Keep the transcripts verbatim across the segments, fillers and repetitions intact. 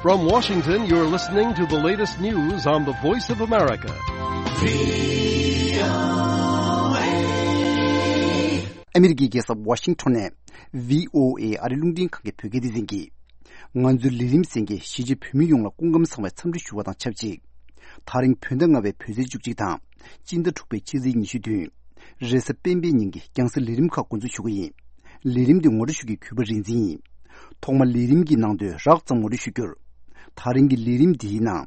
From Washington, you're listening to the latest news on the Voice of America. ཨ་མི་རི་ཀའི་རྒྱལ་ས་ཝ་ཤིང་ཊོན་ནས་བྷི་ཨོ་ཨེ་ཨ་རི་རླུང་འཕྲིན་ཁང་གི་བོད་སྐད་སྡེ་ཚན་གྱིས། ང་ཚོའི་ལས་རིམ་གསན་མཁན་གཞིས་བྱེས་བོད་མི་ཡོངས་ལ་སྐུ་ཁམས་བཟང་བའི་འཚམས་འདྲི་ཞུ་བ་དང་ཆབས་ཅིག་དེ་རིང་བོད་ཟླ་ལྔ་པའི་བོད་ཚེས་བཅུ་གཅིག་དང་། སྤྱི་ཟླ་དྲུག་པའི་ཕྱི་ཚེས་ཉི་ཤུ་བདུན། རེས་གཟའ་སྤེན་པའི་ཉིན་གྱི་རྒྱང་སྲིང་ལས་རིམ་ཁག་འགོ་འཛུགས་ཞུ་གི་ཡིན། ལས་རིམ་འདི་ངོ་སྤྲོད་ཞུ་མཁན་གུས་པ་རིག་འཛིན་ཡིན། ཐོག་མར་ལས་རིམ་གྱི་ནང་དོན་རགས་ཙམ་ངོ་སྤྲོད་ཞུ་རྒྱུར། དེ་རིང་གི་ལས་རིམ་འདིའི་ནང་།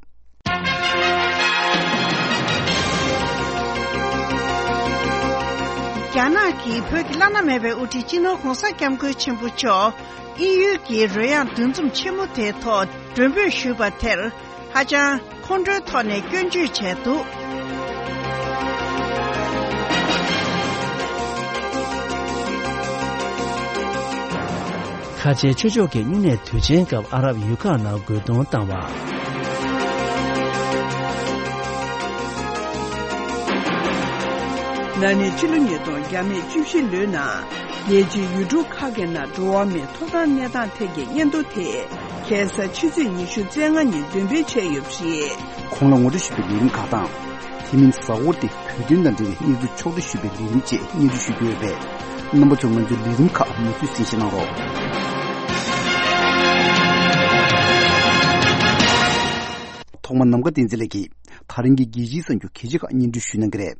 རྒྱ་ནག་གིས་བོད་ཀྱི་བླ་ན་མེད་པའི་དབུ་ཁྲིད་སྤྱི་ནོར་༧གོང་ས་༧སྐྱབས་མགོན་ཆེན་པོ་མཆོག་དབྱིན་ཡུལ་གྱི་རོལ་དབྱངས་འདུ་འཛོམས་ཆེན་མོ་དེའི་ཐོག་མགྲོན་འབོད་ཞུས་པ་དེར། ཧ་ཅང་ཁོང་ཁྲོའི་ཐོག་ནས་སྐྱོན་བརྗོད་བྱས་འདུག་ཁ་ཆེའི་ཆོས་ཕྱོགས་ཀྱི་སྨྱུང་གནས་དུས་ཆེན་སྐབས་ཨ་རབ་ཡུལ་ཁག་ནང་རྒོལ་རྡུང་བཏང་བ། ན་ནིང་ཕྱི་ལོ་ཉིས་སྟོང་བརྒྱ་མེད་བཅུ་བཞི་ལོའི་ནང་རྒྱལ་སྤྱིའི་ཡུལ་གྲུ་ཁག་གི་ནང་འགྲོ་བ་མིའི་ཐོབ་ཐང་གནས་སྟངས་ཐད་ཀྱི་སྙན་ཐོ་དེ་ཁ་སང་ཕྱི་ཚེས་ཉི་ཤུ་རྩ་ལྔ་ཉིན་འདོན་སྤེལ་བྱས་ཡོད་པ་རེད། གོང་ལ་ངོ་སྤྲོད་ཞུས་པའི་ལས་རིམ་ཁག་དང་། དེ་མིན་གཟའ་འཁོར་ཏེ་བོད་དོན་དང་འབྲེལ་བའི་གནས་ཚུལ་ཕྱོགས་བསྒྲིགས་ཞུས་པའི་ལས་རིམ་བཅས་སྙན་སྒྲོན་ཞུ་རྒྱུ་ཡོད་པས། རྣམ་པ་ཚོས་ང་ཚོའི་ལས་རིམ་ཁག་མུ་མཐུད་གསན་བཞེས་གནང་རོགས། ཐོག་མར་ནམ་མཁའ་བསྟན་འཛིན་ལགས་ཀྱིས་དེ་རིང་གི་རྒྱལ་སྤྱིའི་གསར་འགྱུར་གལ་ཆེ་ཁག་སྙན་སྒྲོན་ཞུ་གནང་གི་རེད།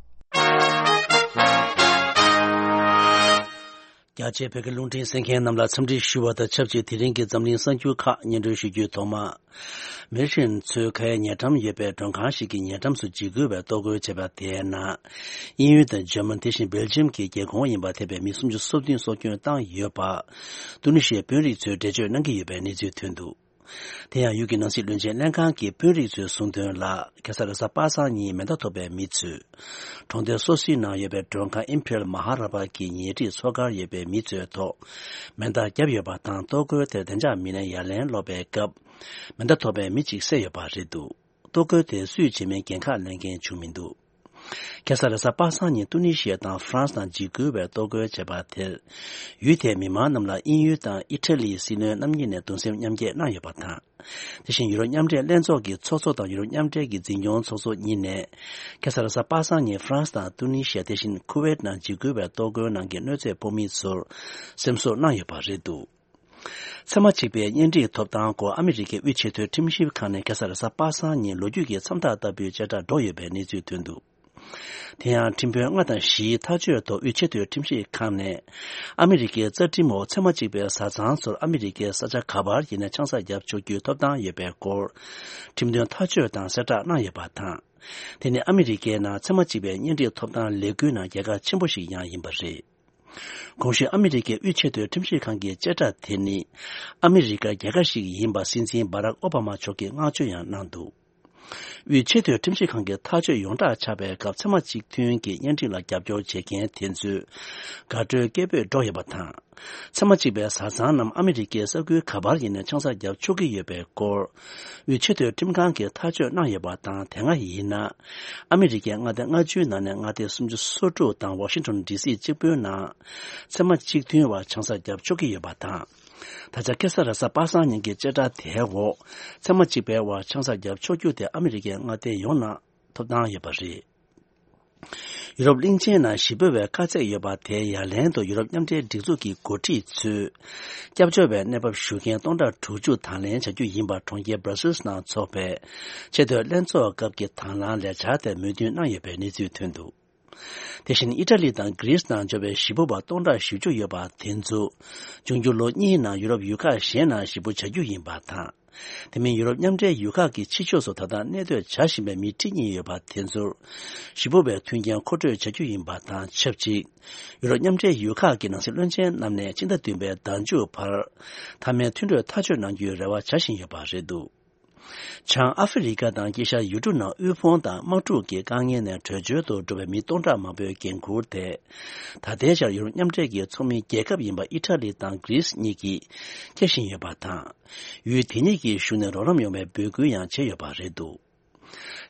རྒྱ་ཆེའི་བོད་ཀྱི་རླུང་འཕྲིན་གསན་མཁན་རྣམས་ལ་འཚམས་འདྲི་ཞུ་བ་དང་ཆབས་ཅིག་དེ་རིང་གི་འཛམ་གླིང་གསར་འགྱུར་ཁག་སྙན་སྒྲོན་ཞུ་རྒྱུའི་ཐོག་མ། མི་ཧྲེན་ཚོས་ཁ་ཡའི་ཉེ་འགྲམ་ཡོད་པའི་མགྲོན་ཁང་ཞིག་གི་ཉེ་འགྲམ་སུ་འཇིགས་སྐུལ་བའི་གཏོར་རྒོལ་བྱས་པ་དེའི་ནང་། དབྱིན་ཡུལ་དང་འཇར་མན་དེ་བཞིན་སྦེལ་ཇམ་གྱི་རྒྱལ་ཁོངས་ཡིན་པ་ཐེ་བའི་མི་སུམ་ཅུ་སོ་བདུན་སྲོག་སྐྱོན་བཏང་ཡོད་པ། ཏུ་ནི་ཤི་ཡའི་དཔོན་རིགས་ཚོས་འགྲེལ་བརྗོད་གནང་གི་ཡོད་པའི་གནས་ཚུལ་ཐོན་འདུག་དེ་ཡང་ཡུལ་གྱི་ནང་སྲིད་བློན་ཆེན་ལྷན་ཁང་གི་དཔོན་རིགས་ཚོས་གསུངས་དོན་ལ། ཁ་སང་རེས་གཟའ་པ་སངས་ཉིན་མེ་མདའ་ཐོགས་པའི་མི་ཚོས། གྲོང་སྡེ་སོ་སོའི་ནང་ཡོད་པའི་མགྲོན་ཁང་ཨིམ་ཕེ་རལ་མ་ཧ་ར་པ་གི་ཉེ་འཁྲིས་མཚོ་ཁར་ཡོད་པའི་མི་ཚོའི་ཐོག་མེ་མདའ་བརྒྱབ་ཡོད་པ་དང་། གཏོར་རྒོལ་དེར་བདེ་འཇགས་མི་སྣས་ཡ་ལན་སློག་པའི་སྐབས། མེ་མདའ་ཐོགས་པའི་མི་གཅིག་བསད་ཡོད་པ་རེད་འདུག་གཏོར་རྒོལ་དེ་སུས་བྱས་མིན་འགན་ཁག་ལེན་མཁན་བྱུང་མི་འདུག་ཁ་སང་རེས་གཟའ་པ་སངས་ཉིན་ཏུ་ནི་ཤི་ཡ་དང་ཧྥ་རན་སི་ནང་འཇིགས་སྐུལ་བའི་གཏོར་རྒོལ་བྱས་པ་དེར། ཡུལ་དེའི་མི་མང་རྣམས་ལ་དབྱིན་ཡུལ་དང་ཨི་ཊ་ལིའི་སྲིད་བློན་རྣམ་གཉིས་ནས་གདུང་སེམས་མཉམ་སྐྱེད་གནང་ཡོད་པ་དང་། དེ་བཞིན་ཡུ་རོབ་མཉམ་འབྲེལ་ལྷན་ཚོགས་ཀྱི་ཚོགས་གཙོ་དང་ཡུ་རོབ་མཉམ་འབྲེལ་གྱི་འཛིན་སྐྱོང་ཚོགས་གཙོ་གཉིས་ནས། ཁ་སང་རེས་གཟའ་པ་སངས་ཉིན་ཧྥ་རན་སི་དང་ཏུ་ནི་ཤི་ཡ་དེ་བཞིན་ཁུ་ཝེད་ནང་འཇིགས་སྐུལ་བའི་གཏོར་རྒོལ་ནང་གི་གནོད་འཚེ་ཕོག་མི་ཚོར་སེམས་གསོ་གནང་ཡོད་པ་རེད་འདུག་ཚད་མ་གཅིག་པའི་གཉེན་སྒྲིག་ཐོབ་ཐང་སྐོར་ཨ་མི་རི་ཀའི་དབུས་ཆེས་མཐོའི་ཁྲིམས་ཞིབ་ཁང་ནས་ཁ་སང་རེས་གཟའ་པ་སངས་ཉིན་ལོ་རྒྱུས་ཀྱི་མཚམས་རྟགས་ལྟ་བུའི་བཅད་ཁྲ་སྒྲོག་ཡོད་པའི་གནས་ཚུལ་ཐོན་འདུག་དེ་ཡང་ཁྲིམས་དཔོན་ལྔ་དང་བཞིའི་ཐག་གཅོད་ཐོག་དབུས་ཆེས་མཐོའི་ཁྲིམས་ཞིབ་ཁང་ནས། ཨ་མི་རི་ཀའི་རྩ་ཁྲིམས་འོག་ཚད་མ་གཅིག་པའི་བཟའ་ཚང་ཚོར་ཨ་མི་རི་ཀའི་ས་ཆ་ག་པར་ཡིན་ནའི་ཆང་ས་བརྒྱབ་ཆོག་རྒྱུའི་ཐོབ་ཐང་ཡོད་པའི་སྐོར། ཁྲིམས་དོན་ཐག་གཅོད་དང་གསལ་བསྒྲགས་གནང་ཡོད་པ་དང་། དེ་ནི་ཨ་མི་རི་ཀའི་ནང་ཚད་མ་གཅིག་པའི་གཉེན་སྒྲིག་ཐོབ་ཐང་ལས་འགུལ་ནང་རྒྱལ་ཁ་ཆེན་པོ་ཞིག་ཡང་ཡིན་པ་རེད། གོང་ཞུས་ཨ་མི་རི་ཀའི་དབུས་ཆེས་མཐོའི་ཁྲིམས་ཞིབ་ཁང་གི་བཅད་ཁྲ་དེ་ནི། ཨ་མི་རི་ཀ་རྒྱལ་ཁབ་ཞིག་ཡིན་པ་སྲིད་འཛིན་སྦ་རག་ཨོ་བྷ་མ་མཆོག་གིས་བསྔགས་བརྗོད་ཡང་གནང་འདུག་དབུས་ཆེས་མཐོའི་ཁྲིམས་ཞིབ་ཁང་གི་ཐག་གཅོད་ཡོངས་གྲགས་ཆགས་པའི་སྐབས་ཚད་མ་གཅིག་མཐུན་གྱི་གཉེན་སྒྲིག་ལ་རྒྱབ་སྐྱོར་བྱེད་མཁན་དེ་ཚོས་དགའ་སྤྲོའི་སྐད་འབོད་སྒྲོག་ཡོད་པ་དང་། ཚད་མ་གཅིག་པའི་བཟའ་ཚང་རྣམས་ཨ་མི་རི་ཀའི་ས་ཁུལ་ག་པར་ཡིན་ནའི་ཆང་ས་བརྒྱབ་ཆོག་གི་ཡོད་པའི་སྐོར། དབུས་ཆེས་མཐོའི་ཁྲིམས་ཁང་གིས་ཐག་གཅོད་གནང་ཡོད་པ་དང་། དེ་སྔ་ཡིན་ན། ཨ་མི་རི་ཀའི་མངའ་སྡེ་ལྔ་བཅུའི་ནང་ནས་མངའ་སྡེ་སུམ་ཅུ་སོ་དྲུག་དང་ཝ་ཤིང་ཊོན་ཌི་སི་གཅིག་པུའི་ནང་། ཚད་མ་གཅིག་མཐུན་བར་ཆང་ས་བརྒྱབ་ཆོག་གི་ཡོད་པ་དང་། ད་ཆ་ཁ་སང་རེས་གཟའ་པ་སངས་ཉིན་གྱི་བཅད་ཁྲ་དེའི་འོག་ཚད་མ་གཅིག་པའི་བར་ཆང་ས་བརྒྱབ་ཆོག་རྒྱུ་དེ་ཨ་མི་རི་ཀའི་མངའ་སྡེ་ཡོངས་ནང་ཐོབ་ཐང་ཡོད་པ་རེད། ཡུ་རོབ་གླིང་ཆེན་ནང་ཞེ་པོ་བའི་དཀའ་ཚེགས་ཡོད་པ་དེའི་ཡ་ལན་དུ་ཡུ་རོབ་མཉམ་འབྲེལ་སྒྲིག་འཛུགས་ཀྱི་འགོ་ཁྲིད་ཚོས། སྐྱབས་བཅོལ་བའི་གནས་བབ་ཞུ་མཁན་སྟོང་ཕྲག་དྲུག་ཅུ་དང་ལེན་བྱ་རྒྱུ་ཡིན་པར་གྲོང་ཁྱེར་སྦྲ་སིལ་ནང་འཚོགས་པའི་ཆེས་མཐོའི་ལྷན་ཚོགས་སྐབས་ཀྱི་དང་བླངས་ལས་འཆར་དེར་མོས་མཐུན་གནང་ཡོད་པའི་གནས་ཚུལ་ཐོན་འདུག་དེ་བཞིན་ཨི་ཊ་ལི་དང་གྷི་རིས་ནང་འབྱོར་བའི་ཞེ་པོ་བ་སྟོང་ཕྲག་བཞི་བཅུ་ཡོད་པ་དེ་ཚོ། འབྱུང་འགྱུར་ལོ་གཉིས་ནང་ཡུ་རོབ་ཡུལ་ཁག་གཞན་ནང་ཞེ་པོ་བྱ་རྒྱུ་ཡིན་པ་དང་། དེ་མིན་ཡུ་རོབ་མཉམ་འབྲེལ་ཡུལ་ཁག་གི་ཕྱི་ཕྱོགས་སུ་ད་ལྟ་གནས་སྡོད་བྱ་བཞིན་པའི་མི་ཁྲི་གཉིས་ཡོད་པ་དེ་ཚོར། ཞེ་པོ་བའི་མཐུན་རྐྱེན་མཁོ་སྤྲོད་བྱ་རྒྱུ་ཡིན་པ་དང་ཆབས་ཅིག་ཡུ་རོབ་མཉམ་འབྲེལ་ཡུལ་ཁག་གི་ནང་སྲིད་བློན་ཆེན་རྣམས་ནས་ཕྱི་ཟླ་བདུན་པའི་ཟླ་མཇུག་བར། མཐའ་མའི་མཐུན་གྲོས་ཐག་གཅོད་གནང་རྒྱུའི་རེ་བ་བྱ་བཞིན་ཡོད་པ་རེད་འདུག་བྱང་ཨ་ཧྥེ་རི་ཁ་དང་དཀྱིལ་ཤར་ཡུལ་གྲུ་ནང་དབུལ་ཕོངས་དང་དམག་འཁྲུག་གི་དཀའ་ངལ་ནས་བྲོས་བྱོལ་དུ་འགྲོ་བའི་མི་སྟོང་ཕྲག་མང་པོའི་འགན་འཁུར་དེ། ད་ལྟའི་ཆར་ཡུ་རོབ་མཉམ་འབྲེལ་གྱི་ཚོགས་མི་རྒྱལ་ཁབ་ཡིན་པ་ཨི་ཊ་ལི་དང་གྷི་རིས་གཉིས་ཀྱིས་འཁྱེར་བཞིན་ཡོད་པ་དང་། ཡུལ་དེ་གཉིས་ཀྱི་གཞུང་ནས་རོགས་རམ་ཡོང་བའི་འབོད་སྐུལ་ཡང་བྱས་ཡོད་པ་རེད་འདུག་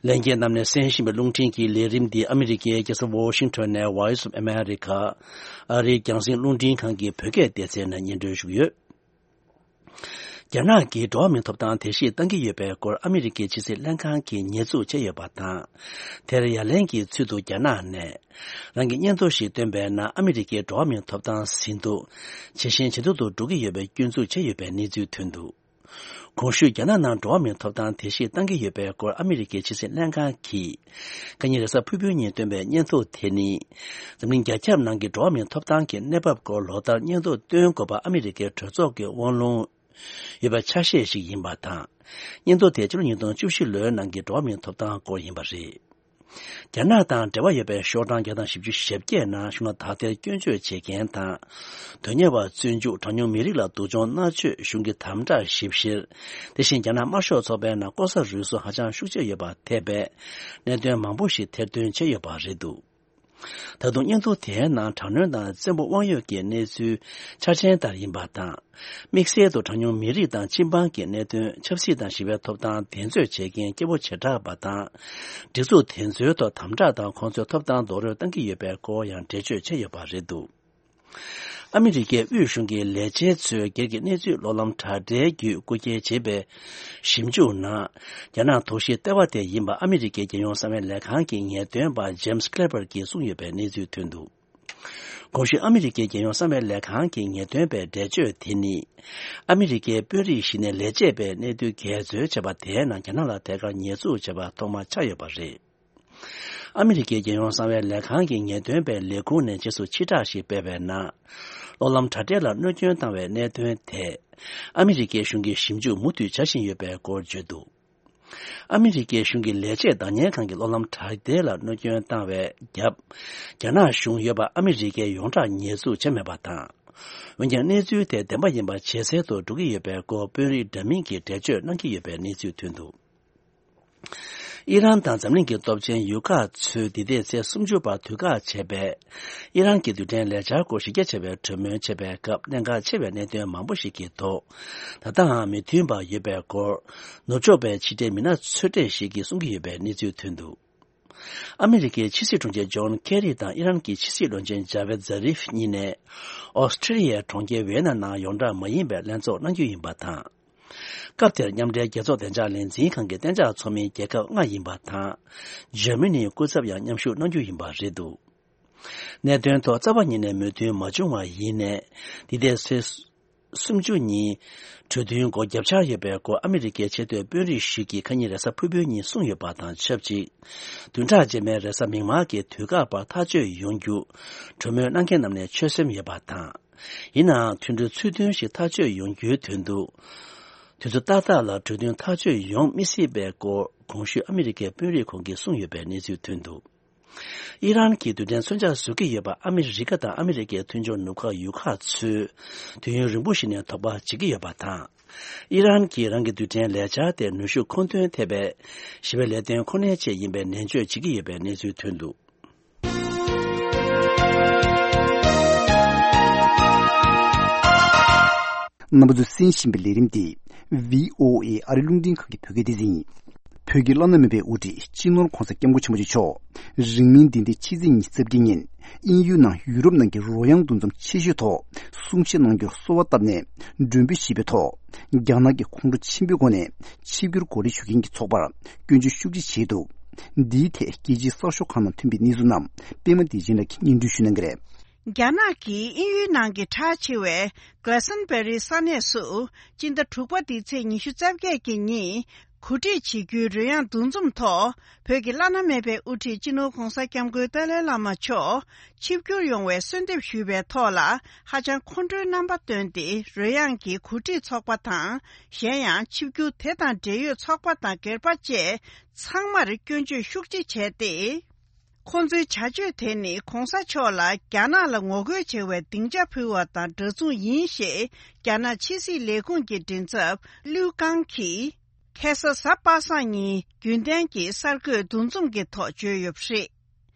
ལྷན་རྒྱས་རྣམས་ནས་གསན་བཞིན་པའི་རླུང་འཕྲིན་གྱི་ལས་རིམ་འདི་ཨ་མི་རི་ཀའི་རྒྱལ་ས་ཝོ་ཤིང་ཊོན་ནས་Voice of America ཨ་རིའི་རྒྱང་སྲིང་རླུང་འཕྲིན་ཁང་གི་བོད་སྐད་སྡེ་ཚན་ནས་སྙན་སྒྲོན་ཞུ་གི་ཡོད། རྒྱ་ནག་གིས་འགྲོ་བ་མིའི་ཐོབ་ཐང་དེ་བཞིན་གཏང་གི་ཡོད་པའི་སྐོར་ཨ་མི་རི་ཀའི་ཕྱི་སྲིད་ལྷན་ཁང་གིས་ཉེས་འཛུགས་བྱས་ཡོད་པ་དང་། དེར་ཡ་ལན་གྱི་ཚུལ་དུ་རྒྱ་ནག་ནས། རང་གི་སྙན་ཐོ་ཞིག་བཏོན་པའི་ནང་ཨ་མི་རི་ཀའི་འགྲོ་བ་མིའི་ཐོབ་ཐང་ཟིན་ཐོ། ཇེ་ཞན་ཇེ་སྡུག་ཏུ་འགྲོ་གི་ཡོད་པའི་སྐྱོན་འཛུགས་བྱས་ཡོད་པའི་གནས་ཚུལ་ཐོན་འདུག་གོང་ཞུས་རྒྱ་ནག་ནང་འགྲོ་བ་མིའི་ཐོབ་ཐང་དེ་བཞིན་གཏང་གི་ཡོད་པའི་སྐོར་ཨ་མི་རི་ཀའི་ཕྱི་སྲིད་ལྷན་ཁང་གིས། ཁ་ཉིན་རེས་གཟའ་ཕུར་བུའི་ཉིན་བཏོན་པའི་སྙན་ཐོ་དེ་ནི། འཛམ་གླིང་རྒྱ་ཁྱབ་ནང་གི་འགྲོ་བ་མིའི་ཐོབ་ཐང་གི་གནས་བབ་སྐོར་ལོ་ལྟར་སྙན་ཐོ་བཏོན་དགོས་པ་ཨ་མི་རི་ཀའི་གྲོས་ཚོགས་ཀྱི་དབང་ལུང་ཡོད་པའི་ཆ་ཤས་ཤིག་ཡིན་པ་དང་། སྙན་ཐོ་དེ་ཕྱི་ལོ་ཉིས་སྟོང་བཅུ་བཞི་ལོའི་ནང་གི་འགྲོ་བ་མིའི་ཐོབ་ཐང་སྐོར་ཡིན་པ་རེད། རྒྱ་ནག་དང་འབྲེལ་བ་ཡོད་པའི་ཤོག་གྲངས་བརྒྱ་དང་བཞི་བཅུ་ཞེ་བརྒྱད་ནང་གཞུང་ལ་དག་ཐེར་སྐྱོན་བརྗོད་བྱེད་མཁན་དང་། དོན་གཉེར་བ་བཙོན་འཇུག་གྲངས་ཉུང་མི་རིགས་ལ་སྡུག་སྦྱོང་མནར་གཅོད་གཞུང་གི་དམ་དྲག་ཞིབ་བཤེར། དེ་བཞིན་རྒྱ་ནག་དམར་ཤོག་ཚོགས་པའི་ནང་ལྐོག་ཟ་རུལ་སུངས་ཧ་ཅང་ཤུགས་ཆེ་ཡོད་པ་ཐེ་བའི་གནད་དོན་མང་པོ་ཞིག་ཐེར་འདོན་བྱས་ཡོད་པ་རེད་འདུག་ད་དུང་སྙན་ཐོ་དེའི་ནང་དྲག་གནོན་དང་བཙན་པོ་དབང་ཡོད་ཀྱི་གནས་ཚུལ་འཆར་ཅན་ལྟར་ཡིན་པ་དང་། དམིགས་བསལ་དུ་གྲངས་ཉུང་མི་རིགས་དང་སྤྱི་འབངས་ཀྱི་གནད་དོན། ཆབ་སྲིད་དང་ཞི་བའི་ཐོབ་ཐང་འདེད་རྩོད་བྱེད་མཁན་སྐྱེ་བོ་བྱེ་བྲག་པ་དང་། སྒྲིག་འཛུགས་དེ་ཚོའི་ཐོག་དམ་དྲག་དང་ཁོང་ཚོའི་ཐོབ་ཐང་རྡོག་རོལ་གཏང་གི་ཡོད་པའི་སྐོར་ཡང་འགྲེལ་བརྗོད་བྱས་ཡོད་པ་རེད་འདུག་ཨ་མི་རི་ཀའི་དབུས་གཞུང་གི་ལས་བྱེད་ཚོས་སྒེར་གྱི་གནས་ཚུལ་གློག་ལམ་དྲ་སྦྲེལ་བརྒྱུད་རྐུ་འཁྱེར་བྱས་པའི་ཞིབ་འཇུག་ནང་། རྒྱ་ནག་དོགས་གཞིའི་ལྟེ་བ་དེ་ཡིན་པ་ཨ་མི་རི་ཀའི་རྒྱལ་ཡོངས་གསང་བའི་ལས་ཁང་གི་ངེས་སྟོན་པ་ཇེམ་སི་ཀླེ་པར་གྱིས་གསུངས་ཡོད་པའི་གནས་ཚུལ་ཐོན་འདུག་གོང་ཞུས་ཨ་མི་རི་ཀའི་རྒྱལ་ཡོངས་གསང་བའི་ལས་ཁང་གི་ངེས་སྟོན་པའི་འགྲེལ་བརྗོད་དེ་ནི། ཨ་མི་རི་ཀའི་དཔོན་རིགས་ཤིག་ནས་ལས་བྱེད་པའི་གནས་ཚུལ་འགལ་འཛོལ་བྱས་པ་དེའི་ནང་རྒྱ་ནག་ལ་ཐད་ཀར་ཉེས་འཛུགས་བྱས་པ་ཐོག་མ་ཆགས་ཡོད་པ་རེད། ཨ་མི་རི་ཀའི་རྒྱལ་ཡོངས་གསང་བའི་ལས་ཁང་གི་ངེས་སྟོན་པའི་ལས་ཁུངས་ནས་རྗེས་སུ་ཕྱིར་བསྒྲགས་ཤིག་སྤེལ་བའི་ནང་། གློག་ལམ་དྲ་སྦྲེལ་ལ་གནོད་སྐྱོན་བཏང་བའི་གནད་དོན་དེ། ཨ་མི་རི་ཀའི་གཞུང་གིས་ཞིབ་འཇུག་མུ་མཐུད་བྱ་བཞིན་ཡོད་པའི་སྐོར་བརྗོད་འདུག་ཨ་མི་རི་ཀའི་གཞུང་གི་ལས་བྱེད་བདག་གཉེར་ཁང་གི་གློག་ལམ་དྲ་སྦྲེལ་ལ་གནོད་སྐྱོན་བཏང་བའི་རྒྱབ། རྒྱ་ནག་གཞུང་ཡོད་པ་ཨ་མི་རི་ཀས་ཡོངས་གྲགས་ཉེས་འཛུགས་བྱས་མེད་པ་དང་། འོན་ཀྱང་གནས་ཚུལ་དེ་བདེན་པ་ཡིན་པ་ཇེ་གསལ་དུ་འགྲོ་གི་ཡོད་པའི་སྐོར་དཔོན་རིགས་འདྲ་མིན་གྱིས་འགྲེལ་བརྗོད་གནང་གི་ཡོད་པའི་གནས་ཚུལ་ཐོན་འདུག་ཨི་རན་དང་འཛམ་གླིང་གི་སྟོབས་ཆེན་ཡུལ་ཁག་ཚོས་འདི་ཟླའི་ཚེས་སུམ་ཅུ་བར་དུས་བཀག་བྱས་པའི་ཨི་རན་གྱི་རྡུལ་ཕྲན་ལས་འཆར་སྐོར་གཞི་རྒྱ་ཆེ་བའི་གྲོས་མོལ་བྱེད་པའི་སྐབས་གནད་འགག་ཆེ་བའི་གནད་དོན་མང་པོ་ཞིག་གི་ཐོག་ད་ལྟའང་མི་མཐུན་པ་ཡོད་པའི་སྐོར། ནུབ་ཕྱོགས་པའི་ཕྱི་འབྲེལ་མི་སྣ་ཚོད་ལྟ་ཞིག་གིས་གསུང་གི་ཡོད་པའི་གནས་ཚུལ་ཐོན་འདུག་ཨ་མི་རི་ཀའི་ཕྱི་སྲིད་དྲུང་ཆེ་ཇོན་ཁེ་རི་དང་ཨི་རན་གྱི་ཕྱི་སྲིད་བློན་ཆེན་ཇ་ཝེད་ཛ་རིཕ་གཉིས་ནས། ཨོ་སི་ཀྲི་ལི་ཡའི་གྲོང་ཁྱེར་ཝེ་ན་ནང་ཡོངས་གྲགས་མ་ཡིན་པའི་ལྷན་ཚོགས་གནང་རྒྱུ་ཡིན་པ་དང་། སྐབས་དེར་མཉམ་འབྲེལ་རྒྱལ་ཚོགས་བདེ་འཇགས་ལས་འཛིན་ཁང་གི་གཏན་འཇགས་ཚོགས་མི་རྒྱལ་ཁབ་ལྔ་ཡིན་པ་དང་། འཇར་མ་ནིའི་སྐུ་ཚབ་ཡང་མཉམ་ཞུགས་གནང་རྒྱུ་ཡིན་པ་རེད་འདུག་གནད་དོན་ཐོག་རྩ་བ་ཉིད་ནས་མོས་མཐུན་མ་བྱུང་བ་ཡིན་ནས། འདི་ཟླའི་ཚེས་སུམ་ཅུ་ཉིན། གྲོས་མཐུན་སྒོ་བརྒྱབ་འཆར་ཡོད་པའི་སྐོར་ཨ་མི་རི་ཀའི་ཆེས་མཐོའི་དཔོན་རིགས་ཤིག་གིས་ཁ་ཉིན་རེས་གཟའ་ཕུར་བུའི་ཉིན་གསུངས་ཡོད་པ་དང་ཆབས་ཅིག་བདུན་ཕྲག་རྗེས་མའི་རེས་གཟའ་མིག་དམར་གྱི་དུས་བཀག་བར་ཐག་གཅོད་ཡོང་རྒྱུ། གྲོས་མོལ་གནང་མཁན་རྣམས་ནས་ཆོད་སེམས་ཡོད་པ་དང་། ཡིན་ནའང་མཐུན་གྲོས་ཚུལ་མཐུན་ཞིག་ཐག་གཅོད་ཡོང་རྒྱུའི་དོན་དུ། དུས་ཚོད་ཏག་ཏག་ལ་གྲོས་མཐུན་ཐག་གཅོད་ཡོང་མི་སྲིད་པའི་སྐོར་གོང་ཞུས་ཨ་མི་རི་ཀའི་དཔོན་རིགས་ཁོང་གིས་གསུངས་ཡོད་པའི་གནས་ཚུལ་ཐོན་འདུག་ཨི་རན་གྱི་རྡུལ་ཕྲན་མཚོན་ཆ་བཟོ་གི་ཡོད་པ་ཨ་མི་རི་ཀ་དང་ཨ་མི་རི་ཀའི་མཐུན་ཕྱོགས་ནུབ་ཁ་ཡུལ་ཁག་ཚོས་དུས་ཡུན་རིང་པོ་ཞིག་ནས་དོགས་པ་བྱེད་ཀྱི་ཡོད་པ་དང་། ཨི་རན་གྱིས་རང་གི་རྡུལ་ཕྲན་ལས་འཆར་དེ་ནུས་ཤུགས་མཁོ་འདོན་ཐེབས་པའི་ཞི་བའི་ལས་དོན་ཁོ་ནའི་ཆེད་ཡིན་པའི་ནན་བརྗོད་བྱེད་ཀྱི་ཡོད་པའི་གནས་ཚུལ་ཐོན་འདུག་རྣམ་པ་ཚོས་གསན་བཞིན་པའི་ལས་རིམ་འདི་བྷི་ཨོ་ཨེ་ཨ་རི་རླུང་འཕྲིན་ཁང་གི་བོད་སྐད་སྡེ་ཚན་ཡིན། བོད་ཀྱི་བླ་ན་མེད་པའི་དབུ་ཁྲིད་སྤྱི་ནོར་༧གོང་ས་༧སྐྱབས་མགོན་ཆེན་པོ་མཆོག་རིང་མིན་འདི་ཟླའི་ཕྱི་ཚེས་ཉི་ཤུ་རྩ་བརྒྱད་ཉིན་དབྱིན་ཡུལ་ནང་ཡུ་རོབ་ནང་གི་རོལ་དབྱངས་འདུ་འཛོམས་ཆེ་ཤོས་ཐོག་གསུང་བཤད་གནང་རྒྱུར་གསོལ་བ་བཏབ་ནས་མགྲོན་འབོད་ཞུས་པའི་ཐོག་རྒྱ་ནག་གིས་ཁོང་ཁྲོ་ཆེན་པོའི་སྒོ་ནས་ཆིབས་བསྒྱུར་གོ་སྒྲིག་ཞུ་མཁན་གྱི་ཚོགས་པར་སྐྱོན་བརྗོད་ཤུགས་ཆེ་བྱས་འདུག་འདིའི་ཐད་རྒྱལ་སྤྱིའི་གསར་ཤོག་ཁག་ནང་ཐོན་པའི་གནས་ཚུལ་རྣམས་པད་མ་བདེ་ཆེན་ལགས་ཀྱིས་སྙན་སྒྲོན་ཞུ་གནང་གི་རེད། རྒྱ་ནག་གིས་དབྱིན་ཡུལ་ནང་གི་གྲགས་ཆེ་བའི་Glastonbury་ས་གནས་སུ་སྤྱི་ཟླ་དྲུག་པ་འདིའི་ཚེས་ཉི་ཤུ་རྩ་བརྒྱད་ཀྱི་ཉིན་གོ་སྒྲིག་བྱེད་རྒྱུའི་རོལ་དབྱངས་འདུ་འཛོམས་ཐོག་བོད་ཀྱི་བླ་ན་མེད་པའི་དབུ་ཁྲིད་སྤྱི་ནོར་༧གོང་ས་༧སྐྱབས་མགོན་ཏཱ་ལའི་བླ་མ་མཆོག་ཆིབས་བསྒྱུར་ཡོང་བའི་གསོལ་འདེབས་ཞུས་པའི་ཐོག་ལ་ཧ་ཅང་ཁོང་ཁྲོའི་རྣམ་པ་བཏོན་ཏེ་རོལ་དབྱངས་ཀྱི་གོ་སྒྲིག་ཚོགས་པ་དང་གཞན་ཡང་ཆིབས་བསྒྱུར་དེ་དང་འབྲེལ་ཡོད་ཚོགས་པ་དང་སྒེར་པ་བཅས་ཚང་མར་སྐྱོན་བརྗོད་ཤུགས་ཆེ་བྱས་ཏེ། ཁོང་ཚོའི་བྱ་སྤྱོད་དེ་ནི་གོང་ས་མཆོག་ལ་རྒྱ་ནག་ལ་ངོ་རྒོལ་བྱེད་པའི་སྡིངས་ཆ་ཕུལ་བ་དང་འདྲ་མཚུངས་ཡིན་ཞེས་རྒྱ་ནག་ཕྱི་སྲིད་ལས་ཁུངས་ཀྱི་མགྲིན་ཚབ་ལིའུ་ཀང་གིས་ཁ་སང་གཟའ་པ་སངས་ཉིན་རྒྱུན་ལྡན་གྱི་གསར་འགོད་འདུ་འཛོམས་ཀྱི་ཐོག་བརྗོད་ཡོད་པ་རེད།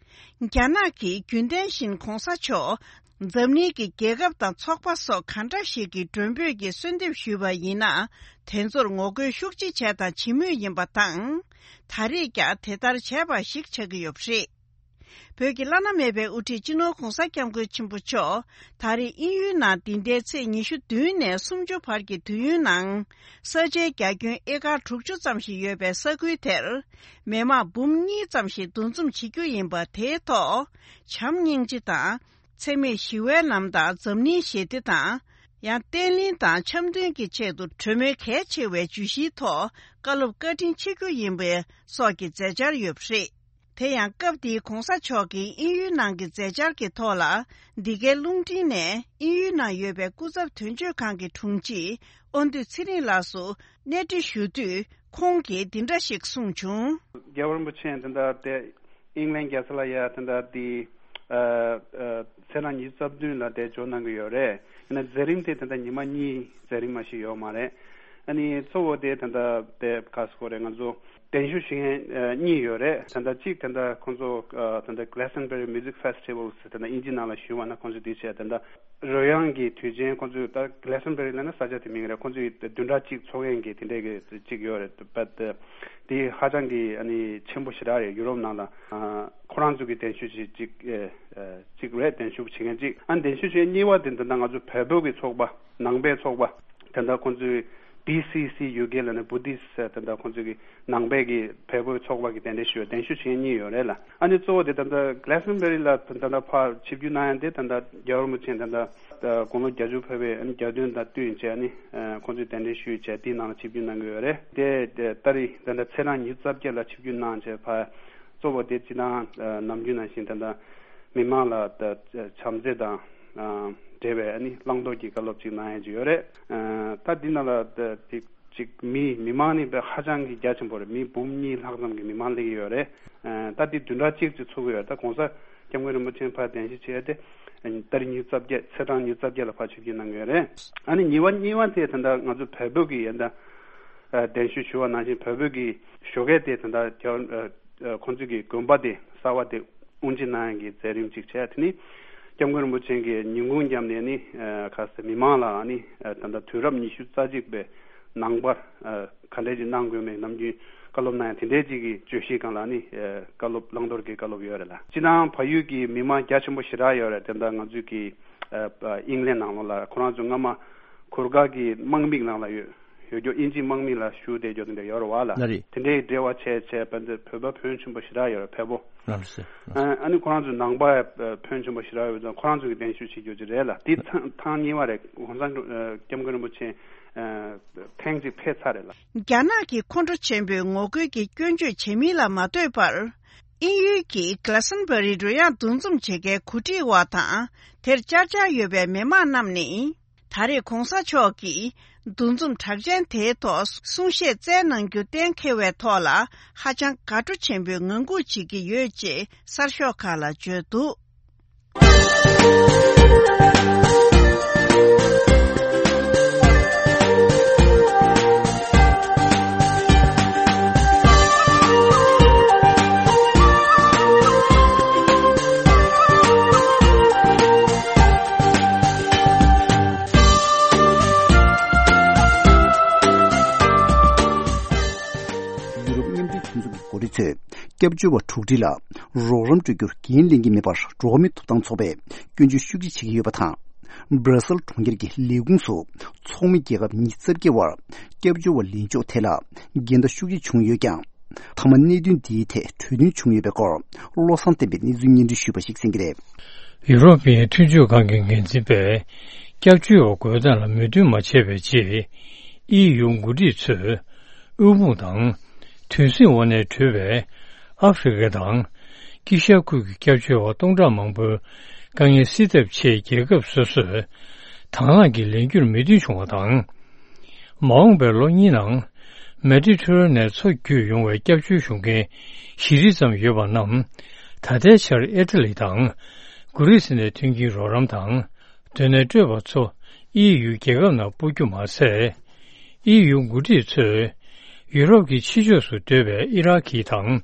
རྒྱ་ནག་གིས་རྒྱུན་ལྡན་བཞིན་གོང་ས་མཆོག་འཛམ་གླིང་གི་རྒྱལ་ཁབ་དང་ཚོགས་པ་སོགས་གང་འདྲ་ཞིག་གི་མགྲོན་འབོད་ཀྱི་གསོལ་འདེབས་ཞུས་པ་ཡིན་ན། དེ་ཚོར་ངོ་རྒོལ་ཤུགས་ཆེ་བྱས་དང་བྱེད་མུས་ཡིན་པ་དང་། ད་རེས་ཀྱང་དེ་ལྟར་བྱས་པ་ཞིག་ཆགས་ཀྱི་ཡོད་པ་རེད། བོད་ཀྱི་བླ་ན་མེད་པའི་དབུ་ཁྲིད་སྤྱི་ནོར་༧གོང་ས་༧སྐྱབས་མགོན་ཆེན་པོ་མཆོག་ད་རེས་དབྱིན་ཡུལ་ནང་འདི་ཟླའི་ཚེས་ཉི་ཤུ་བདུན་ནས་སུམ་ཅུ་བར་གྱི་དུས་ཡུན་ནང་ས་ཆའི་རྒྱ་ཁྱོན་ཨེ་ཀར་དྲུག་ཅུ་ཙམ་ཞིག་ཡོད་པའི་ས་ཁུལ་དེར་མི་མང་འབུམ་གཉིས་ཙམ་ཞིག་འདུ་འཛོམས་བྱེད་རྒྱུ་ཡིན་པ། དེའི་ཐོག་བྱམས་སྙིང་རྗེ་དང་། འཚེ་མེད་ཞི་བའི་ལམ་དང་འཛམ་གླིང་ཞི་བདེ་དང་། ཡང་བརྟན་ལྷིང་དང་འཆམ་མཐུན་གྱི་ཆེད་དུ་གྲོས་མོལ་གལ་ཆེ་བའི་བརྗོད་གཞིའི་ཐོག་བཀའ་སློབ་བཀའ་དྲིན་ཆེ་རྒྱུ་ཡིན་པའི་སོགས་ཀྱི་མཛད་འཆར་ཡོད་པ་རེད། དེ་ཡང་སྐབས་དེའི་༧གོང་ས་མཆོག་གིས་དབྱིན་ཡུལ་ནང་གི་མཛད་འཆར་གྱི་ཐོག་ལ། འདི་གའི་རླུང་འཕྲིན་ནས་དབྱིན་ཡུལ་ནང་ཡོད་པའི་སྐུ་ཚབ་དོན་གཅོད་ཁང་གི་དྲུང་ཆེ་དབང་འདུས་ཚེ་རིང་ལགས་སུ་གནས་འདྲི་ཞུ་དུས། ཁོང་གིས་འདི་འདྲ་ཞིག་གསུངས་བྱུང་། རྒྱལ་བ་རིན་པོ་ཆེ་དེ་འདྲ་དེ་ཨིང་ལན་རྒྱལ་ས་ལ་ཡ་དེ་འདྲ་དེ་ཨ་ཨ་ཚེས་གྲངས་ཉི་ཤུ་རྩ་བདུན་ལ་དེ་འབྱོར་གནང་གི་ཡོད་རེད། ཡིན་ན་མཛད་རིམ་དེ་དེ་འདྲ་ཉི་མ་གཉིས་མཛད་རིམ་མ་ཞིག་ཡོད་མ་རེད། ཨ་ནི་གཙོ་བོ་དེ་དེ་འདྲ་དེ་ག་སོ་རེད། ང་ཚོ་གདན་ཞུ་བྱེད་མཁན་ཨ་གཉིས་ཡོད་རེད། དེ་འདྲ་གཅིག་དེ་འདྲ་ཁོང་ཚོ་ཨ་དེ་འདྲ་Glastonbury Music Festival ཟེར་དེ་འདྲ་དབྱིན་ཇི་ནང་ལ་ཞུས་པ་ན། ཁོང་ཚོ་དེ་བྱས་དེ་འདྲ་རོལ་དབྱངས་ཀྱི་དུས་ཆེན། ཁོང་ཚོས་ད་Glastonbury ལབ་ན་ས་ཆ་དེ་མིང་རེད། ཁོང་ཚོས་བདུན་ཕྲག་གཅིག་འཚོགས་མཁན་གྱི་དེ་འདྲའི་གི་གཅིག་ཡོད་རེད། པད་དེ་ཧ་ཅང་གི་ཨ་ནི་ཆེན་པོ་ཞེ་དྲག་རེད། ཡུ་རོབ་ནང་ལ་ཨ་ཁོ་རང་ཚོ་གི་གདན་ཞུ་བྱེད་གཅིག་ཨེ་ཨེ་གཅིག་རེད། གདན་ཞུ་བྱེད་མཁན་གཅིག་ཨ་གདན་ཞུ་བྱེད་གཉིས་པ་དེ་འདི་ད་ང་ཚོ་བལ་པོ་གི་ཚོགས་པ། ནང་པའི་ཚོགས་པ། དེ་འདྲ་ཁོང་ཚོས་B C C U K ལབ་ནས་Buddhist དེ་འདྲ་ཁོང་ཚོ་གི་ནང་པའི་གི་བལ་པོའི་ཚོགས་པ་གི་གདན་འདྲེན་ཞུ་གདན་ཞུ་བྱེད་མཁན་གཉིས་ཡོད་རེད་ལ། ཨ་ནི་གཙོ་བོ་དེ་ད་ལྟ་Glastonbury ལ་ད་ལྟ་ཕར་ཆིབས་བསྒྱུར་གནང་ཡ་དེ་ད་ལྟ་རྒྱལ་བ་རིན་པོ་ཆེ་ད་ལྟ་དགུང་ལོ་བརྒྱད་ཅུ་ཕེབས་པའི་ཨ་ནི་གྱ་སྟོན་དང་བསྟུན་བྱས། ཨ་ནི་ཁོང་ཚོས་གདན་འདྲེན་ཞུས་བྱས་དེའི་ནང་ལ་ཆིབས་བསྒྱུར་གནང་གི་ཡོད་རེད། དེ་ད་རེས་ད་ལྟ་ཚེས་གྲངས་ཉི་ཤུ་རྩ་བརྒྱད་ལ་ཆིབས་བསྒྱུར་གནང་བྱས་ཕར་གཙོ་བོ་དེ་སྤྱིར་བཏང་ནམ་རྒྱུན་ནང་བཞིན་ད་ལྟ་མི་མང་ལ་ད་བྱམས་བརྩེ་དང་འབྲེལ་བའི་ཨ་ནི་བླང་དོར་གྱི་བཀའ་སློབ་ཅིག་གནང་ཡ་ཅིག་ཡོད་རེད། ད་འདི་ནང་ལ་ད་ཅིག་ཅིག་མི་མི་མང་ནི་དཔེ་ཧ་ཅང་གི་རྒྱ་ཆེན་པོ་རེད། མི་འབུམ་གཉིས་ལྷག་ཙམ་གྱི་མི་མང་སླེབས་ཀྱི་ཡོད་རེད། ད་འདི་བདུན་ཕྲག་གཅིག་ཅིག་ཚུགས་ཀྱི་ཡོད་རེད། ད་༧གོང་ས་༧སྐྱབས་མགོན་རིན་པོ་ཆེ་ཕར་གདན་ཞུ་བྱས་ཏེ་ད་རེས་ཉི་ཤུ་རྩ་བརྒྱད་ཚེས་གྲངས་ཉི་ཤུ་རྩ་བརྒྱད་ལ་ཕར་ཆིབས་བསྒྱུར་གནང་གི་ཡོད་རེད། ཨ་ནི་གཉིས་པ་གཉིས་པ་དེ་ད་ལྟ་ང་ཚོ་བལ་པོ་གི་ཡ་ད་གདན་ཞུ་ཞུ་བ་ནང་བཞིན་བལ་པོ་གི་ཞོགས་ཀས་དེ་ད་ལྟ་རྒྱ་ཁོང་ཚོ་གི་དགོན་པ་དེ་གསར་བ་དེ་དབུ་འབྱེད་གནང་ཡ་གི་མཛད་རིམ་ཅིག་བྱས། དེ་ནི་༧སྐྱབས་མགོན་རིན་པོ་ཆེ་གི་ཉིན་གུང་མཉམ་ནས་ནི་ཁ་སང་མི་མང་ལ་ནི་ད་ལྟ་དུས་རབས་ཉི་ཤུ་རྩ་གཅིག་པའི་ནང་པར་ག་འདྲས་ཅིག་གནང་དགོས་མེད་ནམ་རྒྱུན་བཀའ་སློབ་གནང་ཡ་དེ་འདྲས་ཅིག་གི་བརྗོད་གཞིའི་སྒང་ལ་ནི་བཀའ་སློབ་བླང་དོར་གྱི་བཀའ་སློབ་ཡོད་རེད་ལ། སྤྱིར་བཏང་བལ་ཡུལ་གྱི་མི་མང་རྒྱ་ཆེན་པོ་ཞེ་དྲག་ཡོད་རེད། དེ་འདྲ་ང་ཚོའི་གི་ཨིང་ལན་ནང་ལོགས་ལ་ཁོ་རང་ཚོ་སྔ་མ་གུར་དཀར་གྱི་དམག་མི་ནང་ལ་ཡོད། ཡོད་རྒྱུ་དབྱིན་ཇིའི་དམག་མི་ལ་ཞུགས་བསྡད་རྒྱུ་དེ་འདྲ་ཡོད་རེད་བ་ལ། ལ་རེད། དེ་འདྲའི་འབྲེལ་བ་བྱས་བྱས་བོད་འདི་བོད་པ་ཕོན་ཆེན་པོ་ཞེ་དྲག་ཡོད་རེད། བལ་པོ། ལ་ལ་སེ། ཨ་ཨ་ནི་ཁོ་རང་ཚོའི་ནང་པ་ཕོན་ཆེན་པོ་ཞེ་དྲག་ཡོད་ཙང་ཁོ་རང་ཚོ་གི་གདན་ཞུ་བྱེད་རྒྱུ་ཅིག་རེད་ལ། དེ་ཐེངས་ཐེངས་གཉིས་པ་རེད། ༸གོང་ས་༸སྐྱབས་མགོན་རིན་པོ་ཆེ་ཐེངས་གཅིག་ཕེབས་ཚར་རེད་ལ། རྒྱ་ནག་གི་ཁོང་ཁྲོ་ཆེན་པོའི་ངོ་རྒོལ་གྱི་སྐྱོན་བརྗོད་བྱེད་མིན་ལ་མ་ལྟོས་པར། དབྱིན་ཡུལ་གྱི་Glastonbury རོལ་དབྱངས་འདུ་འཛོམས་བྱེད་མཁན་གོ་སྒྲིག་པ་དང་དེར་བཅར་འཆར་ཡོད་པའི་མི་མང་རྣམས་ནི། ད་རེས་གོང་ས་མཆོག་གིས་འདུ་འཛོམས་གྲགས་ཅན་དེའི་ཐོག་གསུང་བཤད་སྩལ་གནང་རྒྱུ་གཏན་འཁེལ་བའི་ཐོག་ལ་ཧ་ཅང་དགའ་སྤྲོ་ཆེན་པོས་ངང་སྒུག་བྱེད་ཀྱི་ཡོད་ཅེས་གསར་ཤོག་ཁག་ལ་བརྗོད་འདུག་ཡུ་རོབ་མཉམ་འབྲེལ་མཐུན་ཚོགས་ཀྱི་འགོ་ཁྲིད་ཚོས་སྐྱབས་བཅོལ་བ་འཁྲུག་འདི་ལ་རོགས་རམ་སྤྲོད་རྒྱུར་འགན་ལེན་གྱི་མེད་པར་འགྲོ་བ་མིའི་ཐོབ་ཐང་ཚོགས་པས་སྐྱོན་བརྗོད་ཤུགས་ཆེ་བྱེད་ཀྱི་ཡོད་པ་དང་། སྦྲ་སེལ་གྲོང་ཁྱེར་གྱི་ལས་ཁུངས་སུ་ཚོགས་མི་རྒྱལ་ཁབ་ཉི་ཤུ་རྩ་བརྒྱད་དབར་སྐྱབས་བཅོལ་བ་ལེན་ཕྱོགས་ཐད་ལ་འགལ་ཟླ་ཤུགས་ཆེ་བྱུང་ཡོད་ཀྱང་། མཐའ་མ་གནད་དོན་འདིའི་ཐད་གྲོས་མཐུན་བྱུང་ཡོད་པའི་སྐོར་བློ་བཟང་བསྟན་པས་གནས་ཚུལ་སྙན་སྒྲོན་ཞུས་པ་ཞིག་གསན་གྱི་རེད། ཡུ་རོབ་པའི་མཐུན་ཕྱོགས་ཁང་གི་འགན་འཛིན་པས་སྐྱབས་བཅོལ་བ་དགོས་སྟངས་ལ་མོས་མཐུན་མ་བྱས་པའི་རྗེས། ཨི་ཡུ་འགོ་ཁྲིད་ཚོས་དབུལ་ཕོངས་དང་དུས་ཟིང་འོག་ནས་བྲོས་པའི་ཨ་ཧྥེ་རི་ཁ་དང་དཀྱིལ་ཤར་ཁུལ་གྱི་སྐྱབས་བཅོལ་བ་སྟོང་ཕྲག་མང་པོའི་དཀའ་ངལ་སེལ་ཐབས་ཆེད་རྒྱལ་ཁབ་སོ་སོས་དང་བླངས་ཀྱིས་ལེན་རྒྱུར་མོས་མཐུན་བྱུང་བ་དང་། མ་འོངས་པའི་ལོ་གཉིས་ནང་མེ་ཌི་ཐེ་རེ་ནེན་མཚོ་བརྒྱུད་ཡོང་བའི་སྐྱབས་བཅོལ་ཞུ་མཁན་བཞི་ཁྲི་ཙམ་ཡོད་པ་རྣམས་ད་ལྟའི་ཆར་ཨི་ཊ་ལི་དང་གྷི་རི་སི་ནས་ཐོན་གྱི་རོགས་རམ་དང་། སྡོད་གནས་སྤྲོད་པ་ཚོ་ཨི་ཡུའི་རྒྱལ་ཁབ་ནང་སྤོ་རྒྱུ་མ་ཟད། ཨི་ཡུ་འགོ་ཁྲིད་ཚོས་ཡུ་རོབ་ཀྱི་ཕྱི་ཕྱོགས་སུ་སྡོད་པའི་ཨི་རག་གི་དང་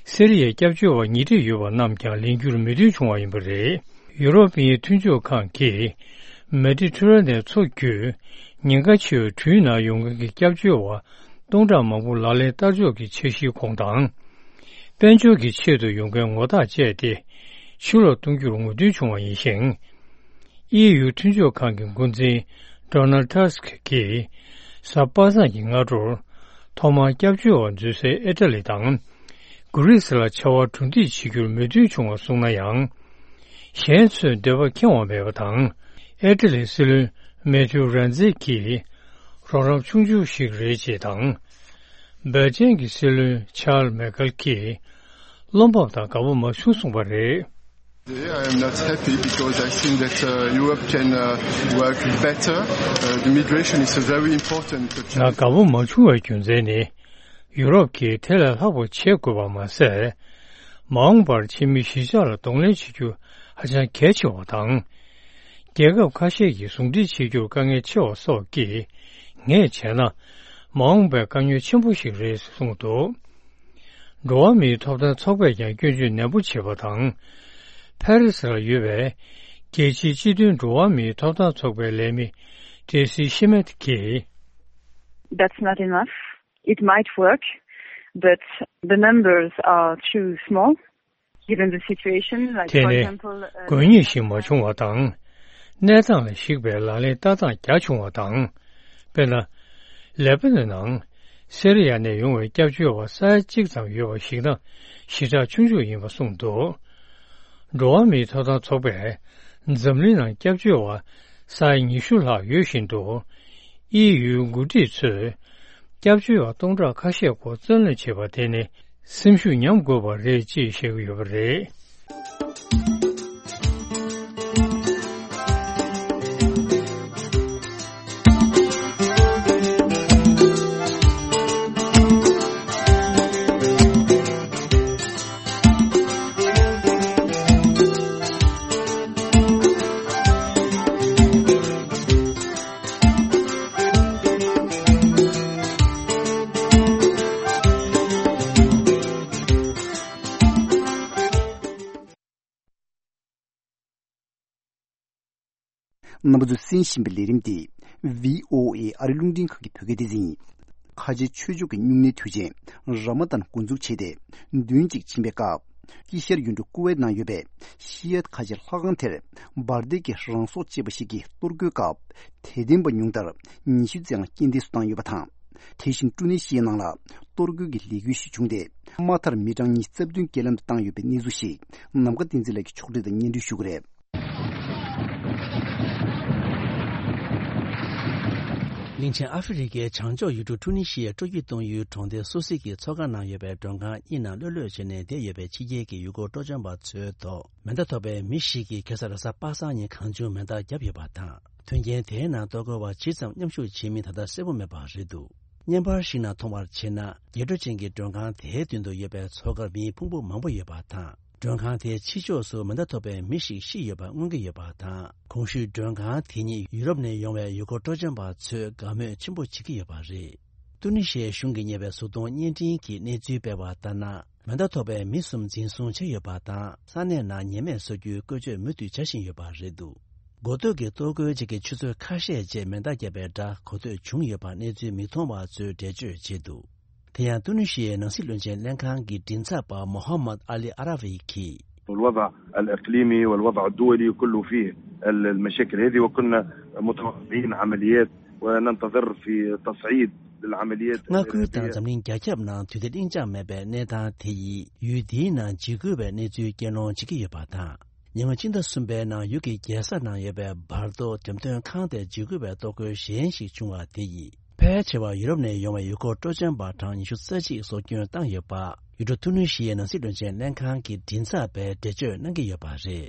སི་རི་ཡའི་སྐྱབས་བཅོལ་བ་ཉིས་ཁྲི་ཡོད་པ་རྣམས་ཀྱང་ལེན་རྒྱུར་མོས་མཐུན་བྱུང་བ་ཡིན་པ་རེད། ཡུ་རོབ་མཐུན་ཕྱོགས་ཁང་གིས་མེ་ཌི་ཐེ་རེ་ནེན་མཚོ་བརྒྱུད་ཉེན་ཁ་ཆེ་བའི་དུས་ནང་ཡོང་མཁན་གྱི་སྐྱབས་བཅོལ་བ་སྟོང་ཕྲག་མང་པོ་ལག་ལེན་བསྟར་ཕྱོགས་ཀྱི་འཆར་གཞིའི་གོང་དང་། དཔལ་འབྱོར་གྱི་ཆེད་དུ་ཡོང་མཁན་ངོ་རྟགས་སྤྱད་དེ་ཕྱིར་ལོག་གཏོང་རྒྱུར་ངོས་འཛིན་བྱུང་བ་ཡིན་ཞིང་། ཨི་ཡུ་མཐུན་ཕྱོགས་ཁང་གི་འགོ་འཛིན་Donald Tusk་གིས་གཟའ་པ་སངས་ཀྱི་སྔ་དྲོར་ཐོག་མར་སྐྱབས་བཅོལ་བ་འཛུལ་སའི་ཨི་ཊ་ལི་དང་གྷི་རིས་ལ་ཆར་པ་གྲུ་འདེགས་བྱེད་རྒྱུར་མོས་མཐུན་བྱུང་བ་སོང་ན་ཡང་། གཞན་ཚོས་འདོད་པ་ཁེངས་པ་མེད་པ་དང་། ཨི་ཊ་ལིའི་སྲིད་བློན་མེ་ཐིའུ་རན་ཛི་གིས་རོགས་རམ་ཆུང་ཆུང་ཞིག་རེད་ཅེས་དང་། སྦེལ་ཇམ་གྱི་སྲིད་བློན་ཆཱལ་མེ་ཀལ་གྱིས་བློ་འབབ་དང་དགའ་པོ་མ་བྱུང་གསུངས་པ་རེད། I am not happy because I think that, uh, Europe can, uh, work better. Uh, the migration is a very important ང་དགའ་པོ་མ་བྱུང་བའི་རྒྱུ་མཚན་ནི། ཡུ་རོབ་ཀྱིས་དེ་ལས་ལྷག་པ་བྱེད་དགོས་པ་མ་ཟད། མ་འོངས་པར་ཕྱི་མི་གཞིས་ཆགས་ལ་གདོང་ལེན་བྱེད་རྒྱུ་ཧ་ཅང་གལ་ཆེ་བ་དང་། རྒྱལ་ཁབ་ཁ་ཤས་ཀྱིས་ཟུང་འབྲེལ་བྱེད་རྒྱུར་དཀའ་ངལ་ཆེ་བ་སོགས་ཀྱིས་ངས་བྱས་ན། མ་འོངས་པའི་དཀའ་ངལ་ཆེན་པོ་ཞིག་རེད་ཅེས་གསུངས་འདུག་འགྲོ་བ་མིའི་ཐོབ་ཐང་ཚོགས་པས་ཀྱང་སྐྱོན་བརྗོད་ནན་པོ་བྱས་པ་དང་། ཕ་རི་སི་ལ་ཡོད་པའི་རྒྱལ་སྤྱིའི་སྤྱི་མཐུན་འགྲོ་བ་མིའི་ཐོབ་ཐང་ཚོགས་པའི་ལས་མི་ཀྲེ་སི་ཤི་མེད་ཀྱིས། That's not enough. It might work, but the numbers are too small. Given the situation, like, དེ for ནི་example, uh, དགོས་ངེས་ཤིག་མ་བྱུང་བ་དང་། གནས་སྟངས་ལ་གཞིགས་པའི་ལག་ལེན་ལྟ་སྟངས་རྒྱ་ཆུང་བ་དང་། དཔེར་ན། ལེ་པ་ནན་ནང་སི་རི་ཡ་ནས་ཡོང་བའི་སྐྱབས་བཅོལ་བ་ས་ཡ་གཅིག་ཙམ་ཡོད་པ་གཞིགས་ན་ཞེ་དྲག་ཆུང་ཆུང་ཡིན་པ་གསུངས་འདུག་འགྲོ་བ་མིའི་ཐོབ་ཐང་ཚོགས་པས་འཛམ་གླིང་ནང་སྐྱབས་བཅོལ་བ་ས་ཡ་ཉི་ཤུ་ལྷག་ཡོད་བཞིན་དུ། ཨི་ཡུའི་འགོ་ཁྲིད་ཚོས་སྐྱབས་བཅོལ་བ་སྟོང་ཕྲག་ཁ་ཤས་སྐོར་རྩོད་གླེང་བྱས་པ་དེ་ནི་སེམས་ཤུགས་ཉམས་དགོས་པ་རེད་ཅེས་བཤད་ཀྱི་ཡོད་པ་རེད། རྣམ་པ་ཚོས་གསན་བཞིན་པའི་ལས་རིམ་འདི་བྷི་ཨོ་ཨེ་ཨ་རི་རླུང་འཕྲིན་ཁང་གི་བོད་སྐད་སྡེ་ཚན་ཡིན། ཁ་ཆེ་ཆོས་ཕྱོགས་ཀྱི་སྨྱུང་གནས་དུས་ཆེན་ར་མ་དཱན་འགོ་འཛུགས་བྱས་ཏེ་བདུན་གཅིག་ཕྱིན་པའི་སྐབས། དཀྱིལ་ཤར་ཡུལ་གྲུ་ཀུ་ཝེད་ནང་ཡོད་པའི་ཤི་ཡད་ཁ་ཆེ་ལྷ་ཁང་དེར་འབར་མདེལ་གྱི་རང་སྲོག་བཅད་པ་ཞིག་གིས་གཏོར་རྒོལ་སྐབས་དད་ལྡན་པ་ཉུང་མཐར་ཉི་ཤུ་རྩ་ལྔ་རྐྱེན་འདས་སུ་བཏང་ཡོད་པ་དང་། དེ་བཞིན་ཀྲུ་ནེ་ཤི་ཡའི་ནང་ལ་གཏོར་རྒོལ་གྱི་ལས་འགུལ་ཞིག་བྱུང་སྟེ་དམའ་མཐར་མི་གྲངས་ཉི་ཤུ་རྩ་བདུན་རྐྱེན་ལམ་དུ་བཏང་ཡོད་པའི་གནས་ཚུལ་ཞིག་ནམ་མཁའ་བསྟན་འཛིན་ལགས་ཀྱིས་ཕྱོགས་སྒྲིག་དང་སྙན་སྒྲོན་ཞུ་གི་རེད། གླིང་ཆེན་ཨ་ཧྥེ་རི་ཁའི་བྱང་ཕྱོགས་ཡུལ་གྲུ་ཀྲུ་ནི་ཤི་ཡའི་སྤྲོ་སྐྱིད་གཏོང་ཡུལ་གྲོང་སྡེ་སུ་སི་ཀི་མཚོ་ཁ་ནང་ཡོད་པའི་མགྲོན་ཁང་གཉིས་ནང་ལྷོད་ལྷོད་བྱས་ནས་བསྡད་ཡོད་པའི་ཕྱི་རྒྱལ་གྱི་ཡུལ་སྐོར་སྤྲོ་འཆམ་པ་ཚོའི་ཐོག་མེ་མདའ་ཐོགས་པའི་མི་ཞིག་གིས་ཁ་སང་རེས་གཟའ་པ་སངས་ཉིན་གང་བྱུང་མེ་མདའ་བརྒྱབ་ཡོད་པ་དང་། མཐུན་རྐྱེན་དེའི་ནང་གཏོར་རྒོལ་བ་ཇི་ཙམ་མཉམ་ཞུགས་བྱེད་མིན་ད་ལྟ་གསལ་པོ་མེད་པ་རེད་འདུག་བརྙན་པར་ཞིག་ནང་མཐོང་བར་བྱས་ན། རྒྱས་སྤྲོས་ཅན་གྱི་མགྲོན་ཁང་དེའི་མདུན་དུ་ཡོད་པའི་མཚོ་ཁར་མིའི་ཕུང་པོ་མང་པོ་ཡོད་པ་དང་། མགྲོན་ཁང་དེའི་ཕྱི་ཕྱོགས་སུ་མེ་མདའ་ཐོགས་པའི་མི་ཞིག་ཤི་ཡོད་པ་མངོན་གྱི་ཡོད་པ་དང་། གོང་ཞུས་མགྲོན་ཁང་དེ་ཉིད་ཡུ་རོབ་ནས་ཡོང་བའི་ཡུལ་སྐོར་སྤྲོ་འཆམ་པ་ཚོས་དགའ་མོས་ཆེན་པོ་བྱེད་ཀྱི་ཡོད་པ་རེད། ཏུ་ནི་ཤི་ཡའི་གཞུང་གིས་གཉེར་བའི་གཟུགས་མཐོང་བརྙན་འཕྲིན་གྱིས་གནས་ཚུལ་སྤེལ་བ་ལྟར་ན། མེ་མདའ་ཐོགས་པའི་མི་གསུམ་འཛིན་བཟུང་བྱས་ཡོད་པ་དང་། ས་གནས་ནང་ཉེས་མེད་བཟོ་རྒྱུའི་བཀོལ་སྤྱོད་མུ་མཐུད་བྱ་བཞིན་ཡོད་པ་རེད་འདུག་འགོ་སྟོད་ཀྱི་གཏོར་རྒོལ་ཅིག་གིས་ཆུ་ཚོད་ཁ་ཤས་རྗེས་མེ་མདའ་བརྒྱབ་པའི་སྒྲ་གོ་ཐོས་བྱུང་ཡོད་པ་གནས་ཚུལ་མིག་མཐོང་བ་ཚོས་འགྲེལ་བརྗོད་བྱས་འདུག་དེ་ཡང་ཏུ་ནི་ཤི་ཡའི་ནང་སྲིད་བློན་ཆེན་ལྷན་ཁང་གི་མགྲིན་ཚབ་པ་མོ་ཧམ་མད་ཨ་ལི་ཨ་ར་བྷི་གིས། والوضع الإقليمي والوضع الدولي كله فيه المشاكل هذه، وكنا متوقعين عمليات وننتظر في تصعيد للعمليات الإرهابية. མངའ་ཁུལ་དང་འཛམ་གླིང་རྒྱ་ཁྱབ་ནང་དུས་བདེ་གླེང་བྱང་མེད་པའི་གནས་སྟངས་དེ་ཡིས་ཡུལ་འདིའི་ནང་འཇིགས་སྐུལ་བའི་གནས་ཚུལ་སྐྱེལ་སློང་བྱེད་ཀྱི་ཡོད་པ་དང་། ཉེ་སྔོན་ཕྱི་ཟླ་གསུམ་པའི་ནང་ཡུལ་གྱི་རྒྱལ་ས་ནང་ཡོད་པའི་བར་དོ་འགྲེམས་སྟོན་ཁང་དེར་འཇིགས་སྐུལ་བའི་གཏོར་རྒོལ་གཞན་ཞིག་བྱུང་བ་དེ་ཡིས། ཕལ་ཆེ་བ་ཡུ་རོབ་ནས་ཡོང་བའི་ཡུལ་སྐོར་སྤྲོ་འཆམ་པ་གྲངས་ཉི་ཤུ་རྩ་གཅིག་སྲོག་སྐྱོན་བཏང་ཡོད་པ། ཡུལ་གྲུ་ཐུ་ནུ་ཤི་ཡའི་ནང་སྲིད་བློན་ཆེན་ལྷན་ཁང་གི་མགྲིན་ཚབ་པས་འགྲེལ་བརྗོད་གནང་གི་ཡོད་པ་རེད།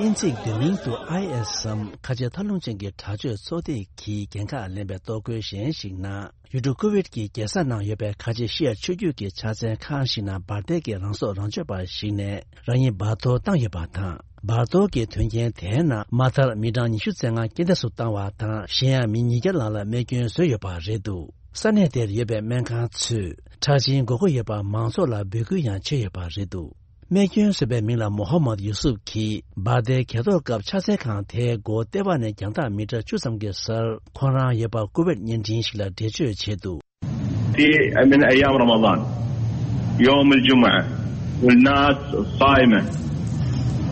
དབྱིན་ཚིག་བསྡུས་མིང་དུ་ཨའི་ཨེས་སམ་ཁ་ཆེ་མཐའ་ལྷུང་ཅན་གྱི་དྲག་སྤྱོད་ཚོགས་སྡེ་གིས་འགན་ཁག་ལེན་པའི་གཏོར་རྒོལ་གཞན་ཞིག་ནང་། ཡུལ་གྲུ་ཀུ་ཝེད་ཀྱི་རྒྱལ་ས་ནང་ཡོད་པའི་ཁ་ཆེ་ཤི་ཡ་ཆོས་བརྒྱུད་ཀྱི་ཕྱག་འཚལ་ཁང་ཞིག་ནང་འབར་མདེལ་གྱིས་རང་སྲོག་རང་གཅོད་པ་ཞིག་ནས་རང་ཉིད་འབར་གཏོར་བཏང་ཡོད་པ་དང་། འབར་གཏོར་གྱི་དོན་རྐྱེན་དེའི་ནང་མ་མཐར་མི་གྲངས་ཉི་ཤུ་རྩ་ལྔ་རྐྱེན་འདས་སུ་བཏང་བ་དང་། གཞན་ཡང་མི་ཉིས་བརྒྱ་ལྷག་ལ་རྨས་སྐྱོན་བཟོས་ཡོད་པ་རེད་འདུག་ས་གནས་དེར་ཡོད་པའི་སྨན་ཁང་ཚོས་ཁྲག་སྦྱིན་དགོས་མཁོ་ཡོད་པ་མང་ཚོགས་ལ་འབོད་སྐུལ་ཡང་བྱས་ཡོད་པ་རེད་འདུག་རྨས་སྐྱོན་བཟོས་པའི་མིང་ལ་མོ་ཧམ་མད་ཡུ་སུབ་ཀྱིས་སྦག་སྡེར་གྱེས་གཏོར་སྐབས་ཕྱག་འཚལ་ཁང་དེའི་སྒོ་ལྟེ་བ་ནས་རྒྱང་ཐག་མི་ཊར་བཅུ་ཙམ་གྱི་སར་ཁོང་རང་ཡོད་པ་ཀུ་ཝེད་བརྙན་འཕྲིན་ཞིག་ལ་འགྲེལ་བརྗོད་བྱས་འདུག། في، من أيام رمضان، يوم الجمعة، والناس صائمة،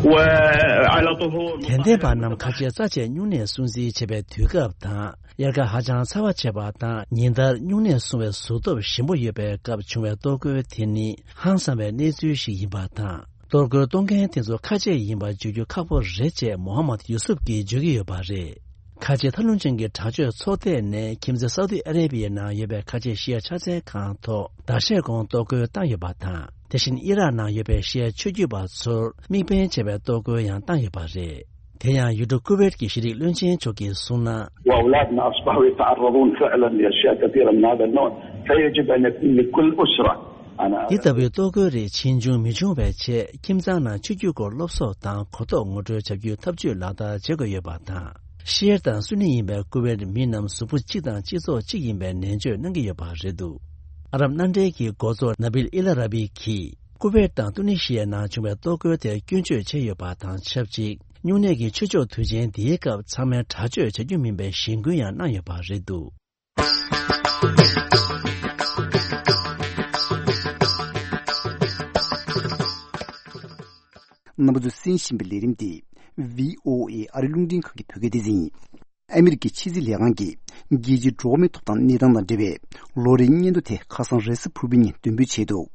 وعلى طهور. དད་ལྡན་པ་རྣམས་ཁ་ཆེ་རྩ་ཆེ་སྨྱུང་གནས་སྲུང་བརྩི་བྱེད་པའི་དུས་སྐབས་དང་། དབྱར་ཁ་ཧ་ཅང་ཚ་བ་ཆེ་བ་དང་ཉིན་ལྟར་སྨྱུང་གནས་སྲུང་བའི་གཟུགས་སྟོབས་ཞན་པོ་ཡོད་པའི་སྐབས་བྱུང་བའི་གཏོར་རྒོལ་དེ་ནི་ཧང་སང་བའི་གནས་ཚུལ་ཞིག་ཡིན་པ་དང་། གཏོར་རྒོལ་གཏོང་མཁན་དེ་ཚོ་ཁ་ཆེ་ཡིན་པ་བརྗོད་རྒྱུ་ཁག་པོ་རེད་ཅེས་མོ་ཧམ་མད་ཡུ་སུབ་ཀྱིས་བརྗོད་ཀྱི་ཡོད་པ་རེད། ཁ་ཆེ་ཐབས་ལམ་ཅན་གྱི་དྲག་སྤྱོད་ཚོགས་སྡེ་ནས་ཁྱིམ་མཚེས་སའུ་ཏི་ཨ་རེ་བི་ཡའི་ནང་ཡོད་པའི་ཁ་ཆེ་ཤི་ཡ་ཕྱག་འཚལ་ཁང་ཐོག་ཟླ་ཤས་གོང་གཏོར་རྒོལ་བཏང་ཡོད་པ་དང་། དེ་བཞིན་ཨི་རག་ནང་ཡོད་པའི་ཤི་ཡ་ཆོས་བརྒྱུད་པ་ཚོར་དམིགས་འབེན་བྱས་པའི་གཏོར་རྒོལ་ཡང་བཏང་ཡོད་པ་རེད། དེ་ཡང་ཡུལ་གྲུ་ཀུ་ཝེད་ཀྱི་ཤེས་རིག་བློན་ཆེན་མཆོག་གིས་གསུངས་ན། وأولادنا أصبحوا يتعرضون فعلًا لأشياء كثيرة من هذا النوع، فيجب أن يكون لكل أسرة. أنا འདི་ལྟ་བུའི་གཏོར་རྒོལ་རིགས་ཕྱིས་འབྱུང་མི་འབྱུང་བའི་ཆེད་ཁྱིམ་ཚང་ནང་ཆོས་བརྒྱུད་སྐོར་སློབ་གསོ་དང་གོ་རྟོགས་ངོ་སྤྲོད་བྱ་རྒྱུའི་ཐབས་ཇུས་ལག་བསྟར་བྱེད་དགོས་ཡོད་པ་དང་། ཤི་ཡར་དང་སུ་ནི་ཡིན་པའི་ཀུ་ཝེད་མི་རྣམས་གཟུགས་པོ་གཅིག་དང་སྤྱི་ཚོགས་གཅིག་ཡིན་པའི་ནན་བརྗོད་གནང་གི་ཡོད་པ་རེད་འདུག། ཨ་རབ་མནའ་འབྲེལ་གྱི་འགོ་གཙོ་ནཱ་བིལ་ཨི་ལ་ར་བི་གིས་ཀུ་ཝེད་དང་ཏུ་ནི་ཤི་ཡའི་ནང་བྱུང་བའི་གཏོར་རྒོལ་དེར་སྐྱོན་བརྗོད་བྱས་ཡོད་པ་དང་ཆབས་ཅིག། སྨྱུང་གནས་ཀྱི་ཆོས་ཕྱོགས་དུས་ཆེན་འདིའི་སྐབས་ཚང་མས་དྲག་སྤྱོད་བྱ་རྒྱུ་མིན་པའི་གཞེན་སྐུལ་ཡང་གནང་ཡོད་པ་རེད་འདུག། རྣམ་པ་ཚོས་གསན་བཞིན་པའི་ལས་རིམ་འདི་བྷི་ཨོ་ཨེ་ཨ་རི་རླུང་འཕྲིན་ཁང་གི་བོད་སྐད་སྡེ་ཚན་ཡིན། ཨ་མི་རི་ཀའི་ཕྱི་སྲིད་ལས་ཁང་གིས་རྒྱལ་སྤྱིའི་འགྲོ་བ་མིའི་ཐོབ་ཐང་གནས་སྟངས་དང་འབྲེལ་བའི་ལོ་རེའི་སྙན་ཐོ་དེ་ཁ་སང་རེས་གཟའ་ཕུར་བུའི་ཉིན་འདོན་སྤེལ་བྱས་འདུག།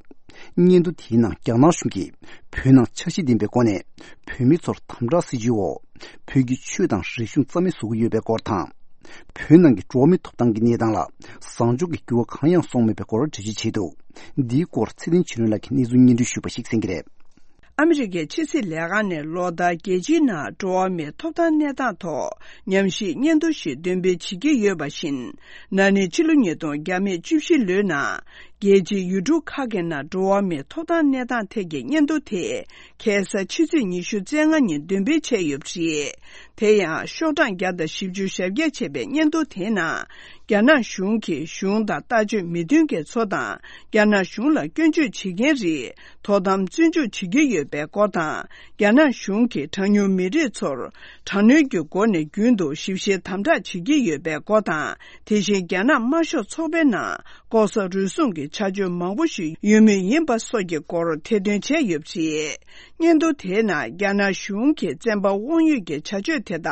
སྙན་ཐོ་དེའི་ནང་རྒྱ་ནག་གཞུང་གིས་བོད་ནང་འཆར་གཞི་ལྡན་པའི་སྒོ་ནས་བོད་མི་ཚོར་དམ་དྲག་སྲིད་བྱུས་འོག་བོད་ཀྱི་ཆོས་དང་རིག་གཞུང་རྩ་མེད་བཟོ་གི་ཡོད་པའི་སྐོར་དང་། བོད་ནང་གི་འགྲོ་བ་མིའི་ཐོབ་ཐང་གི་གནས་སྟངས་ལ་བཟང་ཕྱོགས་ཀྱི་འགྱུར་བ་གང་ཡང་སོང་མེད་པའི་སྐོར་འགྲེལ་བརྗོད་བྱས་འདུག། འདིའི་སྐོར་ཚེ་བརྟན་ཆོས་སྒྲོན་ལགས་ཀྱིས་གནས་ཚུལ་སྙན་སྒྲོན་ཞུས་པ་ཞིག་གསན་གྱི་རེད། ཨ་མི་རི་ཀའི་ཕྱི་སྲིད་ལས་ཁང་ནས་ལོ་ལྟར་རྒྱལ་སྤྱིའི་ནང་འགྲོ་བ་མིའི་ཐོབ་ཐང་གནས་སྟངས་ཐོག་ཉམས་ཞིབ་སྙན་ཐོ་ཞིག་འདོན་སྤེལ་བྱེད་ཀྱི་ཡོད་པ་བཞིན། ན་ནིང་ཕྱི་ལོ་ཉིས་སྟོང་བརྒྱ་མེད་བཅུ་བཞི་ལོའི་ནང་རྒྱལ་སྤྱིའི་ཡུལ་གྲུ་ཁག་གི་ནང་འགྲོ་བ་མིའི་ཐོབ་ཐང་གནས་སྟངས་ཐད་ཀྱི་སྙན་ཐོ་དེ་ཁ་སང་ཕྱི་ཚེས་ཉི་ཤུ་རྩ་ལྔ་ཉིན་འདོན་སྤེལ་བྱས་ཡོད་པ་རེད། དེ་ཡང་ཤོག་གྲངས་བརྒྱ་དང་བཞི་བཅུ་ཞེ་བརྒྱད་བྱས་པའི་སྙན་ཐོ་དེའི་ནང་རྒྱ་ནག་གཞུང་གིས་གཞུང་དང་ལྟ་སྤྱོད་མི་མཐུན་མཁན་ཚོ་དང་རྒྱ་ནག་གཞུང་ལ་སྐྱོན་བརྗོད་བྱེད་མཁན་རིགས། དོ་དམ་བཙོན་འཇུག་བྱེད་ཀྱི་ཡོད་པའི་སྐོར་དང་། རྒྱ་ནག་གཞུང་གིས་གྲངས་ཉུང་མི་རིགས་ཚོར་དྲག་གནོན་གྱི་སྒོ་ནས་རྒྱུན་དུ་ཞིབ་བཤེར་དམ་དྲག་བྱེད་ཀྱི་ཡོད་པའི་སྐོར་དང་། དེ་བཞིན་རྒྱ་ནག་དམར་ཤོག་ཚོགས་པའི་ནང་ལྐོག་ཟ་རུལ་སུངས་ཀྱི་བྱ་སྤྱོད་མང་པོ་ཞིག་ཡོད་མུས་ཡིན་པ་སོགས་ཀྱི་སྐོར་ཐེར་འདོན་བྱས་ཡོད་པ་རེད། སྙན་ཐོ་དེའི་ནང་རྒྱ་ནག་གཞུང་གིས་བཙན་པ་དབང་ཡོད་ཀྱི་བྱ་སྤྱོད་དེ་དག་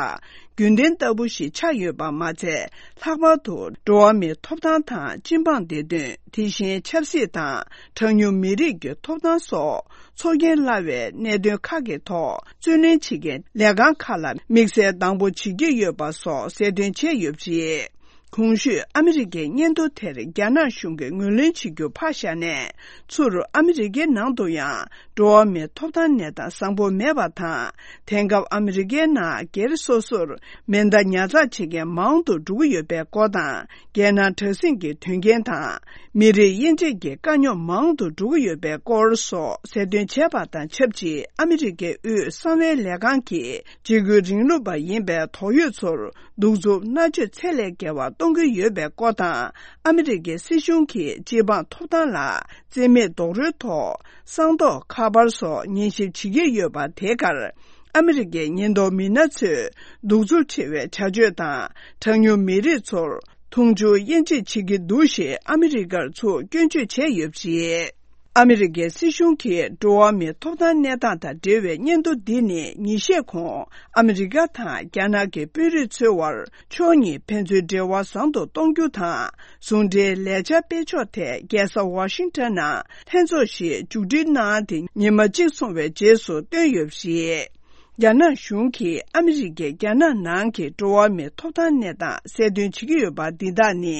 རྒྱུན་ལྡན་ལྟ་བུ་ཞིག་ཆགས་ཡོད་པ་མ་ཚད། ལྷག་པར་དུ་འགྲོ་བ་མིའི་ཐོབ་ཐང་དང་སྤྱི་འབངས་བདེ་དོན། དེ་བཞིན་ཆབ་སྲིད་དང་གྲངས་ཉུང་མི་རིགས་ཀྱི་ཐོབ་ཐང་སོགས་ཚོར་སྐྱེན་སླ་བའི་གནད་དོན་ཁག་གི་ཐོག་རྩོད་ལེན་བྱེད་མཁན་ལས་ཁང་ཁག་ལ་དམིགས་བསལ་སྡང་པོ་བྱེད་ཀྱི་ཡོད་པ་སོགས་གསལ་སྟོན་བྱས་ཡོད་པ་རེད། གོང་ཞུས་ཨ་མི་རི་ཀའི་སྙན་ཐོ་དེར་རྒྱ་ནག་གཞུང་གིས་ངོས་ལེན་བྱེད་རྒྱུ་ཕར་བཞག་ནས། ཚུར་ཨ་མི་རི་ཀའི་ནང་དུ་ཡང་འགྲོ་བ་མིའི་ཐོབ་ཐང་གནས་སྟངས་བཟང་པོ་མེད་པ་དང་། དེང་སྐབས་ཨ་མི་རི་ཀའི་ནང་སྒེར་སོ་སོར་མེ་མདའ་ཉར་ཚགས་བྱེད་མཁན་མང་དུ་འགྲོ་གི་ཡོད་པའི་སྐོར་དང་། རྒྱལ་ནང་དྲག་ཟིང་གི་དོན་རྐྱེན་དང་། མི་རིགས་དབྱེ་འབྱེད་ཀྱི་དཀའ་རྙོག་མང་དུ་འགྲོ་གི་ཡོད་པའི་སྐོར་སོགས་གསལ་སྟོན་བྱས་པ་དང་ཆབས་ཅིག་ཨ་མི་རི་ཀའི་དབུས་གསང་བའི་ལས་ཁང་གིས་འཇིགས་སྐུལ་རིང་ལུགས་པ་ཡིན་པའི་དོགས་ཡོད་ཚོར་གདུག་རྩུབ་མནར་གཅོད་ཚད་ལས་བརྒལ་བ་གཏོང་གི་ཡོད་པའི་སྐོར་དང་། ཨ་མི་རི་ཀའི་སྲིད་གཞུང་གིས་སྤྱི་འབངས་ཐོབ་ཐང་ལ་བརྩི་མེད་རྡོག་རོལ་ཐོག་གསང་རྡོག་ཁ་པར་སོགས་ཉན་ཞིབ་བྱེད་ཀྱི་ཡོད་པ་དེ་གར། ཨ་མི་རི་ཀའི་ཉེན་རྟོག་མི་སྣ་ཚོས་གདུག་རྩུབ་ཆེ་བའི་བྱ་སྤྱོད་དང་། གྲངས་ཉུང་མི་རིགས་ཚོར་མཐོང་ཆུང་དབྱེ་འབྱེད་བྱེད་ཀྱི་འདུག་ཞེས་ཨ་མི་རི་ཀར་ཚུར་སྐྱོན་བརྗོད་བྱས་ཡོད་པ་རེད། ཨ་མི་རི་ཀའི་སྲིད་གཞུང་གིས་འགྲོ་བ་མིའི་ཐོབ་ཐང་གནས་སྟངས་དང་འབྲེལ་བའི་སྙན་ཐོ་འདི་ནི་ཉིན་ཤས་གོང་ཨ་མི་རི་ཀ་དང་རྒྱ་ནག་གི་དཔོན་རིགས་ཚོའི་དབར་ཕྱོགས་གཉིས་ཕན་ཚུན་འབྲེལ་བ་བཟང་དུ་གཏོང་རྒྱུ་དང་། ཟུང་འབྲེལ་ལས་འཆར་སྤེལ་ཕྱོགས་ཐད་རྒྱལ་ས་ཝ་ཤིང་ཊོན་ནང་ལྷན་ཚོགས་ཤིག་མཇུག་སྒྲིལ་གནང་སྟེ་ཉི་མ་གཅིག་སོང་བའི་རྗེས་སུ་བཏོན་ཡོད་པ་རེད། རྒྱ་ནག་གཞུང་གིས་ཨ་མི་རི་ཀས་རྒྱ་ནག་ནང་གི་འགྲོ་བ་མིའི་ཐོབ་ཐང་གནས་སྟངས་གསལ་སྟོན་བྱེད་ཀྱི་ཡོད་པ་འདི་དག་ནི།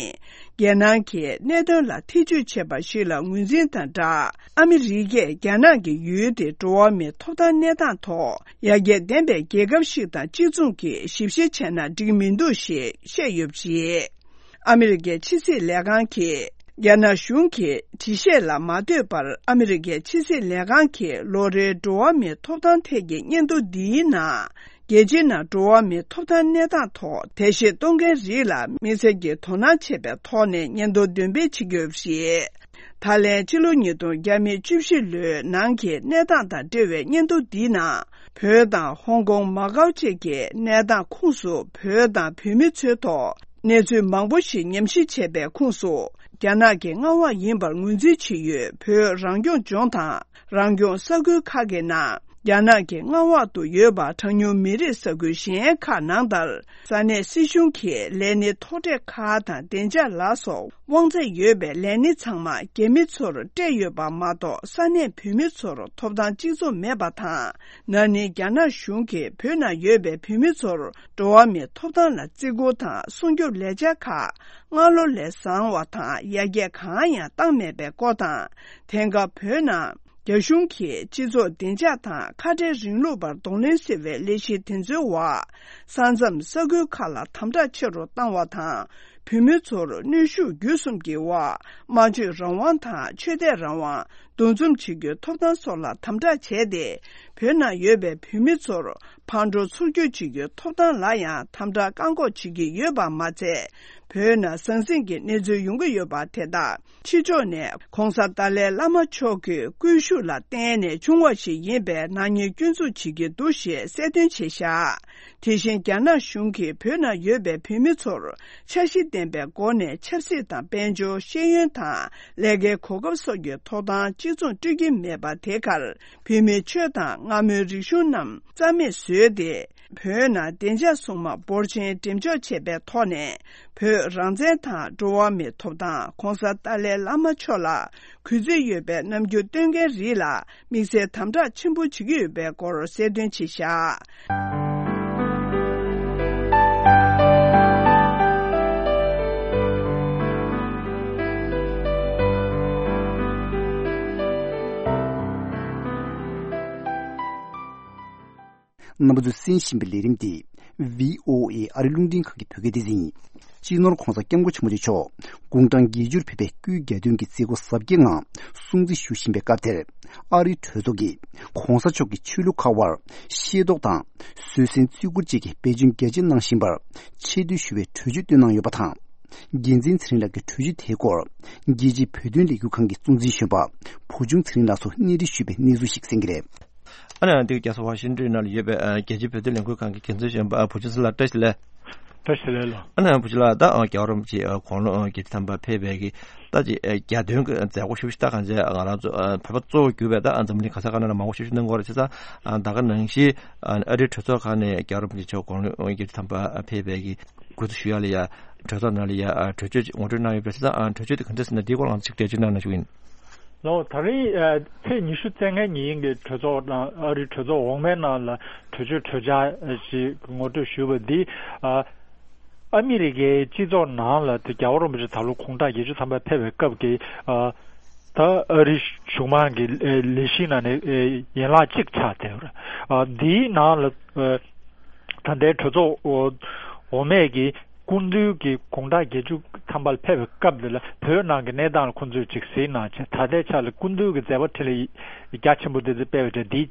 རྒྱལ་ནང་གི་གནད་དོན་ལ་ཐེ་ཇུས་བྱས་པ་ཞིག་ལ་ངོས་འཛིན་དང་སྦྲགས། ཨ་མི་རི་ཀས་རྒྱ་ནག་གི་ཡུལ་དེ་འགྲོ་བ་མིའི་ཐོབ་ཐང་གནས་སྟངས་ཐོག་ཡར་རྒྱས་ལྡན་པའི་རྒྱལ་ཁབ་ཞིག་དང་གཅིག་མཚུངས་ཀྱིས་ཞིབ་བཤེར་བྱས་ན་འགྲིག་མི་འདུག་ཞེས་བཤད་ཡོད་པ་རེད། ཨ་མི་རི་ཀའི་ཕྱི་སྲིད་ལས་ཁང་གིས། རྒྱ་ནག་གཞུང་གི་འགྲེལ་བཤད་ལ་མ་ལྟོས་པར། ཨ་མི་རི་ཀའི་ཕྱི་སྲིད་ལས་ཁང་གི་ལོ་རེའི་འགྲོ་བ་མིའི་ཐོབ་ཐང་ཐད་ཀྱི་སྙན་ཐོ་འདིའི་ནང་། རྒྱལ་སྤྱིའི་ནང་འགྲོ་བ་མིའི་ཐོབ་ཐང་གནས་སྟངས་ཐོག་འགྲེལ་བཤད་གཏོང་མཁན་རིགས་ལ་དམིགས་བསལ་གྱི་དོ་སྣང་བྱེད་པའི་ཐོག་ནས་སྙན་ཐོ་འདོན་སྤེལ་བྱེད་ཀྱི་ཡོད་པ་རེད། ད་ལན་ཕྱི་ལོ་ཉིས་སྟོང་བརྒྱ་མེད་བཅུ་བཞི་ལོའི་ནང་གི་གནས་སྟངས་དང་འབྲེལ་བའི་སྙན་ཐོ་འདིའི་ནང་། བོད་དང་ཧོང་ཀོང་མ་ཀའོ་བཅས་ཀྱི་གནས་སྟངས་ཁོངས་སུ་བོད་དང་བོད་མི་ཚོའི་ཐོག་གནས་ཚུལ་མང་པོ་ཞིག་ཉམས་ཞིབ་བྱས་པའི་ཁོངས་སུ། རྒྱ་ནག་གི་མངའ་འོག་ཡིན་པར་ངོས་འཛིན་བྱེད་ཡུལ་བོད་རང་སྐྱོང་ལྗོངས་དང་རང་སྐྱོང་ས་ཁུལ་ཁག་གི་ནང་། རྒྱ་ནག་གི་མངའ་འོག་ཏུ་ཡོད་པ་གྲངས་ཉུང་མི་རིགས་ས་ཁུལ་གཞན་ཁག་ནང་ལྟར། ས་གནས་སྲིད་གཞུང་གིས་ལས་སྣེ་ཐོག་འཕྲད་ཁག་དང་བདེ་འཇགས་ལ་སོགས་དབང་ཚད་ཡོད་པའི་ལས་སྣེ་ཚང་མ་རྒྱ་མི་ཚོར་སྤྲད་ཡོད་པ་མ་གཏོགས། ས་གནས་བོད་མི་ཚོར་ཐོབ་ཐང་གཅིག་མཚུངས་མེད་པ་དང་། ན་ནིང་རྒྱ་ནག་གཞུང་གིས་བོད་ནང་ཡོད་པའི་བོད་མི་ཚོར་འགྲོ་བ་མིའི་ཐོབ་ཐང་ལ་བརྩི་བཀུར་དང་སྲུང་སྐྱོབ་ལས་འཆར་ཁག་སྔ་ལོ་ལས་བཟང་བ་དང་ཡར་རྒྱས་གང་ཡང་བཏང་མེད་པའི་སྐོར་དང་། དེང་སྐབས་བོད་ནང་རྒྱ་གཞུང་གིས་སྤྱི་ཚོགས་བདེ་འཇགས་དང་ཁ་བྲལ་རིང་ལུགས་པར་གདོང་ལེན་ཟེར་བའི་ལས་གཞི་དེ་ཚོའི་འོག་ས་མཚམས་ས་ཁུལ་ཁག་ལ་དམ་དྲག་ཆེ་རུ་བཏང་བ་དང་། བོད་མི་ཚོར་གནོན་ཤུགས་བརྒྱུད་གསུམ་གྱི་འོག་སྨྲ་བརྗོད་རང་དབང་དང་ཆོས་དད་རང་དབང་འདུ་འཛོམས་བྱེད་རྒྱུའི་ཐོབ་ཐང་སོགས་ལ་དམ་དྲག་བྱས་ཏེ། བོད་ནང་ཡོད་པའི་བོད་མི་ཚོར་ཕར་འགྲོ་ཚུར་སྐྱོད་བྱེད་རྒྱུའི་ཐོབ་ཐང་ལ་ཡང་དམ་དྲག་བཀག་འགོག་བྱེད་ཀྱི་ཡོད་པ་མ་ཚད། བོད་ནང་ཟང་ཟིང་གི་གནས་ཚུལ་ཡོང་གི་ཡོད་པ་དེ་དག་ཕྱི་ཕྱོགས་ནས་༸གོང་ས་ཏཱ་ལའི་བླ་མ་མཆོག་གི་སྐུ་ཤུགས་ལ་བརྟེན་ནས་བྱུང་བ་ཞིག་ཡིན་པའི་ནག་ཉེས་སྐྱོན་འཛུགས་བྱེད་ཀྱི་འདུག་ཞེས་གསལ་སྟོན་བྱས་བཞག་དེ་བཞིན་རྒྱ་ནག་གཞུང་གིས་བོད་ནང་ཡོད་པའི་བོད་མི་ཚོར་འཆར་གཞི་ལྡན་པའི་སྒོ་ནས་ཆབ་སྲིད་དང་དཔལ་འབྱོར་ཤེས་ཡོན་དང་ལས་ཀའི་གོ་སྐབས་སོགས་ཀྱི་ཐོབ་ཐང་གཅིག་མཚུངས་སྤྲོད་ཀྱི་མེད་པ་དེ་གར་བོད་མིའི་ཆོས་དང་སྔ་མོའི་རིག་གཞུང་རྣམས་རྩ་མེད་བཟོས་ཏེ། བོད་ནང་བདེ་འཇགས་སྲུང་དམག་འབོར་ཆེན་འགྲེམས་འཇོག་བྱས་པའི་ཐོག་ནས། བོད་རང་བཙན་དང་འགྲོ་བ་མིའི་ཐོབ་ཐང་༸གོང་ས་ཏཱ་ལའི་བླ་མ་མཆོག་ལ་གུས་བརྩི་ཡོད་པའི་རྣམ་འགྱུར་སྟོན་མཁན་རིགས་ལ་དམིགས་བསལ་དམ་དྲག་ཆེན་པོ་བྱེད་ཀྱི་ཡོད་པའི་སྐོར་གསལ་སྟོན་བྱས་བཞག་རྣམ་པ་ཚོས་གསན་བཞིན་པའི་ལས་རིམ་འདི་བྷི་ཨོ་ཨེ་ཨ་རི་རླུང་འཕྲིན་ཁང་གི་བོད་སྐད་སྡེ་ཚན་ཡིན། སྤྱི་ནོར་༸གོང་ས་༸སྐྱབས་མགོན་ཆེན་པོ་མཆོག་དགུང་གྲངས་བརྒྱད་ཅུར་ཕེབས་པའི་སྐུའི་གྱ་སྟོན་གྱི་མཛད་སྒོ་གཟབ་རྒྱས་ངང་སྲུང་བརྩི་ཞུ་བཞིན་པའི་སྐབས་དེར། ཨ་རིའི་གྲོས་ཚོགས་ཀྱིས་༸གོང་ས་མཆོག་གི་ཆོས་ལུགས་ཁག་དབར་ཤེས་རྟོགས་དང་བཟོད་བསྲན་བརྩི་བཀུར་བཅས་ཀྱི་འབད་བརྩོན་རྒྱ་ཆེ་གནང་བཞིན་པར་ཆེ་བསྟོད་ཞུ་བའི་གྲོས་ཆོད་བཏོན་གནང་ཡོད་པ་དང་། རྒྱལ་མཚན་ཚེ་རིང་ལགས་ཀྱིས་གྲོས་ཆོད་དེའི་སྐོར་རྒྱལ་སྤྱིའི་བོད་དོན་ལས་འགུལ་ཁང་གི་གཙོ་འཛིན་གཞོན་པ་བུ་ཆུང་ཚེ་རིང་ལགས་སུ་གནས་འདྲི་ཞུས་པའི་གནས་ཚུལ་ཞིག་གསན་གྱི་རེད། ཨ་ནི་འདི་རྒྱལ་ས་ཝ་ཤིང་ཏོན་ནང་ལ་ཡོད་པའི་ཨ་རྒྱལ་སྤྱིའི་བོད་དོན་ལས་འགུལ་ཁང་གི་འགན་འཛིན་གཞོན་པ་ཨ་བུ་ཆུང་ཚེ་ལགས་བཀྲ་ཤིས་བདེ་ལེགས། བཀྲ་ཤིས་བདེ་ལེགས་ལགས། ཨ་ནི་བུ་ཆུང་ལགས་ད་ཨ་རྒྱལ་བ་རིན་པོ་ཆེ་ཨ་དགུང་ལོ་ཨ་བརྒྱད་ཅུ་ཐམ་པ་ཕེབས་པའི་གི་ད་ཅིག་ཨ་གྱ་སྟོན་གྱི་མཛད་སྒོ་ཞུ་ཞུ་ད་གང་ཅི་ང་རང་ཚོ་ཨ་བོད་པ་གཙོ་བོ་གྱུར་པའི་ད་ཨ་འཛམ་གླིང་ག་ས་ག་ནང་ལ་མང་པོ་ཞུ་ཞུ་གནང་གི་ཡོད་རེད། བྱས་ཙང་ཨ་ད་ག་ནང་བཞིན་ཨ་ཨ་རིའི་གྲོས་ཚོགས་ཁག་ནས་རྒྱལ་བ་རིན་པོ་ཆེ་མཆོག་དགུང་ལོ་ཨ་བརྒྱད་ཅུ་ཐམ་པ་ཕེབས་པའི་གི་གུས་བཏུད་ཞུ་ཡ་ལ་ཡ་གྲོས་ཚོགས་ནང་ལ་ཡ་ཨ་གྲོས་ཆོད་ཅིག་ངོ་སྤྲོད་གནང་ཡོད་པ་རེད། བྱས་ཙང་ཨ་གྲོས་ཆོད་དེ་ག་འདྲ་ཟེར་ན་འདིའི་སྐོར་ལ་ང་ཚོ་ཅིག་འགྲེལ་བརྗོད་གནང་གནང་ཞུ་གི་ཡིན། ལགས། ད་རེས་ཨ་ཚེས་ཉི་ཤུ་རྩ་ལྔའི་ཉིན་གྱི་གྲོས་ཚོགས་ནང་ཨ་རིའི་གྲོས་ཚོགས་འོག་མའི་ནང་ལ་གྲོས་ཆོད་གྲོས་འཆར་ཞིག་ངོ་སྤྲོད་ཞུས་པ་འདི་ཨ་ཨ་མི་རི་ཀའི་སྤྱི་ཚོགས་ནང་ལ་དེ་རྒྱལ་བ་རིན་པོ་ཆེ་ད་ལོ་དགུང་གྲངས་བརྒྱད་ཅུ་ཐམ་པ་ཕེབས་པའི་སྐབས་ཀྱི་ཨ་ད་ཨ་རིའི་གཞུང་མང་གི་ཨེ་ལས་གཞི་ནང་ནས་ཨེ་ཡན་ལག་གཅིག་ཆགས་བསྡད་ཡོད་རེད། ཨ་འདིའི་ནང་ལ་ཨེ་ད་ལྟའི་གྲོས་ཚོགས་འོག་མའི་གི་སྐུ་མདུན་གྱི་དགུང་གྲངས་བརྒྱད་ཅུ་ཐམ་པ་ལ་ཕེབས་པའི་སྐབས་འདི་ལ་བོད་ནང་གི་གནས་སྟངས་ལ་ཁོང་ཚོས་ཅིག་གཟིགས་གནང་བྱས། ད་ལྟའི་ཆ་ལ་སྐུ་མདུན་གྱི་མཛད་པ་འཕྲིན་ལས་རྒྱ་ཆེན་པོ་འདི་ཚོ་སྤེལ་བའི་གྲས་འདི་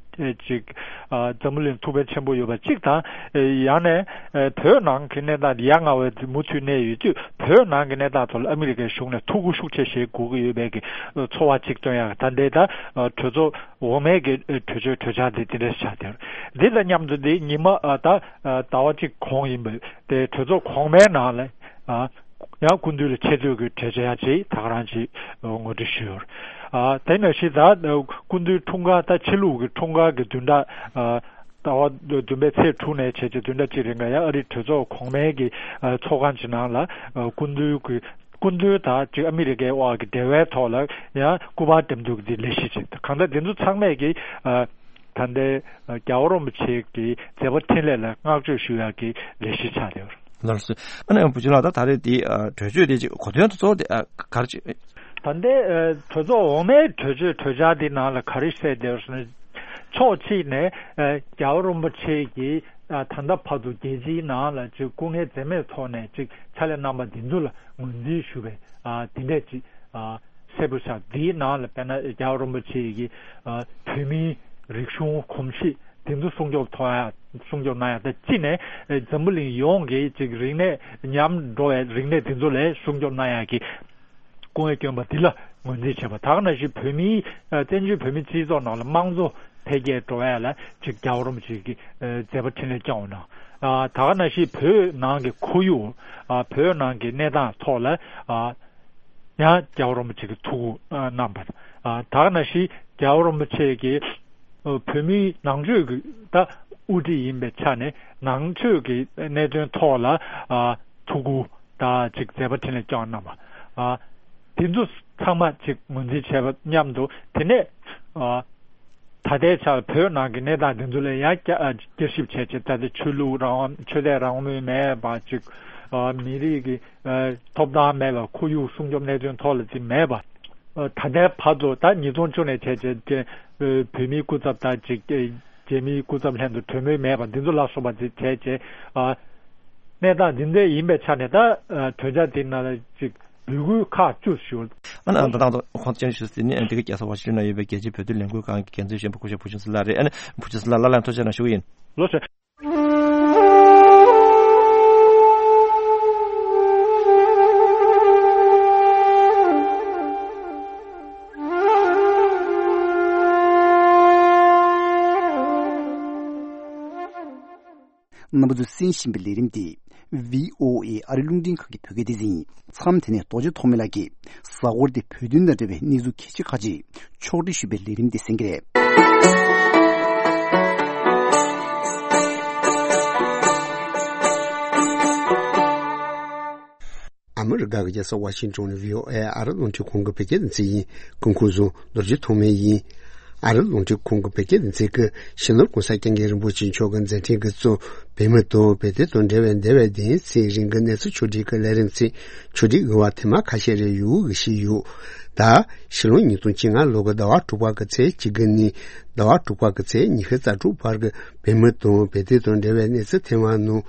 ཅིག་ཨ་འཛམ་བུ་གླིང་ཐུགས་ཕན་ཆེན་པོ་ཡོད་པ་གཅིག་དང་། ཨ་ཡང་ན་ཨ་བོད་ནང་གི་གནས་སྟངས་འདི་ཡ་ང་བའི་མུ་མཐུད་གནས་ཡོད་དུས་བོད་ནང་གི་གནས་སྟངས་ཐོག་ལ་ཨ་མི་རི་ཀའི་གཞུང་ནས་ཐུགས་ཁུར་ཤུགས་ཆེ་བཞེས་དགོས་ཀྱི་ཡོད་པའི་གི་ཚོར་བ་གཅིག་སྟོན་ཡག་ད་ལྟའི་ད་ཨ་གྲོས་ཚོགས་འོག་མའི་གི་གྲོས་ཆོད་གྲོས་འཆར་དེ་དེ་འདྲ་ཆགས་བསྡད་ཡོད་རེད། འདི་དང་མཉམ་དུ་འདི་ཉི་མ་ཨ་ད་ཨ་ཟླ་བ་གཅིག་གོང་ཡིན་པའི་དེ་གྲོས་ཚོགས་གོང་མའི་ནང་ལ་ཨ་ཡང་སྐུ་མདུན་ལ་ཆེ་བསྟོད་ཀྱི་གྲོས་འཆར་ཡང་ཅིག་ད་ག་རང་ཅིག་ངོ་སྤྲོད་ཞུས་ཡོད་རེད། ཨ་དེ་ནང་བཞིན་ད་སྐུ་མདུན་འཁྲུངས་སྐར་ད་ཕྱི་ལུགས་ཀྱི་འཁྲུངས་སྐར་གྱི་བདུན་ཕྲག་ཨ་ཟླ་བ་བདུན་པའི་ཚེས་དྲུག་ནས་བྱས་རྗེས་བདུན་ཕྲག་གཅིག་རིང་ལ་ཡང་ཨ་རིའི་གྲོས་ཚོགས་གོང་མའི་གི་ཨ་ཚོགས་ཁང་གི་ནང་ལ་ཨ་སྐུ་མདུན་གྱི་སྐུ་མདུན་དང་ཅིག་ཨ་མི་རི་ཀའི་དབར་གྱི་འབྲེལ་བའི་ཐོག་ལ་ཡང་སྐུ་པར་འགྲེམས་འདུག་གི་ལས་གཞི་ཅིག་གང་ལྟར་འདི་ཚོ་ཚང་མས་ཀྱི་ཨ་ད་ལྟའི་རྒྱལ་བ་རིན་པོ་ཆེ་གི་མཛད་པ་འཕྲིན་ལས་ལ་བསྔགས་བརྗོད་ཞུ་ཡག་གི་ལས་གཞི་ཆགས་ཡོད། ལགས་སོ། ཨ་ནི་བུ་ཆུང་ལགས་ད་ད་རེས་འདི་ཨ་གྲོས་ཆོད་དེ་ཅིག་གོ་དོན་དུ་གཙོ་བོ་དེ་ཨ་ག་རེ་ཅིག་ད་ལྟའི་ཨ་གྲོས་ཚོགས་འོག་མའི་གྲོས་ཆོད་གྲོས་འཆར་འདི་ནང་ལ་ག་རེ་གསལ་བསྡད་ཡོད་ཟེར་ན། ཕྱོགས་གཅིག་ནས་ཨ་རྒྱལ་བ་རིན་པོ་ཆེ་གིས་ཨ་ད་ལྟ་བར་དུ་རྒྱལ་སྤྱིའི་ནང་ལ་ཅིག་སྐུ་ངལ་འཛེམས་མེད་ཐོག་ནས་ཅིག་ཕྱག་ལས་གནང་པ་འདི་ཚོ་ལ་ངོས་འཛིན་ཞུ་བའི་ཨ་དེ་འདྲས་ཅིག་ཨ་གསལ་པོ་ཆགས། འདིའི་ནང་ལ་དཔེར་ན་རྒྱལ་བ་རིན་པོ་ཆེ་གིས་ཨ་བོད་མིའི་རིག་གཞུང་གོམས་གཤིས་དེ་ཚོ་སྲུང་སྐྱོབ་ཐོག་ཡ་སྲུང་སྐྱོབ་གནང་ཡ་དང་གཅིག་ནས་ཨ་འཛམ་བུ་གླིང་ཡོངས་ཀྱི་ཅིག་རིག་གནས་ཉམས་འགྲོ་བའི་རིག་གནས་དེ་ཚོ་ལ་སྲུང་སྐྱོབ་གནང་ཡ་གི་སྐུ་ངལ་བསྐྱོན་པ་འདི་ལ་ ངོས་འཛིན་བྱས་པ། ད་ག་ནང་བཞིན་བོད་མིའི་ཨ་བཙན་བྱོལ་བོད་མིའི་སྤྱི་ཚོགས་ནང་ལ་དམངས་གཙོ་འཕེལ་རྒྱས་འགྲོ་ཡ་ལ་ཅིག་རྒྱལ་བ་རིན་པོ་ཆེ་གིས་ཨ་མཛད་པ་འཕྲིན་ལས་བསྐྱངས་པ་གནང་། ཨ་ད་ག་ནང་བཞིན་བོད་ནང་གི་ཁོར་ཡུག་ཨ་བོད་ནང་གི་གནས་སྟངས་ཐོག་ལ་ཨ་ཡང་རྒྱལ་བ་རིན་པོ་ཆེ་གིས་ཐུགས་ཁུར་གནང་པ། ཨ་ད་ག་ནང་བཞིན་རྒྱལ་བ་རིན་པོ་ཆེ་གིས་ཨ་བོད་མིའི་ནང་ཆོས་ཀྱི་ད་དབུ་ཁྲིད་ཡིན་པའི་ཆ་ནས་ནང་ཆོས་ཀྱི་གནད་དོན་ཐོག་ལ་ཨ་ཐུགས་ཁུར་དང་ཅིག་མཛད་པ་འཕྲིན་ལས་བསྐྱངས་གནང་བ། ཨ་དེ་ཚོ་ཚང་མ་ཅིག་ངོས་འཛིན་བྱས་པ་མཉམ་དུ། དེ་ནས་ཨ་ད་ལྟའི་ཆར་བོད་ནང་གི་གནས་སྟངས་དེ་ཚོ་ལ་ཡང་བསྐྱར་ཨ་བསྐྱར་ཞིབ་བྱས་བྱས། ད་ལྟ་ཆོས་ལུགས་རང་དབང་། ཆོས་དད་རང་མོས་མེད་པ་ཅིག་ཨ་མི་རིགས་ཀྱི་ཨ་ཐོབ་ཐང་མེད་པ། ཁོར་ཡུག་སྲུང་སྐྱོབ་གནད་དོན་ཐོག་ལ་ཅིག་མེད་པ། ཨ་ད་ལྟའི་བར་དུ་ད་ཉིས་སྟོང་བཅུ་ནས་བྱས་བྱས་ཀྱི་ཨ་བོད་མིའི་སྐུ་ཚབ་དང་ཅིག་ཨ་རྒྱ་མིའི་སྐུ་ཚབ་ལྷན་དུ་གྲོས་མོལ་མེད་པ། འདི་ཚོ་ལ་སོགས་པ་ཅིག་བྱས་བྱས། ཨ་གནས་སྟངས་འདི་འདྲ་ཡིན་པའི་ཆ་ནས་ད་ཨ་གྲོས་འཆར་འདི་ནང་ལ་ཅིག་འབོད་སྐུལ་ཁག་བཅུ་ཞུ། ཨ་ནི་ཨ་ད་དང་དུ་ཁོང་ཚོ་བཅར་ཞུ་ཟིན་ནི་ཨ་འདི་ག་རྒྱལ་ས་ཝ་ཤིང་ཊོན་ན་ཡོད་པའི་རྒྱལ་སྤྱིའི་བོད་དོན་ལས་འགུལ་ཁང་གི་འགན་འཛིན་གཞོན་པ་སྐུ་ཞབས་བུ་ཆུང་སི་ལགས་རེད། ཨ་ནི་བུ་ཆུང་སི་ལགས་ལ་ལན་ཐུགས་རྗེ་གནང་ཞུ་གི་ཡིན། ལོ་ཤོད། རྣམ་པ་ཚོས་གསན་བཞིན་པའི་ལས་རིམ་འདི་བྷི་ཨོ་ཨེ་ཨ་རི་རླུང་འཕྲིན་ཁང་གི་བོད་སྐད་སྡེ་ཚན་ཡིན། མཚམས་དེ་ནས་རྡོ་རྗེ་ཐོགས་མེད་ལགས་ཀྱིས་གཟའ་འཁོར་འདི་བོད་དོན་དང་འབྲེལ་བའི་གནས་ཚུལ་གལ་ཆེ་ཁག་ཅིག་ཕྱོགས་སྒྲིག་ཞུས་པའི་ལས་རིམ་འདི་གསན་གྱི་རེད། ཨ་མི་རི་ཀ་གི་རྒྱལ་ས་ཝ་ཤིང་ཊོན་ནས་བྷི་ཨོ་ཨེ་ཨ་རི་རླུང་འཕྲིན་ཁང་གི་བོད་སྐད་སྡེ་ཚན་ཡིན། སྐུ་ཁམས་བཟང་། རྡོ་རྗེ་ཐོགས་མེད་ཡིན། ཨ་རི་རླུང་འཕྲིན་ཁང་གི་བོད་སྐད་སྡེ་ཚན་གྱིས་སྤྱི་ནོར་གོང་ས་སྐྱབས་མགོན་རིན་པོ་ཆེ་མཆོག་གི་མཛད་འཕྲིན་གྱི་གཙོ། བོད་མི་དང་བོད་དོན་དང་འབྲེལ་བའི་འདས་པའི་དེའི་ཚེ་རིང་གི་གནས་ཚུལ་ཕྱོགས་སྒྲིག་གི་ལས་རིམ་ཚིག་ཕྱོགས་སྒྲིག་གི་བར་ཐེངས་མ་ཁ་ཤས་རེ་ཡོང་གི་ཞིག་ཡོད། ད་ཕྱི་ལོ་ཉིས་སྟོང་བཅོ་ལྔ་ལོ་གི་ཟླ་བ་དྲུག་པ་གི་ཚེས་གཅིག་གི་ནས་ཟླ་བ་དྲུག་པ་གི་ཚེས་ཉི་ཤུ་རྩ་དྲུག་བར་གྱི་བོད་མི་དང་བོད་དོན་དང་འབྲེལ་བའི་གནས་ཚུལ་ཐེངས་མ་ནང་།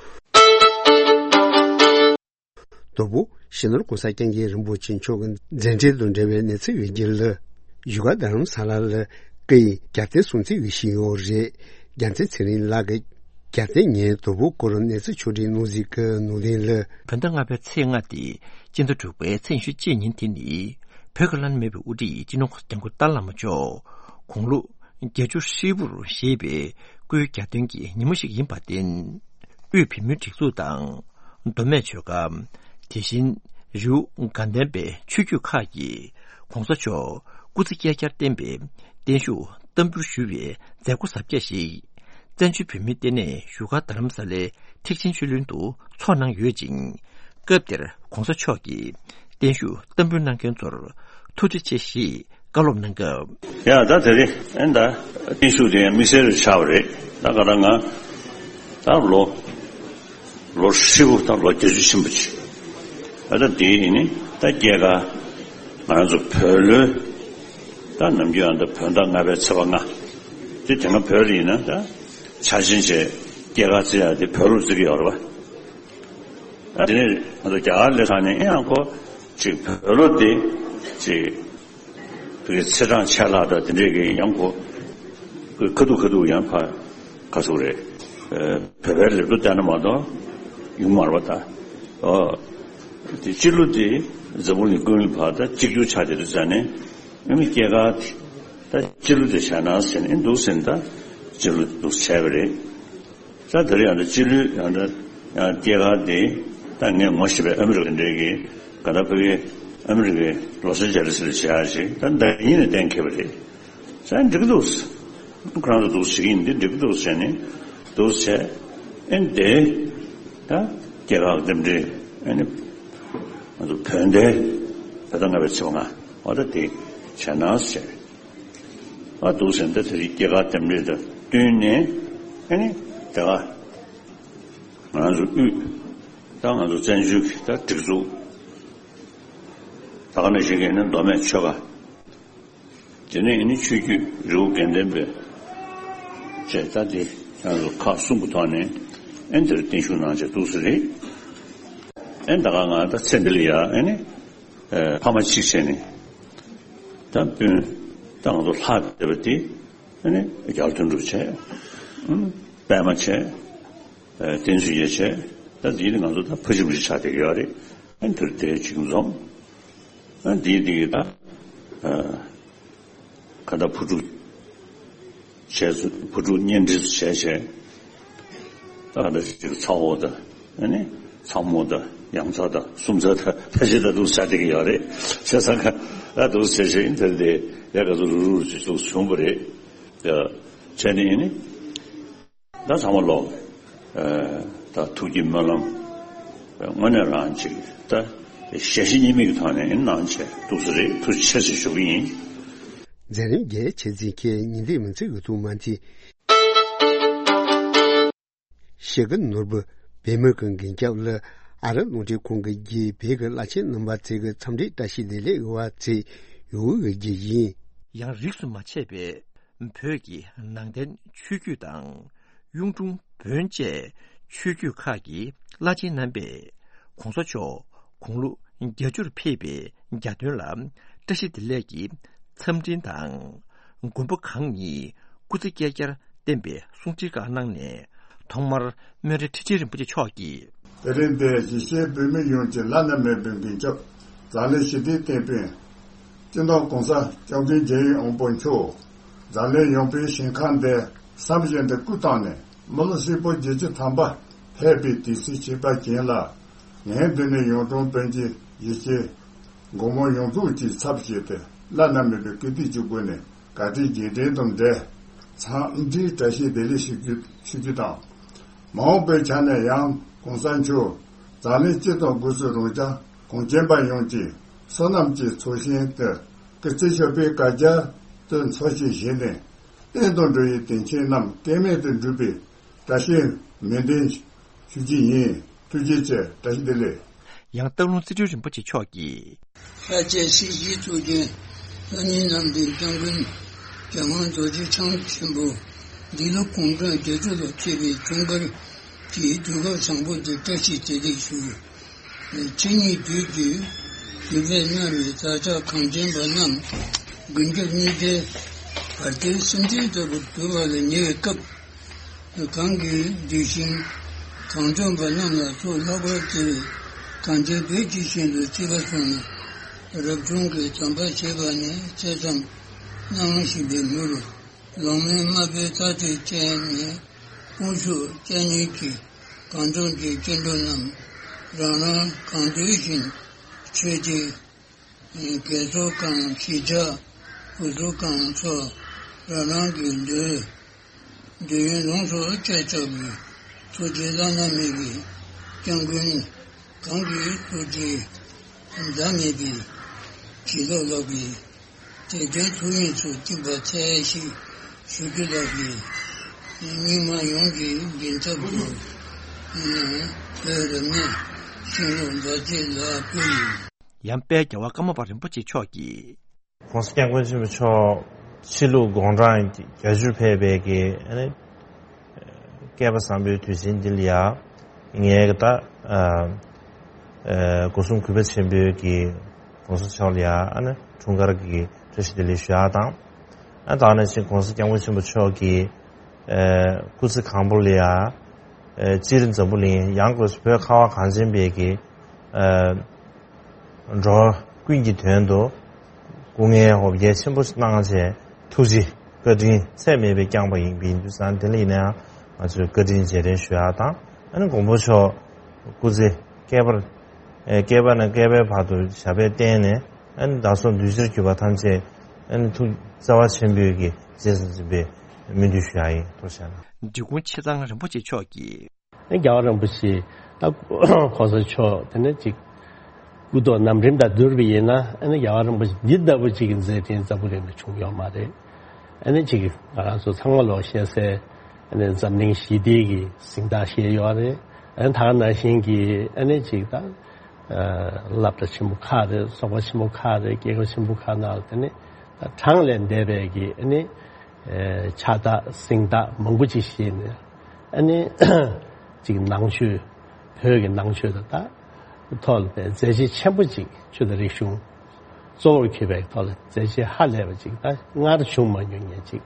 དང་པོ། སྤྱི་ནོར་གོང་ས་སྐྱབས་མགོན་རིན་པོ་ཆེ་མཆོག་གི་མཛད་འཕྲིན་དང་འབྲེལ་བའི་གནས་ཚུལ་ཡོད་རྒྱུ་ལ། བཞུགས་སྒར་རྡ་རམ་ས་ལ་ལ་སྐུ་ཡི་གྱ་སྟོན་སྲུང་བརྩི་ཡོད་བཞིན་ཡོད་རེད། རྒྱལ་མཚན་ཚེ་རིང་ལགས་ཀྱིས་གྱ་སྟོན་ཉིན་དང་པོའི་སྐོར་གནས་ཚུལ་ཕྱོགས་སྒྲིག་གནང་གཟིགས་ཀྱི་ནང་དོན་ལ། བོད་ཟླ་ལྔ་པའི་ཚེས་ལྔ་སྟེ་སྤྱི་ཟླ་དྲུག་པའི་ཚེས་ཉི་ཤུ་གཅིག་ཉིན་དེ་ནི་བོད་ཀྱི་བླ་ན་མེད་པའི་དབུ་ཁྲིད་སྤྱི་ནོར་གོང་ས་སྐྱབས་མགོན་ཏཱ་ལའི་བླ་མ་མཆོག་དགུང་ལོ་བརྒྱད་ཅུ་ཧྲིལ་པོར་བཞེས་པའི་སྐུའི་གྱ་སྟོན་གྱི་ཉིན་མོ་ཞིག་ཡིན་པར་བརྟེན། དབུས་བོད་མིའི་སྒྲིག་འཛུགས་དང་མདོ་སྨད་ཆོལ་ཁ། དེ་བཞིན་རི་བོ་དགའ་ལྡན་པའི་ཆོས་བརྒྱུད་ཁག་གིས་གོང་ས་མཆོག་སྐུ་ཚེ་བསྐལ་བརྒྱར་བརྟན་པའི་བརྟན་བཞུགས་བསྟར་འབུལ་ཞུ་བའི་མཛད་སྒོ་གཟབ་རྒྱས་ཤིག་བཙན་བྱོལ་བོད་མིའི་ལྟེ་གནས་བཞུགས་སྒར་རྡ་རམ་ས་ལའི་ཐེག་ཆེན་ཆོས་གླིང་དུ་འཚོགས་གནང་ཡོད་ཅིང་། སྐབས་དེར་གོང་ས་མཆོག་གིས་བརྟན་བཞུགས་བསྟར་འབུལ་གནང་མཁན་ཚོར་ཐུགས་རྗེ་ཆེ་ཞེས་བཀའ་སློབ་གནང་སྐབས། ཡ་ད་དེ་རེད། ཨེ་ད་བརྟན་བཞུགས་དེ་དམིགས་བསལ་རེ་ཆགས་པ་རེད། ད་ག་ད་ང་ད་ལོ་ལོ་ཧྲིལ་པོ་ད་ལོ་བརྒྱད་ཅུ་ཕྱིན་པ་ཅིག་ཨ་ད་དེ་ཡིན་ནི་ད་སྐྱེས་སྐར་ང་རང་ཚོ་བོད་ལོའི་ད་ནམ་རྒྱུན་ཨ་ད་བོད་ཟླ་ལྔ་པའི་ཚེས་པ་ལྔ་དེ་དེ་སྔ་བོད་ལ་ཡིན་ན་ད་འཆར་ཅན་བྱས་སྐྱེས་སྐར་བརྩི་ཡག་དེ་བོད་ལོ་བརྩི་གི་ཡོད་རེད་པ། ཨ་དེ་ནས་ང་ཚོ་རྒྱ་གར་སླེབས་ཚར་ནས་ཨེ་ཡང་ཁོ་ཅིག་བོད་ལོ་དེ་ཅིག་བོད་ཀྱི་ཚེས་གྲངས་ཆད་ལྷག་དང་དེ་འདྲས་ཀྱི་ཡང་ཁོ་ཁ་ཐུག་ཁ་ཐུག་ཡང་ཕ་ག་ཚོད་རེད། བོད་པའི་ལེགས་གྲུབ་བལྟས་ན་མ་གཏོགས་ཡོང་མ་རེད་པ། ད་ཨོ་དེ་སྤྱི་ལོ་དེ་འཛམ་བུ་གླིང་ཀུན་ལ་ཕར་ད་གཅིག་གྱུར་ཆགས་བསྡད་དུས་ཙང་ནས་ཨ་ནི་སྐྱེས་སྐར་དེ་ད་སྤྱི་ལོ་དེ་བྱས་ན་ཟེར་ནས་འདུག་ཟེར་ནས་ད་སྤྱི་ལོ་འདུག་བྱས་པ་རེད། ས་དེར་ཡང་ན་སྤྱི་ལོའི་ཡང་ན་ཡང་སྐྱེས་སྐར་དེ་ད་ངས་ངོ་ཤེས་པའི་ཨ་མི་རི་ཀ་འདྲའི་གི་ག་ད་ཕ་གི་ཨ་མི་རི་ཀའི་ལོ་སི་ཨན་ཇེ་ལི་སི་ལ་བྱེད་ཡག་ཅིག་ད་ཟླ་ཉིན་ནས་གཏན་འཁེལ་བ་རེད། ས་འགྲིག་གི་འདུག་ཁོ་རང་ཚོ་འདུག་བྱེད་ཀྱི་ཡིན་འདི་འགྲིག་གི་འདུག་ཟེར་ནས་འདུག་བྱས་ཨེ་འདི་ད་སྐྱེས་སྐར་རྟེན་འབྲེལ་ཨེ་ནི་ང་ཚོ་བོད་ཟླའི་བོད་ཟླ་ལྔ་པའི་ཚེས་པ་ལྔ་འོ་ད་དེ་བྱས་ན་ཟེར། ཨ་འདུག་ཟེར་ན་ད་དེ་རིང་སྐྱེས་སྐར་རྟེན་འབྲེལ་དང་བསྟུན་ནས་ཨ་ནི་དེ་ག་ང་རང་ཚོ་དབུས་ད་ང་ཚོ་བཙན་བྱོལ་གྱི་ད་སྒྲིག་འཛུགས་ད་ག་ནང་བཞིན་གྱི་ནི་མདོ་སྨད་ཆོལ་ཁ་དེ་ནས་ཨ་ནི་ཆོས་བརྒྱུད་རི་བོ་དགེ་ལྡན་པའི་བཅས་ད་དེ་ང་ཚོ་ཁག་གསུམ་གྱི་ཐོག་ནས་ཨ་ནི་དེར་བརྟན་བཞུགས་གནང་བྱས་འདུག་ཟེར་རེད། ཨ་ནི་ད་ག་ང་ད་ཚེ་འདི་ལ་ཡ་ཨ་ནི། ཕ་མ་གཅིག་བྱས་ནས་ད་སྤུན་ད་ང་ཚོ་ལྷག་བསྡད་པ་དེ་ཨ་ནི་རྒྱ་དོན་གྲུབ་བྱས། པད་མ་བྱས། བསྟན་འཛིན་ཡེ་བྱས། ད་འདི་ནི་ང་ཚོ་ད་ཕ་གཅིག་བུ་གཅིག་ཆགས་བསྡད་ཀྱི་ཡོད་རེད། ཨ་ནི་དེར་དེ་གཅིག་འཛོམས། ཨ་འདི་འདི་གི་ད་ ག་ད་བུ་ཕྲུག་བྱས་བུ་ཕྲུག་གཉེན་སྒྲིག་བྱས་བྱས། ད་ག་ད་ཅིག་ཚ་བོ་དང་ཨ་ནི་ཚ་མོ་དང་ཡང་ཚ་དང་སུམ་ཚ་དང་ཕལ་ཆེར་ད་འདུག་ཆགས་བསྡད་ཀྱི་ཡོད་རེད། བྱས་ཙང་ཁ་ད་འདུག་བྱས་བྱས་ཡིན་དེར་དེ་ཡ་ག་ཚོད་རུ་རུ་ཅིག་འདུག་བྱུང་བ་རེད། ཡ་བྱས་ནས་ཡིན་ནི། ད་ཚང་མ་ལོག་ད་ཐུགས་ཀྱི་སྨོན་ལམ་དངོས་གནས་རང་ཅིག་ད་ཞལ་བཞེས་གཉིས་མེད་ཀྱི་ཐོག་ནས་གནང་བྱས་འདུག་ས་རེད། ཐུགས་རྗེ་ཆེ་ཞུ་གི་ཡིན། མཛད་རིམ་རྒྱས་ཆེ་འཛིན་མཁན་ཉིན་ལྟས་མི་ཚེ་གི་ཐུགས་མ་མཐུན། ཞེ་གི་ནོར་བུ་བེ་མོ་གི་མགོན་སྐྱབས་ལ་ཨ་ར་རླུང་འཕྲིན་ཁང་གི་རྒྱའི་བོད་ཀྱི་བླ་ཆེན་རྣམ་པ་ཚོས་ཀྱི་འཚམས་འདྲིའི་བཀྲ་ཤིས་བདེ་ལེགས་ཡོད་པ་ཚོས་ཡོད་གི་རྒྱུ་ཡིན། ཡང་རིས་སུ་མ་ཆད་པའི་བོད་ཀྱི་ནང་བསྟན་ཆོས་བརྒྱུད་དང་། གཡུང་དྲུང་བོན་བཅས་ཆོས་བརྒྱུད་ཁག་གི་བླ་ཆེན་རྣམ་པས་༸གོང་ས་མཆོག་དགུང་ལོ་བརྒྱད་ཅུར་ཕེབས་པའི་གྱ་སྟོན་ལ་བཀྲ་ཤིས་བདེ་ལེགས་ཀྱི་འཚམས་འཕྲིན་དང་། མགོན་པོ་གང་ཉིད་སྐུ་ཚེ་བསྐལ་བརྒྱར་བརྟན་པའི་གསུང་ཆོས་ཁག་གནང་ནས། ཐོག་མར་སྨན་རི་ཁྲི་ཆེན་རིན་པོ་ཆེ་མཆོག་གིས། དེ་རིང་འདིར་གཞིས་བྱེས་བོད་མི་ཡོངས་ཀྱི་བླ་ན་མེད་པའི་མགོན་སྐྱབས་འཛམ་གླིང་ཞི་བདེའི་དེད་དཔོན་སྤྱི་ནོར་༸གོང་ས་༸སྐྱབས་མགོན་རྒྱལ་ཡོངས་དབང་པོ་མཆོག་འཛམ་གླིང་ཡངས་པའི་ཞིང་ཁམས་འདིར་བསམ་བཞིན་དུ་སྐུ་བལྟམས་ནས་མི་ལོ་ཧྲིལ་པོ་བརྒྱད་ཅུ་ཐམ་པ་ཕེབས་པའི་དུས་ཚིགས་ཕྱི་པ་རྒྱན་ལ། ངས་འདི་ནས་གཡུང་དྲུང་བོན་གྱི་གཞིས་བྱེས་མགོན་པོ་ཡོངས་རྫོགས་ཀྱི་ཚབ་བྱས་ཏེ་བླ་ན་མེད་པའི་བཀུར་སྟི་ཅིག་དགོས་ནས་ག་དུས་རྗེས་དྲན་དང་འབྲེལ་འཚམས་འདྲིའི་བཀྲ་ཤིས་བདེ་ལེགས་ཞུ་རྒྱུ་ཞུ་རྒྱུ་དང་། མ་འོངས་པའི་ཆ་ནས་ཡང་༸གོང་ས་མཆོག་འཛམ་གླིང་སྤྱི་དང་སྒོས་སུ་རང་ཅག་གངས་ཅན་པ་ཡོངས་ཀྱི་བསོད་ནམས་ཀྱི་ཚོགས་ཞིང་དུ་སྐུ་ཚེ་ཞབས་པད་བསྐལ་བརྒྱར་དུ་འཚོ་ཞིང་གཞེས་ནས་བསྟན་དང་འགྲོ་བའི་དོན་ཆེན་རྣམས་ལྡན་མིན་དུ་འགྲུབ་པའི་བཀྲ་ཤིས་སྨོན་འདུན་ཞུ་རྒྱུ་ཡིན། ཐུགས་རྗེ་ཆེ། བཀྲ་ཤིས་བདེ་ལེགས། ཡང་སྟག་ལུང་རྩེ་སྤྲུལ་རིན་པོ་ཆེ་མཆོག་གིས། ལྷ་རྒྱལ་སྲས་ཞི་ཁྲོ་རྒྱན། ལྷ་མིའི་ནང་པའི་སྐྱབས་མགོན་རྒྱལ་དབང་རྡོ་རྗེ་འཆང་ཆེན་པོ་འདི་ལོ་གུང་གྲངས་བརྒྱད་ཅུ་ལ་ཕེབས་པའི་འཁྲུངས་སྐར་གྱི་དུས་སྐབས་བཟང་པོ་འདིར་བཀྲ་ཤིས་བདེ་ལེགས་ཞུ། ཕྱི་ཉིན་དུས་ཀྱི་དུས་པའི་སྔར་བའི་བདག་ཅག་གངས་ཅན་པ་རྣམས་མགོན་སྐྱབས་གཉིས་ཀའི་བར་དོའི་སེམས་ཅན་ལྟ་བུར་གྱུར་པ་ལ་ཉེ་བའི་སྐབས། གང་གི་གདུལ་ཞིང་གངས་ལྗོངས་པ་རྣམས་ལ་ཚོགས་ལྷག་པར་བརྩེ་བའི་གངས་ཅན་བོད་ཀྱི་ཞིང་དུ་བརྩི་བར་སོང་ན། རབ་བྱུང་གི་དམ་པ་བཞེས་པ་ནས་ཚེ་མཚམས་གནང་བཞིན་པའི་མུར། ལོང་མེད་མ་དཔེ་རྩ་དེ་བཅད་ནས་དབུ་ཞུགས་སྐྱ་ཉིལ་གྱི་གངས་ལྗོངས་ཀྱི་སྐྱེ་འགྲོ་རྣམས་རང་རང་གང་འདོད་བཞིན་ཆོས་ཀྱི། རྒས་གསོ་གང་གཞིས་ཆགས་བུ་གསོ་གང་འཚོ་རང་རང་གི་འདོད། འདོད་ཡོན་ལོངས་སུ་སྤྱད་ཆོག་པའི་ཐུགས་རྗེ་བླ་ན་མེད་པའི་སྐྱབས་མགོན་གང་གི་ཐུགས་རྗེ་འཛད་མེད་པའི་བྱིན་རླབས་ལགས་པས་དད་ལྡན་ཐུགས་ཡིད་ཚུལ་ཁྲིམས་པ་ཚད་ཞིག་ཞུ་རྒྱུ་ལགས་པས། སྙིགས་མ་ཡོངས་ཀྱི་མགོན་སྐྱབས་སུ་བོད་རབ་གནས་ཤིང་ལུག་མཛའ་བརྩེ་ལ་ཕུལ་ཡིན། ཡང་དཔལ་རྒྱལ་བ་ཀརྨ་པ་རིན་པོ་ཆེ་མཆོག་གིས། ༸གོང་ས་༸སྐྱབས་མགོན་ཆེན་པོ་མཆོག་ཕྱི་ལུགས་དགུང་གྲངས་བརྒྱད་ཅུར་ཕེབས་པའི་གི་ཨ་ནི་སྐལ་པ་བཟང་པོའི་དུས་ཆེན་འདི་ལ་ཡ་ངས་ད་ཨ་ཨ་སྒོ་གསུམ་གུས་པ་ཆེན་པོས་ཀྱི་༸གོང་ས་མཆོག་ལ་ཡ་ཨ་ནི་འཁྲུངས་སྐར་གྱི་བཀྲ་ཤིས་བདེ་ལེགས་ཞུ་ཡག་དང་། ཨ་ད་ནང་བཞིན་༸གོང་ས་༸སྐྱབས་མགོན་ཆེན་པོ་མཆོག་གི་ཨ་སྐུ་ཚེ་གང་པོ་ལ་ཡ་ཨ་སྤྱིར་འཛམ་བུ་གླིང་ཡང་སྒོས་སུ་བོད་ཁ་བ་གངས་ཅན་པའི་གི་ཨ་འགྲོ་བ་ཀུན་གྱི་དོན་དུ་སྐུ་ངལ་འོ་བརྒྱལ་ཆེན་པོ་གནང་བྱས་ཐུགས་རྗེ་བཀའ་དྲིན་ཚད་མེད་པའི་བསྐྱངས་པ་ཡིན་པའི་དུས་ཙང་དེ་ལ་ཡིན་ན་ཡང་ང་ཚོས་བཀའ་དྲིན་རྗེས་དྲན་ཞུ་ཡག་དང་ཨ་ནི་མགོན་པོ་མཆོག་སྐུ་ཚེ་བསྐལ་པར་ཨེ་བསྐལ་པ་ནས་བསྐལ་པའི་བར་དུ་ཞབས་པད་བརྟན་ནས་ཨ་ནི་བདག་སོགས་འདུས་བྱས་གྱུར་པ་ཐམས་ཅད་ཨ་ནི་ཐུགས་བརྩེ་བ་ཆེན་པོས་ཀྱི་རྗེས་སུ་འཛིན་པའི་སྨོན་འདུན་ཞུ་ཡག་ཡིན། ཐུགས་རྗེ་ཆེ་གནང་། འབྲི་གུང་ཆེ་ཚང་རིན་པོ་ཆེ་མཆོག་གིས། རྒྱལ་བ་རིན་པོ་ཆེ་ད་གོང་ས་མཆོག་དེ་ནས་ཅིག་སྐུ་ཐོག་ནམ་རིམ་དང་བསྡུར་བ་ཡིན་ན་ཨ་ནི་རྒྱལ་བ་རིན་པོ་ཆེ་འདི་ལྟ་བུ་ཅིག་གི་མཛད་འཕྲིན་འཛམ་བུ་གླིང་ལ་བྱུང་ཡོད་མ་རེད། ཨ་ནི་ཅིག་ང་རང་ཚོ་ཚང་མ་ལོག་ཤེས་སའི་ཨ་ནི་འཛམ་གླིང་ཞི་བདེ་གི་གཟེངས་རྟགས་བཞེས་ཡོད་རེད། ཨ་ནི་ད་ག་ནང་བཞིན་གྱི་ཨ་ནི་ཅིག་ད་སློབ་གྲྭ་ཆེན་པོ་ཁག་རེད། ཚོགས་པ་ཆེན་པོ་ཁག་རེད། རྒྱལ་ཁབ་ཆེན་པོ་ཁག་ནང་དེ་ནི་ད་གྲངས་ལས་འདས་པའི་གི་ཨ་ནི། ཕྱག་རྟགས་གཟེངས་རྟགས་མང་པོ་ཅིག་བཞེས་ནས་ཨ་ནི་ཅིག་ནང་ཆོས་བོད་ཀྱི་ནང་ཆོས་དང་ད་ཐོག་ལ་མཛད་རྗེས་ཆེན་པོ་ཅིག་ཆོས་དང་རིག་གཞུང་གཙོ་བོར་གྱུར་པའི་ཐོག་ལ་མཛད་རྗེས་ཧ་ལས་པ་ཅིག་ད་སྔར་བྱུང་མ་མྱོང་མཁན་ཅིག་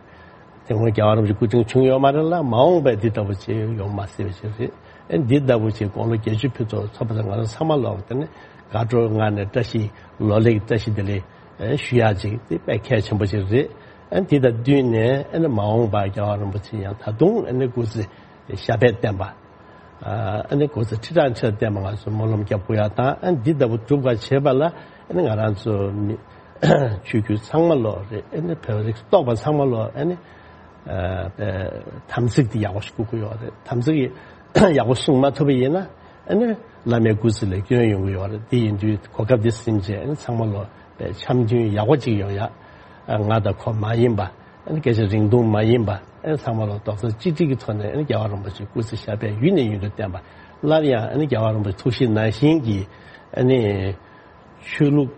དེ་སྔོན་རྒྱལ་བ་རིན་པོ་ཆེ་སྐུ་ཕྲེང་བྱུང་ཡོད་མ་རེད་ལ་མ་འོངས་པའི་འདི་ལྟ་བུ་ཅིག་ཡོང་མ་སྲིད་པ་ཅིག་རེད། ཨ་འདི་ལྟ་བུ་ཅིག་དགུང་ལོ་བརྒྱད་ཅུ་ཕུལ་ཐོག་ཚོགས་པ་དང་ང་རང་ཚང་མ་ལོག་དེ་ནི་དགའ་སྤྲོའི་ངང་ནས་བཀྲ་ཤིས་ལོ་ལེགས་བཀྲ་ཤིས་བདེ་ལེགས་ ཞུ་ཡག་ཅིག་དེ་དཔེ་གལ་ཆེན་པོ་ཅིག་རེད། ཨ་ནི་དེ་དང་བསྟུན་ནས་ཨ་ནི་མ་འོངས་པར་རྒྱལ་བ་རིན་པོ་ཆེ་ཡང་ད་དུང་ཨ་ནི་སྐུ་ཚེ་ཞབས་པད་བརྟན་པ། ཨ་ནི་སྐུ་ཚེ་ཁྲི་ཕྲག་ཕྲག་བརྟན་པ་ང་ཚོ་སྨོན་ལམ་རྒྱབ་དགོས་ཡག་དང་། ཨ་ནི་འདི་ལྟ་བུ་སྒྲུབ་པར་བྱེད་པ་ལ་ཨ་ནི་ང་རང་ཚོ་མི་ཆོས་བརྒྱུད་ཚང་མ་ལོ་རེད། ཨ་ནི་བོད་རིགས་གཏོགས་པ་ཚང་མ་ལོ་ཨ་ནི་དམ་ཚིག་དེ་ཡག་པོ་ཞིག་བསྐུར་དགོས་ཡོད་རེད། དམ་ཚིག་ཡག་པོ་བསྲུང་མ་ཐུབ་པ་ཡིན་ན་ཨ་ནི་བླ་མའི་སྐུ་ཚེ་ལ་སྐྱོན་ཡོང་གི་ཡོད་རེད། དེ་ཡིན་དུས་གོ་སྐབས་དེ་ཟིན་བྱས་ཨ་ནི་ཚང་མ་ལོ་འཆམ་མཐུན་ཡག་པོ་ཅིག་ཡོང་ཡག་ང་དང་ཁོ་མ་ཡིན་པ། ཨ་ནི་སྐད་ཆ་རིང་ཐུང་མ་ཡིན་པ། ཨ་ནི་ཚང་མ་ལ་རྡོག་རྩ་གཅིག་སྒྲིལ་གྱི་ཐོག་ནས་ཨ་ནི་རྒྱལ་བ་རིན་པོ་ཆེའི་སྐུ་ཚེ་ཞབས་པད་ཡུན་ནས་ཡུན་དུ་བརྟན་པ། སླར་ཡང་ཨ་ནི་རྒྱལ་བ་རིན་པོ་ཆེ་ཐུགས་བཞེད་ནང་བཞིན་གྱི་ཨ་ནི་ཆོས་ལུགས།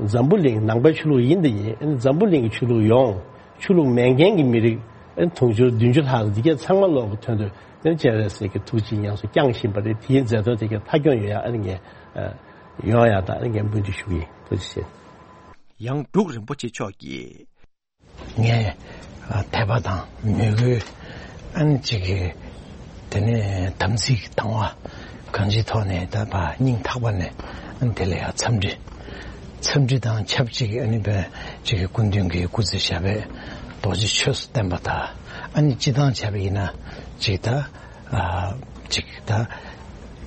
འཛམ་བུ་གླིང་ནང་པའི་ཆོས་ལུགས་ཡིན་དང་ཡིན། ཨ་ནི་འཛམ་བུ་གླིང་གི་ཆོས་ལུགས་ཡོངས། ཆོས་ལུགས་མེད་མཁན་གྱི་མི་རིགས་ཨ་ནི་དུང་ཕྱུར་བདུན་ཅུ་ལྷག་འདི་གའི་ཚང་མ་ལོག་གི་དོན་དུ་ཨ་ནི་སྤྱན་རས་གཟིགས་ཀྱི་ཐུགས་རྗེ་ཉམས་སུ་བསྐྱངས་བཞིན་པ་རེད། དེའི་མཛད་དོན་དེ་གའི་མཐའ་འཁྱོངས་ཡོང་ཡག་ཨ་ནི་ངས་ཡོང་ཡག་དང་ཨ་ནི་ངས་སྨོན་འདུན་ཞུ་གི་ཡིན། ཐུགས་རྗེ་ཆེ། ཡང་འབྲུག་རིན་པོ་ཆེ་མཆོག་གིས། ངས་ཨ་དད་པ་དང་མོས་གུས་ཨ་ནི་གཅིག་གི་དེ་ནས་དམ་ཚིག་དང་བ་གང་ཅིའི་ཐོག་ནས་ད་ཕ་སྙིང་ཐག་པ་ནས་ཨ་ནི་དེ་ལ་ཡང་འཚམས་འདྲི། འཚམས་འདྲི་དང་ཆབས་ཅིག་ཨ་ནི་བས་གཅིག་གི་སྐུ་མདུན་གྱི་སྐུ་ཚེ་ཞབས་པད་རྡོ་རྗེ་ཆོས་སུ་བརྟན་པ་དང་། ཨ་ནི་སྤྱི་བཏང་བྱས་པ་ཡིན་ན་གཅིག་ད། ཨ་གཅིག་ད་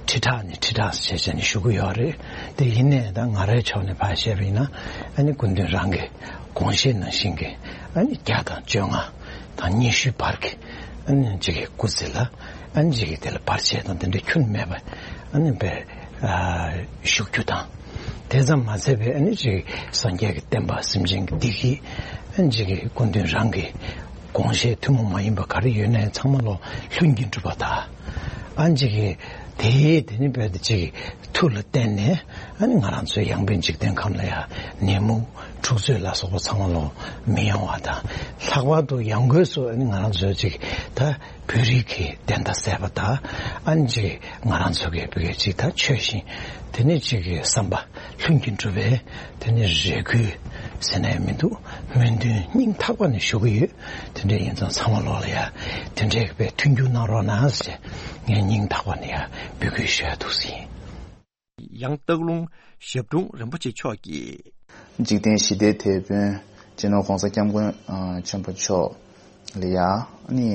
ཁྲི་ཕྲག་ནས་ཁྲི་ཕྲག་བྱས་བྱས་ནས་ཞུ་གི་ཡོད་རེད། དེ་ཡིན་ནའི་ད་ང་རའི་ཕྱོགས་ནས་ཕར་བཤད་པ་ཡིན་ན་ཨ་ནི་སྐུ་མདུན་རང་གི་དགོངས་བཞེད་ནང་བཞིན་གྱི་ཨ་ནི་བརྒྱ་དང་བཅོ་ལྔ་དང་ཉི་ཤུའི་བར་གྱི་ཨ་ནི་གཅིག་གི་སྐུ་ཚེ་ལ་ཨ་ནི་གཅིག་གི་དེ་ལ་བར་ཆད་དང་དེ་འདྲ་ཁྱོན་མེད་པ་ཨ་ནི་བས་ཨ་བཞུགས་རྒྱུ་དང་། དེ་ཙམ་མ་ཚད་པའི་ཨ་ནི་གཅིག་སངས་རྒྱས་ཀྱི་བསྟན་པ་སེམས་ཅན་གྱི་བདེ་སྐྱིད་ཨ་ནི་གཅིག་གི་སྐུ་མདུན་རང་གི་དགོངས་བཞེད་ཐུན་མོང་མ་ཡིན་པ་ག་རེ་ཡོད་ནའི་ཚང་མ་ལོ་ལྷུན་གྱིས་གྲུབ་པ་དང་། ཨ་ནི་གཅིག་གི་དེའི་དེ་ནི་བས་དེ་གཅིག་གི་མཐུ་ལ་བརྟེན་ནས་ཨ་ནི་ང་རང་ཚོའི་ཡང་དཔོན་འཇིག་རྟེན་ཁམས་ལ་ཡང་ནད་མུག་འཁྲུག་རྩོད་ལ་སོགས་པ་ཚང་མ་ལོ་མི་ཡོང་བ་དང་། ལྷག་པར་དུ་ཡང་སྒོས་སུ་ཨ་ནི་ང་རང་ཚོའི་གཅིག་ད་བོད་རིགས་ཀྱི་བདེན་མཐའ་གསལ་བ་དང་། ཨ་ནི་གཅིག་ང་རང་ཚོ་གི་བོད་ཀྱི་གཅིག་ད་ཆོས་བཞིན་དེ་ནི་གཅིག་གི་བསམ་པ་ལྷུན་གྱིས་གྲུབ་པའི་དེ་ནི་རེ་སྐུལ་ཟེར་ནའི་མི་འདུག་སྨོན་འདུན་སྙིང་ཐག་པ་ནས་ཞུ་གི་ཡོད། དེ་འདྲ་ཡིན་ཙང་ཚང་མ་ལོག་ལ་ཡ་དེ་འདྲའི་བའི་མཐུན་འགྱུར་གནང་རོགས་གནང་ཟེར་ངས་སྙིང་ཐག་པ་ནས་ཡ་འབོད་སྐུལ་ཞུ་ཡ་འདུག་ཟིན། ཡང་སྟག་ལུང་ཞབས་དྲུང་རིན་པོ་ཆེ་མཆོག་གིས། འཇིག་རྟེན་ཞི་བདེའི་དེད་དཔོན་སྤྱི་ནོར་༸གོང་ས་༸སྐྱབས་མགོན་ཆེན་པོ་མཆོག་ལ་ཡ་ཨ་ནི་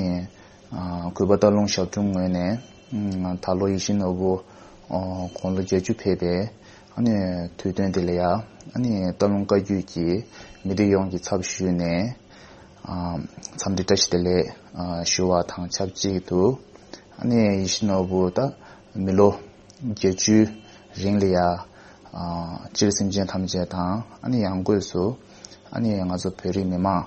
གུས་པ་སྟག་ལུང་ཞབས་དྲུང་ངོས་ནས་ད་ལོ་ཡིད་བཞིན་ནོར་བུ་དགུང་ལོ་བརྒྱད་ཅུ་ཕེབས་པའི་ཨ་ནི་དུས་སྟོན་དེ་ལ་ཡ་ཨ་ནི་སྟག་ལུང་བཀའ་བརྒྱུད་ཀྱི་མི་སྡེ་ཡོངས་ཀྱི་ཚབ་ཞུས་ནས་འཚམས་འདྲི་བཀྲ་ཤིས་བདེ་ལེགས་ཞུ་བ་དང་ཆབས་ཅིག་ཏུ། ཨ་ནི་ཡིད་བཞིན་ནོར་བུ་ད་མི་ལོ་བརྒྱད་ཅུའི་རིང་ལ་ཡ་སྤྱིར་སེམས་ཅན་ཐམས་ཅད་དང་ཨ་ནི་ཡང་སྒོས་སུ་ཨ་ནི་ང་ཚོ་བོད་རིགས་མི་མང་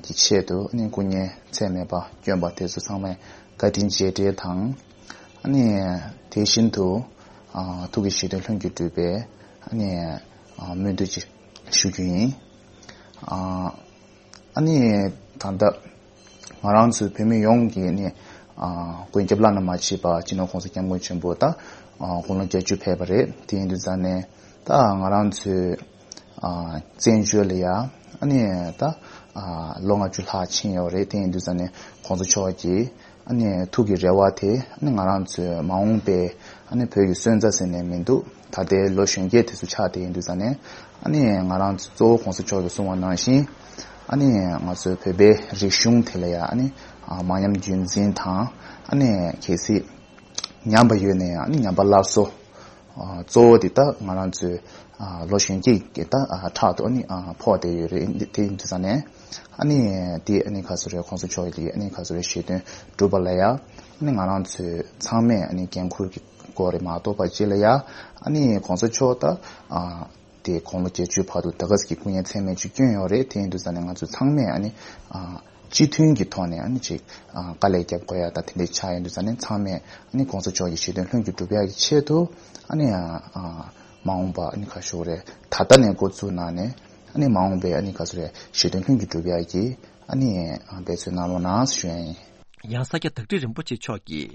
གི་ཆེད་དུ་ཨ་ནི་སྐུ་ངལ་ཚད་མེད་པ་བསྐྱོན་པ་དེ་ཚོ་ཚང་མས་བཀའ་དྲིན་རྗེས་དྲན་དང་། ཨ་ནི་དེ་བཞིན་དུ་ཐུགས་ཀྱི་བཞེད་དོན་ལྷུན་གྱིས་གྲུབ་པའི་ཨ་ནི་སྨོན་འདུན་ཅིག་ཞུ་རྒྱུ་ཡིན། ཨ་ནི་ད་ལྟ་ང་རང་ཚོའི་བོད་མི་ཡོངས་ཀྱིས་ནི་མགོན་སྐྱབས་བླ་ན་མ་མཆིས་པ་སྤྱི་ནོར་༸གོང་ས་༸སྐྱབས་མགོན་ཆེན་པོ་ད་དགུང་ལོ་བརྒྱད་ཅུ་ཕེབས་པ་རེད། དེ་ཡིན་དུས་ཙང་ནས་ད་ང་རང་ཚོའི་བཙན་བྱོལ་ལ་ཡ་ཨ་ནི་ད་ལོ་ལྔ་བཅུ་ལྷག་ཕྱིན་ཡོད་རེད། དེ་ཡིན་དུས་ཙང་ནས་༸གོང་ས་མཆོག་གིས་ཨ་ནི་ཐུགས་ཀྱི་རེ་བ་དེ་ཨ་ནི་ང་རང་ཚོའི་མ་འོངས་པའི་ཨ་ནི་བོད་ཀྱི་སོན་རྩ་ཟེར་ནས་མི་འདུག་ད་ལྟའི་ལོ་གཞོན་སྐྱེས་དེ་ཚོ་ཆགས་བསྡད་ཡིན་དུས་ཙང་ནས་ཨ་ནི་ང་རང་ཚོ་གཙོ་བོ་༸གོང་ས་མཆོག་གིས་གསུངས་པ་ནང་བཞིན་ཨ་ནི་ང་ཚོའི་བོད་པའི་རིག་གཞུང་དེ་ལ་ཡ་ཨ་ནི་མ་ཉམས་རྒྱུན་འཛིན་དང་ཨ་ནི་གལ་སྲིད་ཉམས་པ་ཡོད་ན་ཡང་ཨ་ནི་ཉམས་པ་སླར་གསོ། གཙོ་བོ་དེ་ད་ང་རང་ཚོའི་ལོ་གཞོན་སྐྱེས་ཀྱི་ད་ཕྲག་ཏུ་ཨ་ནི་ཕོག་བསྡད་ཡོད་རེད། དེ་ཡིན་དུས་ཙང་ནས་ཨ་ནི་དེ་ཨ་ནི་ག་ཚོད་རེད། ༸གོང་ས་མཆོག་གི་ཨ་ནི་ག་ཚོད་རེད། བཞེད་དོན་སྒྲུབ་པ་ལ་ཡ་ཨ་ནི་ང་རང་ཚོའི་ཚང་མས་ཨ་ནི་འགན་འཁུར་གྱི་སྐོར་རེད་མ་གཏོགས་པ་ཅིག་ལ་ཡ་ཨ་ནི་༸གོང་ས་མཆོག་ད་དེ་དགུང་ལོ་བརྒྱད་ཅུའི་བར་དུ་ད་ག་ཟེ་གི་སྐུ་ངལ་ཚད་མེད་ཅིག་བསྐྱོན་ཡོད་རེད། དེ་ཡིན་དུས་ཙང་ནས་ང་ཚོ་ཚང་མས་ཨ་ནི་སྤྱི་མཐུན་གྱི་ཐོག་ནས་ཨ་ནི་ཅིག་དཀའ་ལས་རྒྱབ་དགོས་ཡ་ད་དེ་འདྲའི་ཆགས་ཡོང་དུས་ཙང་ནས་ཚང་མས་ཨ་ནི་༸གོང་ས་མཆོག་གི་བཞེད་དོན་ལྷུན་གྱིས་གྲུབ་ཡ་གི་ཆེད་དུ་ཨ་ནི་མ་འོངས་པ་ཨ་ནི་ཁ་ཤོག་རེད། ད་ལྟ་ནས་འགོ་བཙུགས་གནང་ནས་ཨ་ནི་མ་འོངས་པའི་ཨ་ནི་ག་ཚོད་རེད། བཞེད་དོན་ལྷུན་གྱིས་གྲུབ་ཡ་གི་ཨ་ནི་འབད་བརྩོན་གནང་རོགས་གནང་ཞུ་ཡ་ཡིན། ཡང་ས་སྐྱ་བདག་ཁྲི་རིན་པོ་ཆེ་མཆོག་གིས།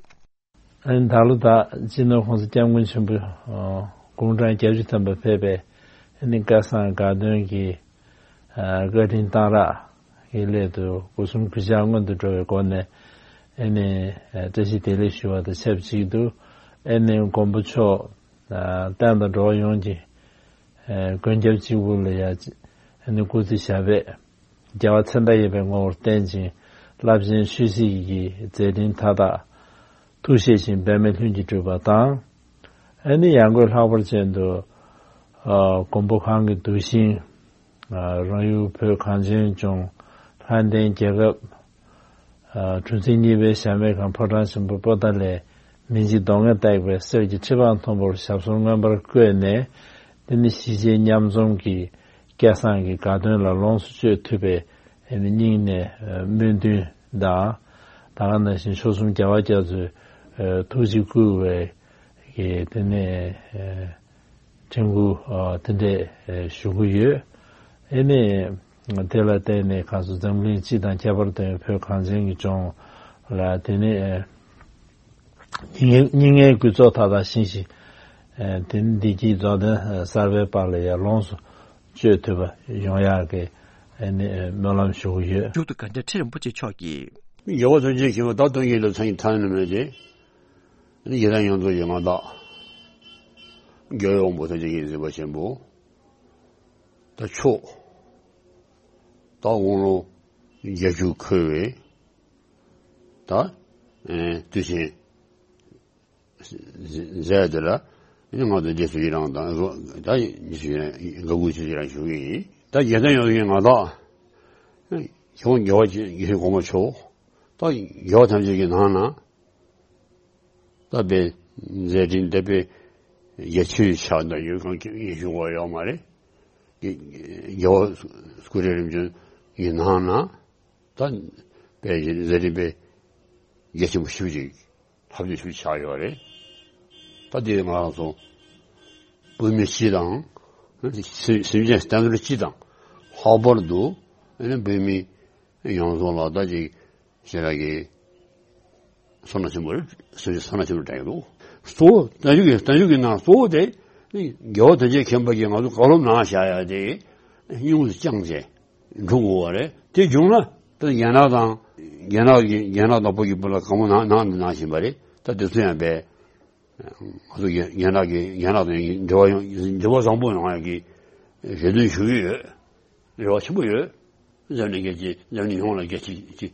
ཨ་ནི་ད་ལོ་ད་སྤྱི་ནོར་༸གོང་ས་༸སྐྱབས་མགོན་ཆེན་པོ་དགུང་གྲངས་བརྒྱད་ཅུ་ཐམ་པ་ཕེབས་པའི་ཨ་ནི་སྐལ་བཟང་དགའ་སྟོན་གྱི་བཀའ་དྲིན་གཏང་རག་གི་སླད་དུ་སྒོ་གསུམ་གུས་ཕྱག་སྔོན་དུ་འགྲོ་བའི་སྒོ་ནས་ཨ་ནི་བཀྲ་ཤིས་བདེ་ལེགས་ཞུ་བ་དང་ཆབས་ཅིག་ཏུ་ཨ་ནི་མགོན་པོ་མཆོག་བསྟན་དང་འགྲོ་བ་ཡོངས་ཀྱི་མགོན་སྐྱབས་གཅིག་པུ་ལ་ཡ་ ཨ་ནི་སྐུ་ཚེ་ཞབས་པད་རྒྱལ་བ་མཚན་རྟགས་ཡོད་པའི་ངོ་བོར་བརྟན་ཅིང་རླབས་ཆེན་ཆོས་སྲིད་ཀྱི་མཛད་འཕྲིན་མཐའ་དག་ཐུགས་བཞེད་བཞིན་འབད་མེད་ལྷུན་གྱིས་གྲུབ་པ་དང་། ཨ་ནི་ཡང་སྒོས་ལྷག་པར་ཅན་དུ་ཨ་མགོན་པོ་གང་གི་གདུལ་ཞིང་ཨ་རང་ཡུལ་བོད་གངས་ཅན་ལྗོངས་ལྷ་ལྡན་རྒྱལ་ཁབ་ཨ་གྲུ་འཛིན་གཉིས་པའི་ཞབས་མེད་ཁང་ཕོ་བྲང་ཆེན་པོ་པོ་ཏཱ་ལའི་མི་འཇིགས་གདོང་ལྔས་བཏེགས་པའི་གསེར་གྱི་ཁྲི་འཕང་མཐོན་པོར་ཞབས་སོར་མངོན་པར་བཀོད་ནས། དེ་ནི་གཞིས་བྱེས་མཉམ་འཛོམས་ཀྱི་སྐལ་བཟང་གི་དགའ་སྟོན་ལ་ལོངས་སུ་སྤྱོད་ཐུབ་པའི་ཨ་ནི་སྙིང་ནས་ཨ་སྨོན་འདུན་དང་། ད་ག་ནང་བཞིན་མཆོག་གསུམ་རྒྱལ་བ་རྒྱ་མཚོས་ཨ་ཐུགས་རྗེ་བསྐུལ་བའི་གི་དེ་ནས་ཨ་དྲན་སྐུལ་ཨ་དེ་འདྲས་ཨ་ཞུ་གི་ཡོད། ཨ་ནི་དེ་ལ་བརྟེན་ནས་ཁ་སང་འཛམ་གླིང་སྤྱི་དང་ཁྱད་པར་དུ་བོད་གངས་ཅན་གྱི་ལྗོངས་ལ་དེ་ནས་ཨ་སྙིང་སྙིང་ངེར་གུས་ཚོགས་མཐའ་དག་བཞེས་ཤིང་། ཨ་དེ་ནས་བདེ་སྐྱིད་རྫོགས་ལྡན་གསར་པའི་པར་ལ་ཡང་ལོངས་སུ་སྤྱོད་ཐུབ་པ་ཡོང་ཡག་གི་ཨ་ནི་སྨོན་ལམ་ཞུ་གི་ཡོད། མཇུག་ཏུ་དགའ་ལྡན་ཁྲི་རིན་པོ་ཆེ་མཆོག་གིས། རྒྱལ་བ་ཐམས་ཅད་མཁྱེན་པ་བདག་སྟོན་ཀྱི་ལ་མཚན་ཉིད་ཐ་ན་མེད་དེ། ཨ་ནི་རྒྱལ་བསྟན་ཡོངས་རྫོགས་ཀྱི་མངའ་བདག་རྒྱལ་བའི་དབང་པོ་ཐམས་ཅད་ཀྱི་གཟིགས་པ་ཆེན་པོ། ད་མཆོག་ད་དབང་ལུང་བརྒྱད་ཅུ་འཁོར་བའི་ད་ཨེ་དུས་ཆེན་མཛད་དེ་ལ་ཨ་ནི་ང་ཚོ་རྗེས་སུ་ཡི་རང་དང་རོ་ད་རྗེས་སུ་ཡི་རང་དགའ་མགུ་ཆེ་ཡི་རང་ཞུ་གི་ཡིན། ད་རྒྱལ་བསྟན་ཡོངས་ཀྱི་མངའ་བདག་ཁྱེད་རང་རྒྱལ་བ་ཡིད་བཞིན་གོང་མ་མཆོག་ད་རྒྱལ་བ་ཐམས་ཅད་ཀྱི་ནང་ན། ད་དཔེ་མཛད་འཕྲིན་དེ་དཔེ་རྒྱ་ཆེའི་ཆ་ད་ཡོད་གང་ཡིན་ཞུ་དགོས་ཡོད་མ་རེད། རྒྱལ་བ་སྐུ་ཕྲེང་རིམ་བྱོན་གྱི་ནང་ན་ད་དཔེ་མཛད་འཕྲིན་དཔེ་རྒྱ་ཆེན་པོ་ཞེ་པོ་ཅིག་ལྷག་བསྡུས་ཞེ་པོ་ཆགས་ཡོད་རེད། ད་དེ་ང་རང་ཚོ་བོད་མི་སྤྱི་དང་སེམས་ཅན་གཏན་འཁེལ་སྤྱི་དང་ལྷག་པར་དུ་བོད་མི་ཡོངས་རྫོགས་ལ་ད་ཅིག་ཞེ་དྲག་གི་བསོད་ནམས་ཆེན་པོ་རེད། བསོད་བསོད་ནམས་ཆེན་པོ་དྲན་གྱི་འདུག་གཙོ་བོ་བརྟན་བཞུགས་ཀྱི་བརྟན་བཞུགས་ཀྱི་ནང་གཙོ་བོ་དེ་རྒྱལ་བ་དོན་ཆེན་མཁྱེན་པ་གིས་ང་ཚོ་བཀའ་སློབ་གནང་བཞག་ཡ་དེ་སྙིང་དུ་བཅངས་བྱས་འགྲོ་དགོས་པ་རེད། དེ་བྱུང་ན་ད་རྒྱ་ནག་དང་རྒྱ་ནག་གི་རྒྱ་ནག་དང་བོད་ཀྱི་བར་ལ་དགའ་མོ་གནང་གནང་གནང་བཞིན་པ་རེད། ད་དེ་ཚོ་ཡང་བས། ང་ཚོ་རྒྱ་རྒྱ་ནག་གི་རྒྱ་ནག་དང་འབྲེལ་བ་ཡོང་འབྲེལ་བ་བཟང་པོ་ཡོང་ཡག་གི་རེ་འདུན་ཞུ་གི་ཡོད། རེ་བ་ཆེན་པོ་ཡོད། འཛམ་གླིང་རྒྱལ་སྤྱི་འཛམ་གླིང་ཡོངས་ལ་རྒྱལ་སྤྱི་སྤྱི་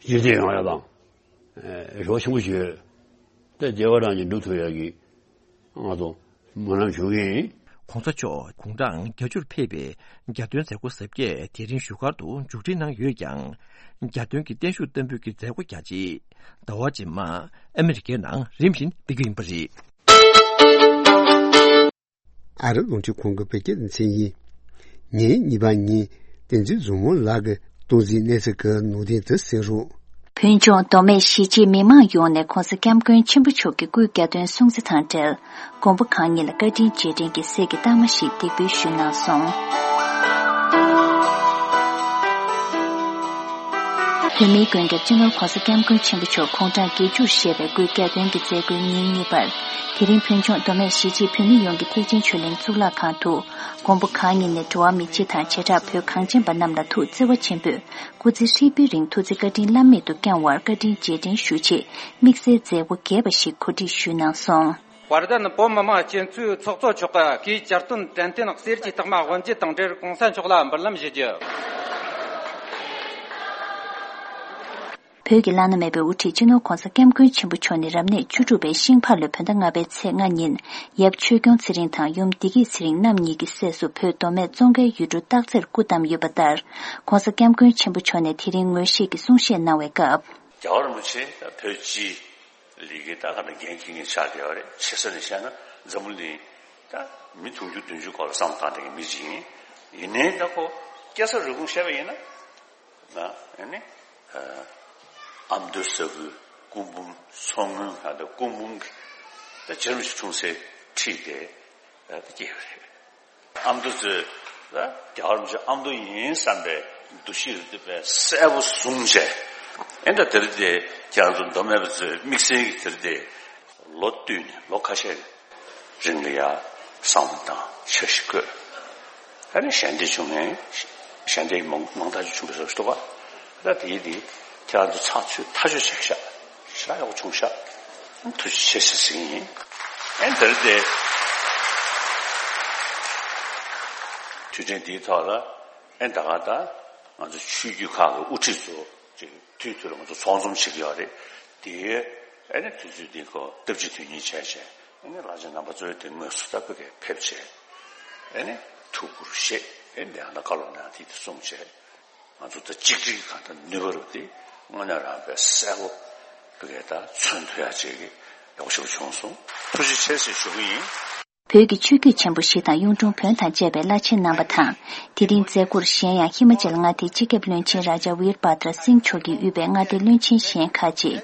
སྤྱི་བདེ་ཡོང་ཡག་དང་། རེ་བ་ཆེན་པོ་ཞིག་ཡོད། དེ་བདེ་བ་རང་གིས་འགྲུབ་ཐུབ་ཡག་གི་ང་ཚོ་སྨོན་ལམ་ཞུ་གི་ཡིན། ༸གོང་ས་མཆོག་དགུང་གྲངས་བརྒྱད་ཅུར་ཕེབས་པའི་གྱ་སྟོན་མཛད་སྒོ་གཟབ་རྒྱས་དེ་རིང་བཞུགས་སྒར་དུ་མཇུག་སྒྲིལ་གནང་ཡོད་ཀྱང་། གྱ་སྟོན་གྱི་བརྟན་བཞུགས་བསྟར་འབུལ་གྱི་མཛད་སྒོ་རྒྱ་ཆེ་ཟླ་བ་རྗེས་མ་ཨ་མི་རི་ཀའི་ནང་རིམ་བཞིན་སྤེལ་རྒྱུ་ཡིན་པ་རེད། ཨ་རི་རླུང་འཕྲིན་ཁང་གི་བོད་སྐད་སྡེ་ཚན་ཡིན། ཉིན་གཉིས་པ་ཉིན་བསྟན་འཛིན་བཟང་མོ་ལགས་ཀྱིས་སྟོང་འཛིན་གནས་ཚུལ་གྱི་ནང་དོན་དུ་གསན་རོགས། བོད་ལྗོངས་མདོ་སྨད་གཞིས་བྱེས་མི་མང་ཡོངས་ནས་༸གོང་ས་༸སྐྱབས་མགོན་ཆེན་པོ་མཆོག་གི་སྐུའི་གྱ་སྟོན་སྲུང་བརྩི་དང་འབྲེལ། མགོན་པོ་གང་ཉིད་ལ་བཀའ་དྲིན་རྗེས་དྲན་གྱི་གསེར་གྱི་རྟགས་མ་ཞིག་འདེགས་འབུལ་ཞུས་གནང་སོང་། བོད་མིའི་མགོན་སྐྱབས་སྤྱི་ནོར་༸གོང་ས་༸སྐྱབས་མགོན་ཆེན་པོ་མཆོག་དགུང་གྲངས་བརྒྱད་ཅུར་བཞེས་པའི་སྐུའི་གྱ་སྟོན་གྱི་མཛད་སྒོའི་ཉིན་གཉིས་པར། དེ་རིང་བོད་ལྗོངས་མདོ་སྨད་གཞིས་བྱེས་བོད་མི་ཡོངས་ཀྱིས་ཐེག་ཆེན་ཆོས་གླིང་གཙུག་ལག་ཁང་དུ། མགོན་པོ་གང་ཉིད་ནས་འགྲོ་བ་མི་སྤྱི་དང་བྱེ་བྲག་བོད་གངས་ཅན་པ་རྣམས་ལ་ཐུགས་བརྩེ་བ་ཆེན་པོས་སྐུ་ཚེ་ཧྲིལ་པོའི་རིང་ཐུགས་བརྩེ་བཀའ་དྲིན་བླ་མེད་དུ་བསྐྱང་བར་བཀའ་དྲིན་རྗེས་དྲན་ཞུ་ཆེད་དམིགས་བསལ་མཛད་སྒོ་རྒྱས་པ་ཞིག་གོ་སྒྲིག་ཞུས་གནང་སོང་། བར་དན་བོད་མི་མང་སྤྱི་འཐུས་ཚོགས་གཙོ་མཆོག་གིས་སྐུའི་གྱ་སྟོན་དྲན་རྟེན་གསེར་གྱི་རྟགས་མ་དབུ་འབྱེད་དང་འབྲེལ་༸གོང་ས་མཆོག་ལ་འབུལ་ལམ་ཞུ་རྒྱུ། བོད་ཀྱི་བླ་ན་མེད་པའི་དབུ་ཁྲིད་སྤྱི་ནོར་༸གོང་ས་༸སྐྱབས་མགོན་ཆེན་པོ་མཆོག་ནི་རབ་གནས་བཅུ་དྲུག་པའི་ཤིང་ཕག་ལོའི་བོད་ཟླ་ལྔ་པའི་ཚེས་ལྔ་ཉིན་ཡབ་ཆོས་སྐྱོང་ཚེ་རིང་དང་ཡུམ་བདེ་སྐྱིད་ཚེ་རིང་རྣམ་གཉིས་ཀྱི་སྲས་སུ་བོད་མདོ་སྨད་ཙོང་ཁའི་ཡུལ་གྲུ་སྟག་རྩེར་སྐུ་བལྟམས་ཡོད་པ་ལྟར། ༸གོང་ས་༸སྐྱབས་མགོན་ཆེན་པོ་མཆོག་ནས་དེ་རིང་ངོ་ཤེས་ཀྱི་གསུང་བཤད་གནང་བའི་སྐབས། རྒྱལ་བ་རིན་པོ་ཆེ་བོད་སྤྱིའི་ལས་ཀའི་ད་ག་ནང་འགན་འཁྱེར་མཁན་ཆགས་བསྡད་པ་རེད། ཆེ་ས་ནས་བཤད་ན་འཛམ་བུ་གླིང་ད་མི་དུང་ཕྱུར་བདུན་ཅུ་སྐོར་ལ་བསམ་བློ་བཏང་བསྡད་མཁན་མི་ཅིག་ཡིན། ཡིན་ནའི་ད་ཁོ་སྐྱེས་ས་རུས་གོང་བཤད་པ་ཡིན་ན། ན་ཨ་ནི་ཨ་མདོ་ས་ཁུལ་སྐུ་འབུམ་མཚོ་སྔོན་ཁ་ད་སྐུ་འབུམ་གྱི་ད་རྗེ་རིན་པོ་ཆེ་འཁྲུངས་སའི་འཁྲིས་དེ་ད་སྐྱེས་པ་རེད། ཨ་མདོ་ཚོས་ད་རྒྱལ་བ་རིན་པོ་ཆེ་ཨ་མདོ་ཡིན་བསམ་པའི་འདུ་ཤེས་རེ་འདུག་པས་གསལ་པོ་བཟུང་བྱས། ཨེ་ད་དེ་རིང་དེ་ཁྱེད་རང་ཚོ་མདོ་སྨད་པ་ཚོས་དམིགས་བསལ་གྱི་དེ་རིང་དེ་ལོ་བསྟུད་ནས་ལོ་ཁ་ཤས་རིང་ལ་ཡ་བསམ་བློ་བཏང་འཆར་གཞི་བཀོད། ཨ་ནི་ཞལ་འདེབས་བྱུང་ནས་ཞལ་འདེབས་མང་མང་དག་ཅིག་བྱུང་བའི་བཟོ་ཞིག་འདུག་ག་ད་དེ་དེ་ཁྱེད་རང་ཚོ་ཚགས་ཚུད་ཐག་ཆོད་བྱས་ཤག་ཤག་ཡག་པོ་བྱུང་ཤག་ཐུགས་རྗེ་ཆེ་ཟེར་ཟིན་ཡིན། ཨེ་འདིར་དེ་ བརྒྱུད་འཕྲིན་འདིའི་ཐོག་ལ་ཨེ་ད་ག་ད་ང་ཚོ་ཆོས་བརྒྱུད་ཁག་གི་དབུ་ཁྲིད་ཚོ་ཅིག་དུས་དུས་ལ་ང་ཚོ་ཚོགས་འཛོམས་བྱེད་ཀྱི་ཡོད་རེད། དེའི་ཨེ་ནི་དུས་ཚོད་འདི་ཁོ་སྟབས་ཀྱིས་དོན་གཉེར་བྱས་བྱས་ཨེ་ནི་བླ་ཆེན་རྣམ་པ་ཚོའི་དེ་དངོས་སུ་ད་བོད་སྐད་ཕེབས་བྱས་ཨེ་ནི་ཐུགས་ཁུར་བཞེས་ཨེ་འདི་ཡང་ད་བཀའ་སློབ་གནང་དེ་དེ་གསུངས་བྱས། ང་ཚོ་ད་གཅིག་སྒྲིལ་གང་ལྟར་ནུས་པ་རུ་དེ་དངོས་གནས་རང་དཔེ་གསལ་པོ་བོད་སྐད་ད་མཚོན་ཐུབ་ཡ་ཅིག་གི་ཡག་པོ་ཞིག་བྱུང་སོང་། ཐུགས་རྗེ་ཆེ་ཟེར་ཞུ་གི་ཡིན། བོད་ཀྱི་ཆོས་བརྒྱུད་ཆེན་པོ་བཞི་དང་གཡུང་དྲུང་བོན་དང་བཅས་པའི་བླ་ཆེན་རྣམ་པ་དང་། དེ་རིང་མཛད་སྒོར་གཞན་ཡང་ཧི་མ་ཅལ་མངའ་སྡེའི་སྤྱི་ཁྱབ་བློན་ཆེན་རཱ་ཇཱ་ཝིར་བྷ་དྲ་སིང་མཆོག་གིས་དབུས་པའི་མངའ་སྡེ་བློན་ཆེན་གཞན་ཁག་ཅིག་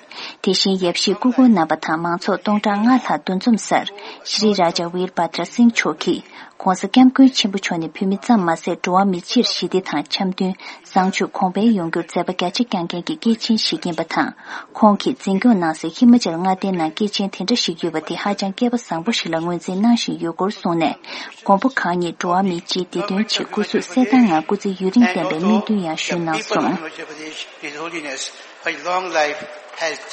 དེ་བཞིན་ཡབ་གཞིས་སྐུ་འཁོར་རྣམ་པ་དང་མང་ཚོགས་སྟོང་ཕྲག་ལྔ་ལྷག་འདུ་འཛོམས་སར་ཤྲི་རཱ་ཇཱ་ཝིར་བྷ་དྲ་སིང་མཆོག་གིས་༧གོང་ས་༧སྐྱབས་མགོན་ཆེན་པོ་མཆོག་ནི་བོད་མི་ཙམ་མ་ཟད་འགྲོ་བ་མི་སྤྱིར་ཞི་བདེ་དང་འཆམ་མཐུན། བཟང་སྤྱོད་གོང་འཕེལ་ཡོང་རྒྱུར་མཛད་པ་རྒྱ་ཆེ་བསྐྱངས་མཁན་གྱི་སྐྱེས་ཆེན་ཞིག་ཡིན་པ་དང་། ཁོང་གིས་འཛིན་སྐྱོང་གནང་སའི་ཧི་མ་ཅལ་མངའ་སྡེའི་ནང་སྐྱེས་ཆེན་དེ་འདྲ་ཞིག་ཡོད་པ་དེ་ཧ་ཅང་སྐལ་པ་བཟང་པོ་ཞིག་ལ་ངོས་འཛིན་གནང་བཞིན་ཡོད་སྐོར་གསུངས་ནས། མགོན་པོ་གང་ཉིད་འགྲོ་བ་མིའི་སྤྱིའི་བདེ་དོན་ཆེད་སྐུ་གཟུགས་གསལ་ཐང་ངང་སྐུ་ཚེ་ཡུན་རིང་བརྟན་པའི་སྨོན་འདུན་ཡང་ཞུས་གནང་སོང་། His holiness, for long life, health,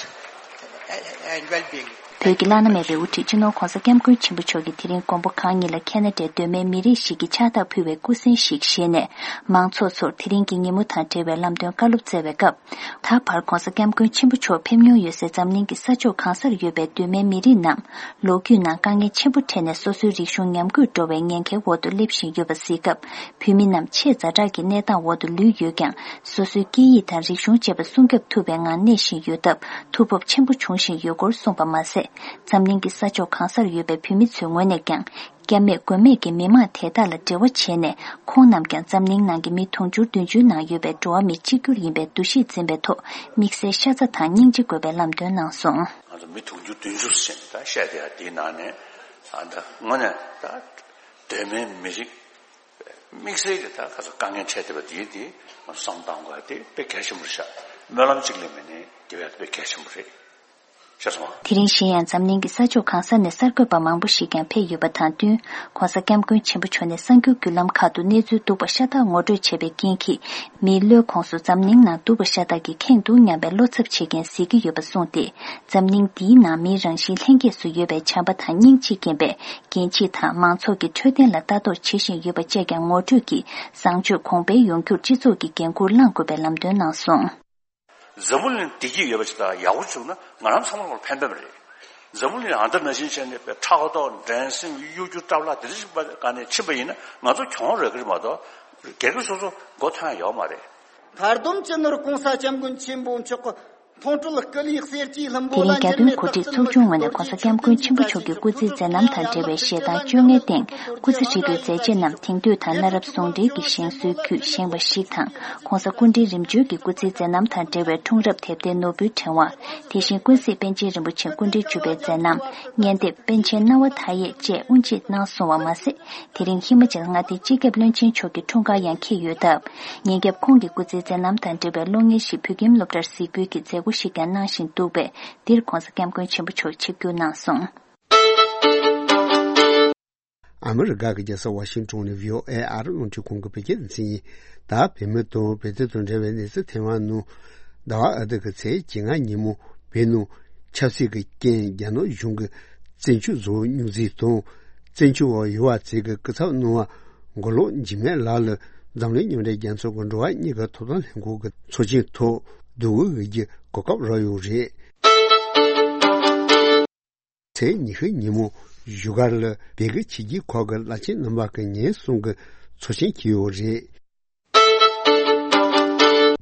and well-being. བོད་ཀྱི་བླ་ན་མེད་པའི་དབུ་ཁྲིད་སྤྱི་ནོར་༧གོང་ས་༧སྐྱབས་མགོན་ཆེན་པོ་མཆོག་གིས་དེ་རིང་མགོན་པོ་གང་ཉིད་ལ་ཁེ་ན་ཌའི་གདོད་མའི་མི་རིགས་ཤིག་གི་ཕྱག་རྟགས་ཕུལ་བའི་སྐུ་གཟན་ཞིག་བཞེས་ནས། མང་ཚོགས་ཚོར་དེ་རིང་གི་ཉིན་མོ་དང་འབྲེལ་བའི་ལམ་སྟོན་བཀའ་སློབ་སྩལ་བའི་སྐབས། ད་བར་༧གོང་ས་༧སྐྱབས་མགོན་ཆེན་པོ་མཆོག་ཕེབས་མྱོང་ཡོད་སའི་འཛམ་གླིང་གི་ས་ཕྱོགས་གང་སར་ཡོད་པའི་གདོད་མའི་མི་རིགས་རྣམས། ལོ་རྒྱུས་ནང་དཀའ་ངལ་ཆེན་པོ་འཕྲད་ནས་སོ་སོའི་རིག་གཞུང་ཉམས་རྒུད་འགྲོ་བའི་ཉེན་ཁའི་འོག་ཏུ་སླེབས་བཞིན་ཡོད་པ་གཟིགས་སྐབས། བོད་མི་རྣམས་ཆེས་ཛ་དྲག་གི་གནས་སྟངས་འོག་ཏུ་ལུས་ཡོད་ཀྱང་། སོ་སོའི་སྐད་ཡིག་དང་རིག་གཞུང་བཅས་པ་སྲུང་སྐྱོབ་ཐུབ་པའི་ངང་གནས་བཞིན་ཡོད་སྟབས། ཐུགས་སྤོབས་ཆེན་པོ་བྱུང་བཞིན་ཡོད་སྐོར་གསུངས་པ་མ་ཟད། འཛམ་གླིང་གི་ས་ཕྱོགས་གང་སར་ཡོད་པའི་བོད་མི་ཚོའི་ངོས་ནས་ཀྱང་། སྐྱབས་མེད་མགོན་མེད་ཀྱི་མི་མང་དེ་དག་ལ་འབྲེལ་བ་བྱས་ནས། ཁོང་རྣམས་ཀྱང་འཛམ་གླིང་ནང་གི་མི་དུང་ཕྱུར་བདུན་ཅུའི་ནང་ཡོད་པའི་འགྲོ་བ་མི་གཅིག་གྱུར་ཡིན་པའི་འདུ་ཤེས་འཛིན་པའི་ཐོག་དམིགས་བསལ་ཤ་ཚ་དང་སྙིང་རྗེ་དགོས་པའི་ལམ་སྟོན་གནང་སོང་། ང་ཚོ་མི་དུང་ཕྱུར་བདུན་ཅུ་ཟེར་ནས་ད་བཤད་བསྡད་ཡ་དེའི་ནང་ནས་ཨ་ད་དངོས་གནས་ད་གདོད་མའི་མི་རིགས་དམིགས་བསལ་གྱི་ད་ག་ཚོད་དཀའ་ངལ་འཕྲད་བསྡད་པ་དེའི་དེ་ང་ཚོ་བསམ་བློ་གཏང་དགོས་ཡ་དེ་དཔེ་གལ་ཆེན་པོ་རེད་ཤག་སྨོན་ལམ་གཅིག་ལས་མེད་ནའི་དེ་བས་དཔེ་གལ་ཆེན་པོ་རེད། ཤེས་སོང་ང་། དེ་རིང་གཞན་ཡང་འཛམ་གླིང་གི་ས་ཕྱོགས་གང་ས་ནས་གསར་འགོད་པ་མང་པོ་ཞིག་ཀྱང་ཕེབས་ཡོད་པ་དང་བསྟུན། ༧གོང་ས་༧སྐྱབས་མགོན་ཆེན་པོ་མཆོག་ནས་གསར་འགྱུར་བརྒྱུད་ལམ་ཁག་ཏུ་གནས་ཚུལ་སྡུག་པ་ཤ་སྟག་ངོ་སྤྲོད་བྱས་པའི་རྐྱེན་གྱིས། མིའི་བློའི་ཁོངས་སུ་འཛམ་གླིང་ནང་སྡུག་པ་ཤ་སྟག་གི་ཁེངས་འདུག་སྙམ་པའི་བློ་འཚབ་བྱེད་མཁན་གཟིགས་ཀྱི་ཡོད་པ་གསུངས་ཏེ། འཛམ་གླིང་འདིའི་ནང་མིའི་རང་བཞིན་ལྷན་སྐྱེས་སུ་ཡོད་པའི་བྱམས་པ་དང་སྙིང་རྗེས་རྐྱེན་པས། རྒྱལ་སྤྱི་དང་མང་ཚོགས་ཀྱི་འཕྲོད་བསྟེན་ལ་ལྟ་རྟོག་བྱེད་བཞིན་ཡོད་པ་བཅས་ཀྱང་ངོ་སྤྲོད་ཀྱིས། བཟང་སྤྱོད་གོང་འཕེལ་ཡོང་རྒྱུར་སྤྱི་ཚོགས་ཀྱི་འགན་འཁུར་བླངས་དགོས་པའི་ལམ་སྟོན་གནང་སོང་། འཛམ་བུ་གླིང་བདེ་སྐྱིད་ཡོད་པ་ཅིག་དང་ཡག་པོ་བྱུང་ན་ང་རང་ཚང་མ་ལ་ཕན་པ་རེད། འཛམ་བུ་གླིང་ཨ་འདྲ་ན་བཞིན་བྱས་ནས་པའི་ཕྲག་དོག་འགྲན་སེམས་གཡོ་སྒྱུ་སྐྲག་ལྷག་དེ་འདྲ་ཞིག་པ་ག་ནས་ཕྱིན་པ་ཡིན་ན་ང་ཚོ་གྱོང་རག་གི་རེད་མ་གཏོགས་སྒེར་གྱི་སོ་སོ་མགོ་ཐོན་ཡོད་མ་རེད། མཐར་སྡོམ་སྤྱི་ནོར་༧གོང་ས་༧སྐྱབས་མགོན་ཆེན་པོ་མཆོག་གི་མཐོང་གྲོལ་སྐུ་ལུས་གསེར་གྱི་ལྷུན་པོ་ལ། དེ་རིང་རྒྱལ་དོན་གོ་སྒྲིག་ཚོགས་ཆུང་ངོས་ནས་༧གོང་ས་༧སྐྱབས་མགོན་ཆེན་པོ་མཆོག་གི་སྐུ་ཚེའི་མཛད་རྣམ་དང་འབྲེལ་བའི་ཞལ་ཐང་བཅོ་ལྔའི་སྟེང་སྐུ་ཚེ་ཧྲིལ་པོའི་མཛད་རྗེས་རྣམས་དེང་དུས་དང་གནའ་རབས་ཟུང་འབྲེལ་གྱི་བཞེངས་སྲོལ་བརྒྱུད་བཞེངས་པ་ཞིག་དང་། ༧གོང་ས་སྐུ་ཕྲེང་རིམ་བྱོན་གྱི་སྐུ་ཚེའི་མཛད་རྣམ་དང་འབྲེལ་བའི་འཁྲུངས་རབས་དེབ་ཐེར་ནོར་བུའི་ཕྲེང་བ། དེ་བཞིན་ཀུན་གཟིགས་པཎ་ཆེན་རིན་པོ་ཆེ་སྐུ་ཕྲེང་བཅུ་པའི་མཛད་རྣམ། སྙན་དེབ་པཎ་ཆེན་སྣང་བ་མཐའ་ཡས་བཅས་དབུ་འབྱེད་གནང་སོང་བ་མ་ཟད། དེ་རིང་ཧི་མ་ཅལ་མངའ་སྡེའི་སྤྱི་ཁྱབ་བློན་ཆེན་མཆོག་གི་འཁྲུངས་སྐར་ཡང་འཁེལ་ཡོད་སྟབས། ཉིན་རྒྱབ་ཁོང་གི་སྐུ་ཚེའི་མཛད་རྣམ་དང་འབྲེལ་བའི་གློག་བརྙན་ཞིག་བོད་ཁྱིམ་སློབ་གྲྭར་གཟིགས་འབུལ་གྱི་མཛད་སྒོ་ཞིག་ཀྱང་གནང་བཞིན་འདུག་པས། འདིར་༧གོང་ས་༧སྐྱབས་མགོན་ཆེན་པོ་མཆོག་ཆིབས་བསྒྱུར་གནང་སོང་། ཨ་མི་རི་ཀ་གི་རྒྱལ་ས་ཝ་ཤིང་ཏོན་ནས་བྷི་ཨོ་ཨེ་ཨ་རི་རླུང་འཕྲིན་ཁང་གི་བོད་སྐད་སྡེ་ཚན་ཡིན། ད་བོད་མི་དང་བོད་དོན་དང་འབྲེལ་བའི་གནས་ཚུལ་ཐེངས་མང་ནང་། ཟླ་བ་ཨ་ཐུར་གྱི་ཚེས་བཅོ་ལྔ་ཉིན་མོ་བོད་ནང་ཆབ་སྲིད་ཀྱི་རྐྱེན་རྒྱ་ནག་གཞུང་གིས་བཙན་ཆབ་བཟོ་རྙོག་འཛིང་དང་། བཙན་བྱོལ་བ་ཡུ་བ་ཙེ་གི་སྐུ་ཚབ་གནང་བ་མགོ་ལོག་འཇིགས་མེད་ལགས་ལ་འཛམ་གླིང་མཉམ་འབྲེལ་རྒྱལ་ཚོགས་ཀྱི་འགྲོ་བ་མིའི་ཐོབ་ཐང་ལྷན་ཁང་གི་ཚོགས་ཆེན་ཐོག་བསྡུར་དགོས་ཀྱི་གོ་སྐབས་རག་ཡོད་རེད། ཚེས་ཉི་ཤུ་ཉིན་མོ་བཞུགས་སྒར་ལ་བོད་ཀྱི་ཆོས་བརྒྱུད་ཁག་གི་བླ་ཆེན་རྣམ་པ་ཀྱི་ཉིན་གསུམ་གྱི་ཚོགས་ཆེན་འཁེལ་ཡོད་རེད།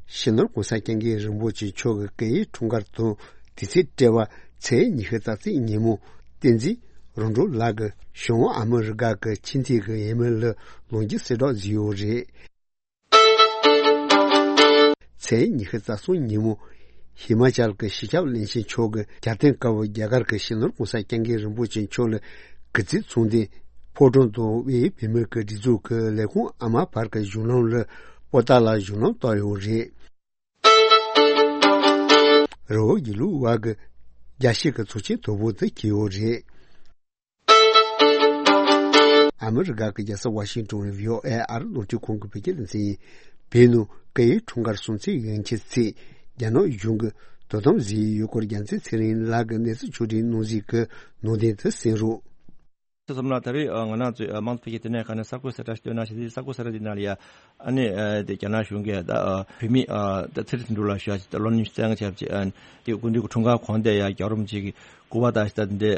སྤྱི་ནོར་༧གོང་ས་༧སྐྱབས་མགོན་རིན་པོ་ཆེ་མཆོག་གི་སྐུ་ཡི་འཁྲུངས་སྐར་དང་དུས་ཚིགས་སྤྲད་པ་ཚེས་ཉི་ཤུ་རྩ་གཅིག་ཉིན་མོ་བསྟན་འཛིན་རོང་འབྲོག་ལགས་ཀྱིས་བྱང་ཨ་མི་རི་ཀ་གི་ཕྱི་འཐེན་གྱི་འོས་མི་ལ་ལོ་རྒྱུས་གསལ་བསྒྲགས་བཟོས་ཡོད་རེད། ཚེས་ཉི་ཤུ་རྩ་གསུམ་ཉིན་མོ་ཧི་མ་ཅལ་གྱི་སྤྱི་ཁྱབ་བློན་ཆེན་མཆོག་གིས་རྒྱལ་བསྟན་དཀར་པོ་རྒྱ་གར་གྱི་སྤྱི་ནོར་༧གོང་ས་༧སྐྱབས་མགོན་རིན་པོ་ཆེ་མཆོག་ལ་གུས་བརྩི་མཚོན་ཏེ། ཕོ་བྲང་དུ་དབུས་བོད་མིའི་སྒྲིག་འཛུགས་ཀྱི་ལས་ཁུངས་ཨ་མ་བར་གྱི་གཞུང་ལམ་ལ་པོ་ཏཱ་ལ་གཞུང་ལམ་བཏབ་ཡོད་རེད། རི་བོ་དགེ་ལུགས་པ་གི་རྒྱལ་སྤྱི་གི་ཚོགས་ཆེན་དོ་པོ་དེ་འཁེལ་ཡོད་རེད། ཨ་མི་རི་ཀ་གི་རྒྱལ་ས་ཝ་ཤིང་ཏོན་ནས་བྷི་ཨོ་ཨེ་ཨ་རི་རླུང་འཕྲིན་ཁང་གི་བོད་སྐད་སྡེ་ཚན་ཡིན། བོད་ནང་སྐུའི་འཁྲུངས་སྐར་སྲུང་བརྩིའི་ཡོན་ཆབ་ཚེས་རྒྱ་ནག་གཞུང་གིས་དོ་དམ་བཟོས་ཡོད་སྐོར་རྒྱལ་མཚན་ཚེ་རིང་ལགས་ཀྱིས་གནས་ཚུལ་ཕྱོགས་སྒྲིག་གནང་གཟིགས་ཀྱི་ནང་དོན་དེ་གསན་རོགས། སོང་ཙམ་ལ་ད་རེས་ང་རང་ཚོའི་དམངས་གཙོ་འཕེལ་རྒྱས་ལྟེ་གནས་ཁང་ནས་གསར་འགོད་གསལ་བསྒྲགས་ཤིག་བཏོན་གནང་བཞིན། དེ་གསར་འགོད་གསལ་བསྒྲགས་འདི་ནང་ལ་ཡ་ཨ་ནི་དེ་རྒྱ་ནག་གཞུང་གིས་ད་བོད་མི་ད་ཚེ་རིང་དོན་གྲུབ་ལགས་ཞུ་ཡ་ཅིག་ད་ལོ་ཉི་ཤུ་རྩ་ལྔ་བྱས་པ་ཅིག་དེ་སྐུ་མདུན་གྱི་འཁྲུངས་སྐར་གོང་དེ་ཡ་རྒྱལ་བ་རིན་པོ་ཆེ་གི་སྐུ་པར་དང་ད་འདི་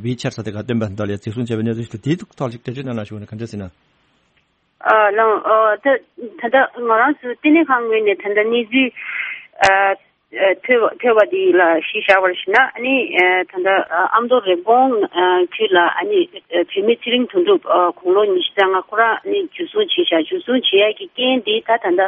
ཝི་ཆེ་ཊི་ས་དེ་ག་སྟོན་པ་འདི་ལ་ཡ་གཟིགས་སྐྱོང་བྱས་པའི་གནས་ཚུལ་ཞིག་དེའི་ཐོག་ལ་ཅིག་འགྲེལ་བརྗོད་གནང་ན་ཞུ་བ་ནི་ག་འདྲ་ཟེར་ན། ཨ་ལགས། ཨ་ད་ད་ལྟ་ང་རང་ཚོའི་ལྟེ་གནས་ཁང་ངོས་ནས་ད་ལྟ་གནས་ཚུལ་ཨ་ཨ་ཐོས་པ་ཐོས་པ་འདི་ལ་གཞི་བཞག་པར་ཞུ་ན། ཨ་ནི་ཨ་ད་ལྟ་ཨ་ཨ་མདོ་རེབ་གོང་ཨ་ཁུལ་ལ་ཨ་ནི་ཨ་བོད་མི་ཚེ་རིང་དོན་གྲུབ་ཨ་དགུང་ལོ་ཉི་ཤུ་རྩ་ལྔ་ཁོ་རང་ཨ་ནི་འཇུ་བཟུང་བྱས་ཤག་འཇུ་བཟུང་བྱེད་ཡ་གི་རྐྱེན་འདི་ད་ད་ལྟ་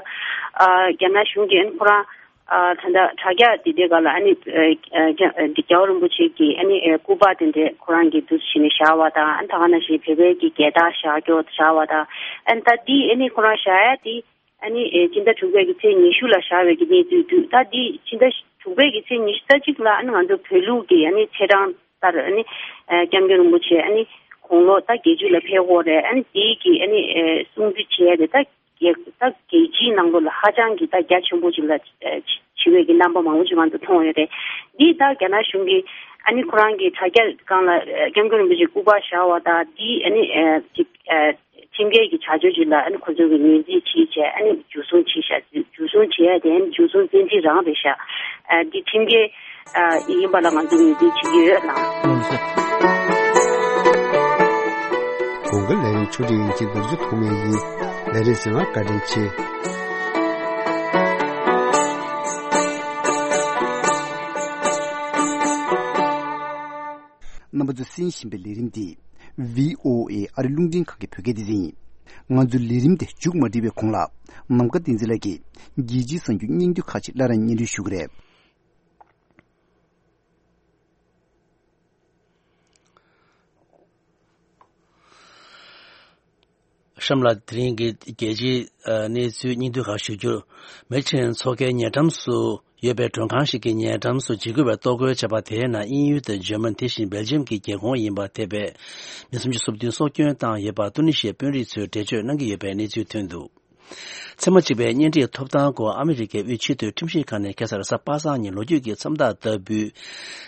ཨ་རྒྱ་ནག་གཞུང་གིས་ཨ་ནི་ཁོ་རང་ཨ་ད་ལྟ་དྲ་རྒྱ་འདི་འདྲའི་སྒང་ལ་ཨ་ནི་ཨ་རྒྱ་ཨ་འདི་རྒྱལ་བ་རིན་པོ་ཆེ་གི་ཨ་ནི་ཨ་སྐུ་པར་དེ་འདྲའི་ཁོ་རང་གིས་འདུག་སེ་བྱས་ནས་བཞག་པ་དང་། ཨ་ནི་ད་ག་ནང་བཞིན་བོད་པའི་གི་རྒྱལ་དར་བཞག་རྒྱུ་བཞག་པ་དང་། ཨ་ནི་ད་འདི་ཨ་ནི་ཁོ་རང་བཞག་ཡ་དེ་ཨ་ནི་ཨ་སྤྱི་ཟླ་དྲུག་པའི་གི་ཚེས་ཉི་ཤུ་ལ་བཞག་པའི་གི་གནས་ཚུལ་འདུག་ད་འདི་ཕྱི་ཟླ་དྲུག་པའི་གི་ཚེས་ཉི་ཤུ་རྩ་གཅིག་ལ་ཨ་ནི་ང་ཚོ་བོད་ལུགས་ཀྱི་ཨ་ནི་ཚེས་གྲངས་ལྟར་ཨ་ནི་ཨ་སྐྱབས་མགོན་རིན་པོ་ཆེ་ཨ་ནི་དགུང་ལོ་ད་བརྒྱད་ཅུ་ལ་ཕེབས་ཀྱི་ཡོད་རེད། ཨ་ནི་དེའི་གི་ཨ་ནི་ཨ་སྲུང་བརྩི་བྱེད་ཡ་དེ་ད་རྒྱལ་ད་རྒྱལ་སྤྱིའི་ནང་ལོགས་ལ་ཧ་ཅང་གི་ད་རྒྱ་ཆེན་པོ་ཅིག་ལ་ཨ་བྱེད་པའི་གི་རྣམ་པ་མང་པོ་ཅིག་ང་ཚོ་མཐོང་ཡོད་རེད། འདི་ད་རྒྱ་ནག་གཞུང་གིས་ཨ་ནི་ཁོ་རང་གི་དྲ་རྒྱ་སྒང་ལ་ཨ་སྐྱབས་མགོན་རིན་པོ་ཆེ་སྐུ་པར་བཞག་པ་དང་འདི་ཨ་ནི་ཨ་ཅིག་ཨ་ཁྲིམས་འགལ་གྱི་བྱ་སྤྱོད་ཅིག་ལ་ཨ་ནི་ཁོ་ཚོ་གིས་ངོས་འཛིན་བྱས་བྱས་ཨ་ནི་འཇུ་བཟུང་བྱས་ཤག་འཇུ་བཟུང་བྱས་ཡ་དེ་ཨ་ནི་འཇུ་བཟུང་བཙན་ཁྲིད་རང་རེད་ཤག་ཨ་འདི་ཁྲིམས་འགལ་ཨ་ཡིན་པ་ལ་ང་ཚོ་ངོས་འཛིན་བྱེད་ཀྱི་ཡོད་ལགས། གོང་གི་ལས་རིམ་ཆུ་ཁྲིད་ཡིན་གྱི་ལོ་རྒྱུས་ཐོག་མའི་ཡིན། ལས་རིམ་གསན་པར་བཀའ་དྲིན་ཆེ། རྣམ་པ་ཚོས་གསན་བཞིན་པའི་ལས་རིམ་འདི་བྷི་ཨོ་ཨེ་ཨ་རི་རླུང་འཕྲིན་ཁང་གི་བོད་སྐད་སྡེ་ཚན་ཡིན། ང་ཚོའི་ལས་རིམ་དེ་མཇུག་མ་སྒྲིལ་བའི་གོང་ལ། ནམ་མཁའ་བསྟན་འཛིན་ལགས་ཀྱིས་རྒྱལ་སྤྱིའི་གསར་འགྱུར་སྙིང་བསྡུས་ཁག་ཅིག་སླར་ཡང་སྙན་སྒྲོན་ཞུ་གི་རེད། གཤམ་ལ་དེ་རིང་གི་རྒྱལ་སྤྱིའི་ཨ་གནས་ཚུལ་སྙིང་བསྡུས་ཁག་ཞུ་རྒྱུར། མེ་ཆེན་མཚོ་ཁའི་ཉེ་འགྲམ་སུ་ཡོད་པའི་མགྲོན་ཁང་ཞིག་གི་ཉེ་འགྲམ་སུ་འཇིགས་སྐུལ་བས་གཏོར་རྒོལ་བྱས་པ་དེའི་ནང་དབྱིན་ཡུལ་དང་འཇར་མན། དེ་བཞིན་སྦེལ་ཇམ་གྱི་རྒྱལ་ཁོངས་ཡིན་པ་ཐེ་བའི་མི་སུམ་ཅུ་སོ་བདུན་སྲོག་སྐྱོན་བཏང་ཡོད་པ་ཏུ་ནི་ཤི་ཡའི་དཔོན་རིགས་ཚོས་འགྲེལ་བརྗོད་གནང་གི་ཡོད་པའི་གནས་ཚུལ་ཐོན་འདུག་མཚན་མ་གཅིག་པའི་གཉེན་སྒྲིག་ཐོབ་ཐང་སྐོར་ཨ་མི་རི་ཀའི་དབུས་ཆེས་མཐོའི་ཁྲིམས་ཞིབ་ཁང་ནས་ཁ་སང་རེས་གཟའ་པ་སངས་ཉིན་ལོ་རྒྱུས་ཀྱི་མཚམས་རྟགས་ལྟ་བུའི་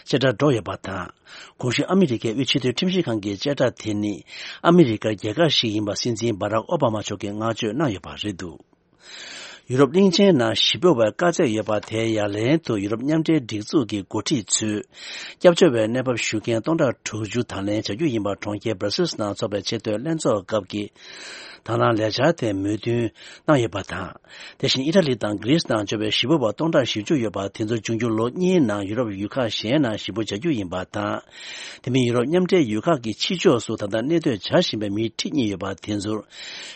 བཅད་ཁྲ་སྒྲོག་ཡོད་པ་དང་། གོང་ཞུས་ཨ་མི་རི་ཀའི་དབུས་ཆེས་མཐོའི་ཁྲིམས་ཞིབ་ཁང་གི་བཅད་ཁྲ་དེ་ནི་ཨ་མི་རི་ཀར་རྒྱལ་ཁ་ཞིག་ཡིན་པ་སྲིད་འཛིན་སྦ་རག་ཨོ་བྷ་མ་མཆོག་གིས་བསྔགས་བརྗོད་གནང་ཡོད་པ་རེད་འདུག་ཡུ་རོབ་གླིང་ཆེན་ནང་ཞི་བོ་བའི་དཀའ་ཚེགས་ཡོད་པ་དེའི་ཡ་ལན་དུ་ཡུ་རོབ་མཉམ་འབྲེལ་སྒྲིག་འཛུགས་ཀྱི་འགོ་ཁྲིད་ཚོས་སྐྱབས་བཅོལ་བའི་གནས་བབ་ཞུ་མཁན་སྟོང་ཕྲག་དྲུག་ཅུ་དང་ལེན་བྱ་རྒྱུ་ཡིན་པ་གྲོང་ཁྱེར་སྦར་སིལ་ནང་འཚོགས་པའི་ཆེས་མཐོའི་ལྷན་ཚོགས་སྐབས་ཀྱི་དང་བླངས་ལས་འཆར་དེ་མོས་མཐུན་གནང་ཡོད་པ་དང་། དེ་བཞིན་ཨི་ཊ་ལི་དང་གྷི་རིས་ནང་འབྱོར་བའི་ཞི་བོ་བ་སྟོང་ཕྲག་བཞི་བཅུ་ཡོད་པ་དེ་ཚོ་འབྱུང་འགྱུར་ལོ་གཉིས་ནང་ཡུ་རོབ་ཡུལ་ཁག་གཞན་ནང་ཞི་བོ་བྱ་རྒྱུ་ཡིན་པ་དང་། དེ་མིན་ཡུ་རོབ་མཉམ་འབྲེལ་ཡུལ་ཁག་གི་ཕྱི་ཕྱོགས་སུ་ད་ལྟ་གནས་སྡོད་བྱ་བཞིན་པའི་མིའི་ཁྲི་གཉིས་ཡོད་པ་དེ་ཚོར་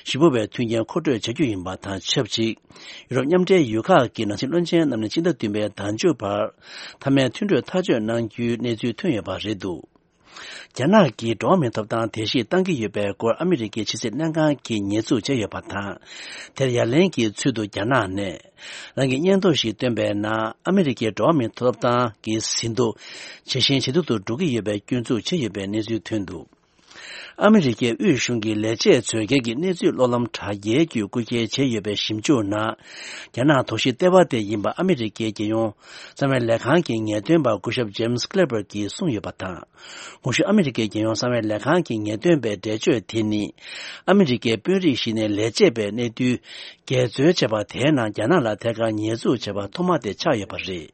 ཞི་བོ་བའི་མཐུན་རྐྱེན་མཁོ་སྤྲོད་བྱ་རྒྱུ་ཡིན་པ་དང་ཆབས་ཅིག་ཡུ་རོབ་མཉམ་འབྲེལ་ཡུལ་ཁག་གི་ནང་སྲིད་བློན་ཆེན་རྣམས་ནས་སྤྱི་ཟླ་བདུན་པའི་ཟླ་མཇུག་བར་མཐའ་མའི་མཐུན་གྲོས་ཐག་གཅོད་གནང་རྒྱུའི་གནས་ཚུལ་ཐོན་ཡོད་པ་རེད་འདུག་རྒྱ་ནག་གིས་འགྲོ་བ་མིའི་ཐོབ་ཐང་བརྡལ་བཤིག་བཏང་གི་ཡོད་པའི་སྐོར་ཨ་མི་རི་ཀའི་ཕྱི་སྲིད་ལྷན་ཁང་གིས་ཉེས་འཛུགས་བྱས་ཡོད་པ་དང་། དེར་ཡ་ལན་གྱི་ཚུལ་དུ་རྒྱ་ནག་ནས་རང་གི་སྙན་ཐོ་ཞིག་བཏོན་པའི་ནང་ཨ་མི་རི་ཀའི་འགྲོ་བ་མིའི་ཐོབ་ཐང་གི་ཟིན་ཐོ་ཇེ་ཞན་ཇེ་སྡུག་ཏུ་འགྲོ་གི་ཡོད་པའི་སྐྱོན་འཛུགས་བྱས་ཡོད་པའི་གནས་ཚུལ་ཐོན་འདུག་ཨ་མི་རི་ཀའི་དབུས་གཞུང་གི་ལས་བྱེད་ཚོས་སྒེར་གྱི་གནས་ཚུལ་གློག་ལམ་དྲ་རྒྱའི་བརྒྱུད་རྐུ་འཁྱེར་བྱས་ཡོད་པའི་ཞིབ་འཇུག་ནང་། རྒྱ་ནག་དོགས་གཞི་ལྟེ་བ་དེ་ཡིན་པ་ཨ་མི་རི་ཀའི་རྒྱལ་ཡོངས་གསང་བའི་ལས་ཁང་གི་ངེས་སྟོན་པ་སྐུ་ཞབས་ཇེམ་སི་ཀླེ་པར་གྱིས་གསུངས་ཡོད་པ་དང་། གོང་ཞུས་ཨ་མི་རི་ཀའི་རྒྱལ་ཡོངས་གསང་བའི་ལས་ཁང་གི་ངེས་སྟོན་པའི་འགྲེལ་བརྗོད་དེ་ནི། ཨ་མི་རི་ཀའི་དཔོན་རིགས་ཤིག་ནས་ལས་བྱེད་པའི་གནས་ཚུལ་འགལ་འཛོལ་བྱས་པ་དེའི་ནང་རྒྱ་ནག་ལ་ཐད་ཀར་ཉེས་འཛུགས་བྱས་པ་ཐོག་མ་དེ་ཆགས་ཡོད་པ་རེད།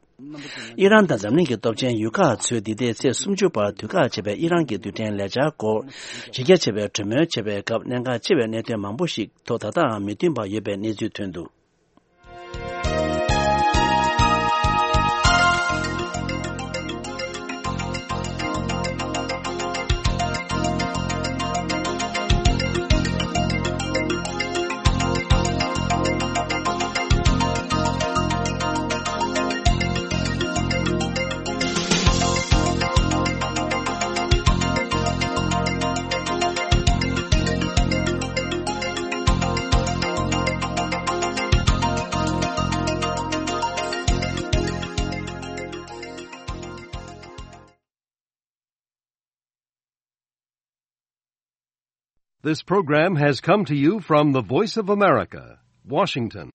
ཨི་རན་དང་འཛམ་གླིང་གི་སྟོབས་ཆེན་ཡུལ་ཁག་ཚོས་འདི་ཟླའི་ཚེས་སུམ་ཅུ་བར་དུས་བཀག་བྱས་པའི་ཨི་རན་གྱི་རྡུལ་ཕྲན་ལས་འཆར་སྐོར་གཞི་རྒྱ་ཆེ་བའི་གྲོས་མོལ་བྱས་པའི་སྐབས་གནད་འགག་ཆེ་བའི་གནད་དོན་མང་པོ་ཞིག་ཐོག་ད་ལྟའང་མི་མཐུན་པ་ཡོད་པའི་གནས་ཚུལ་ཐོན་འདུག This program has come to you from the Voice of America, Washington.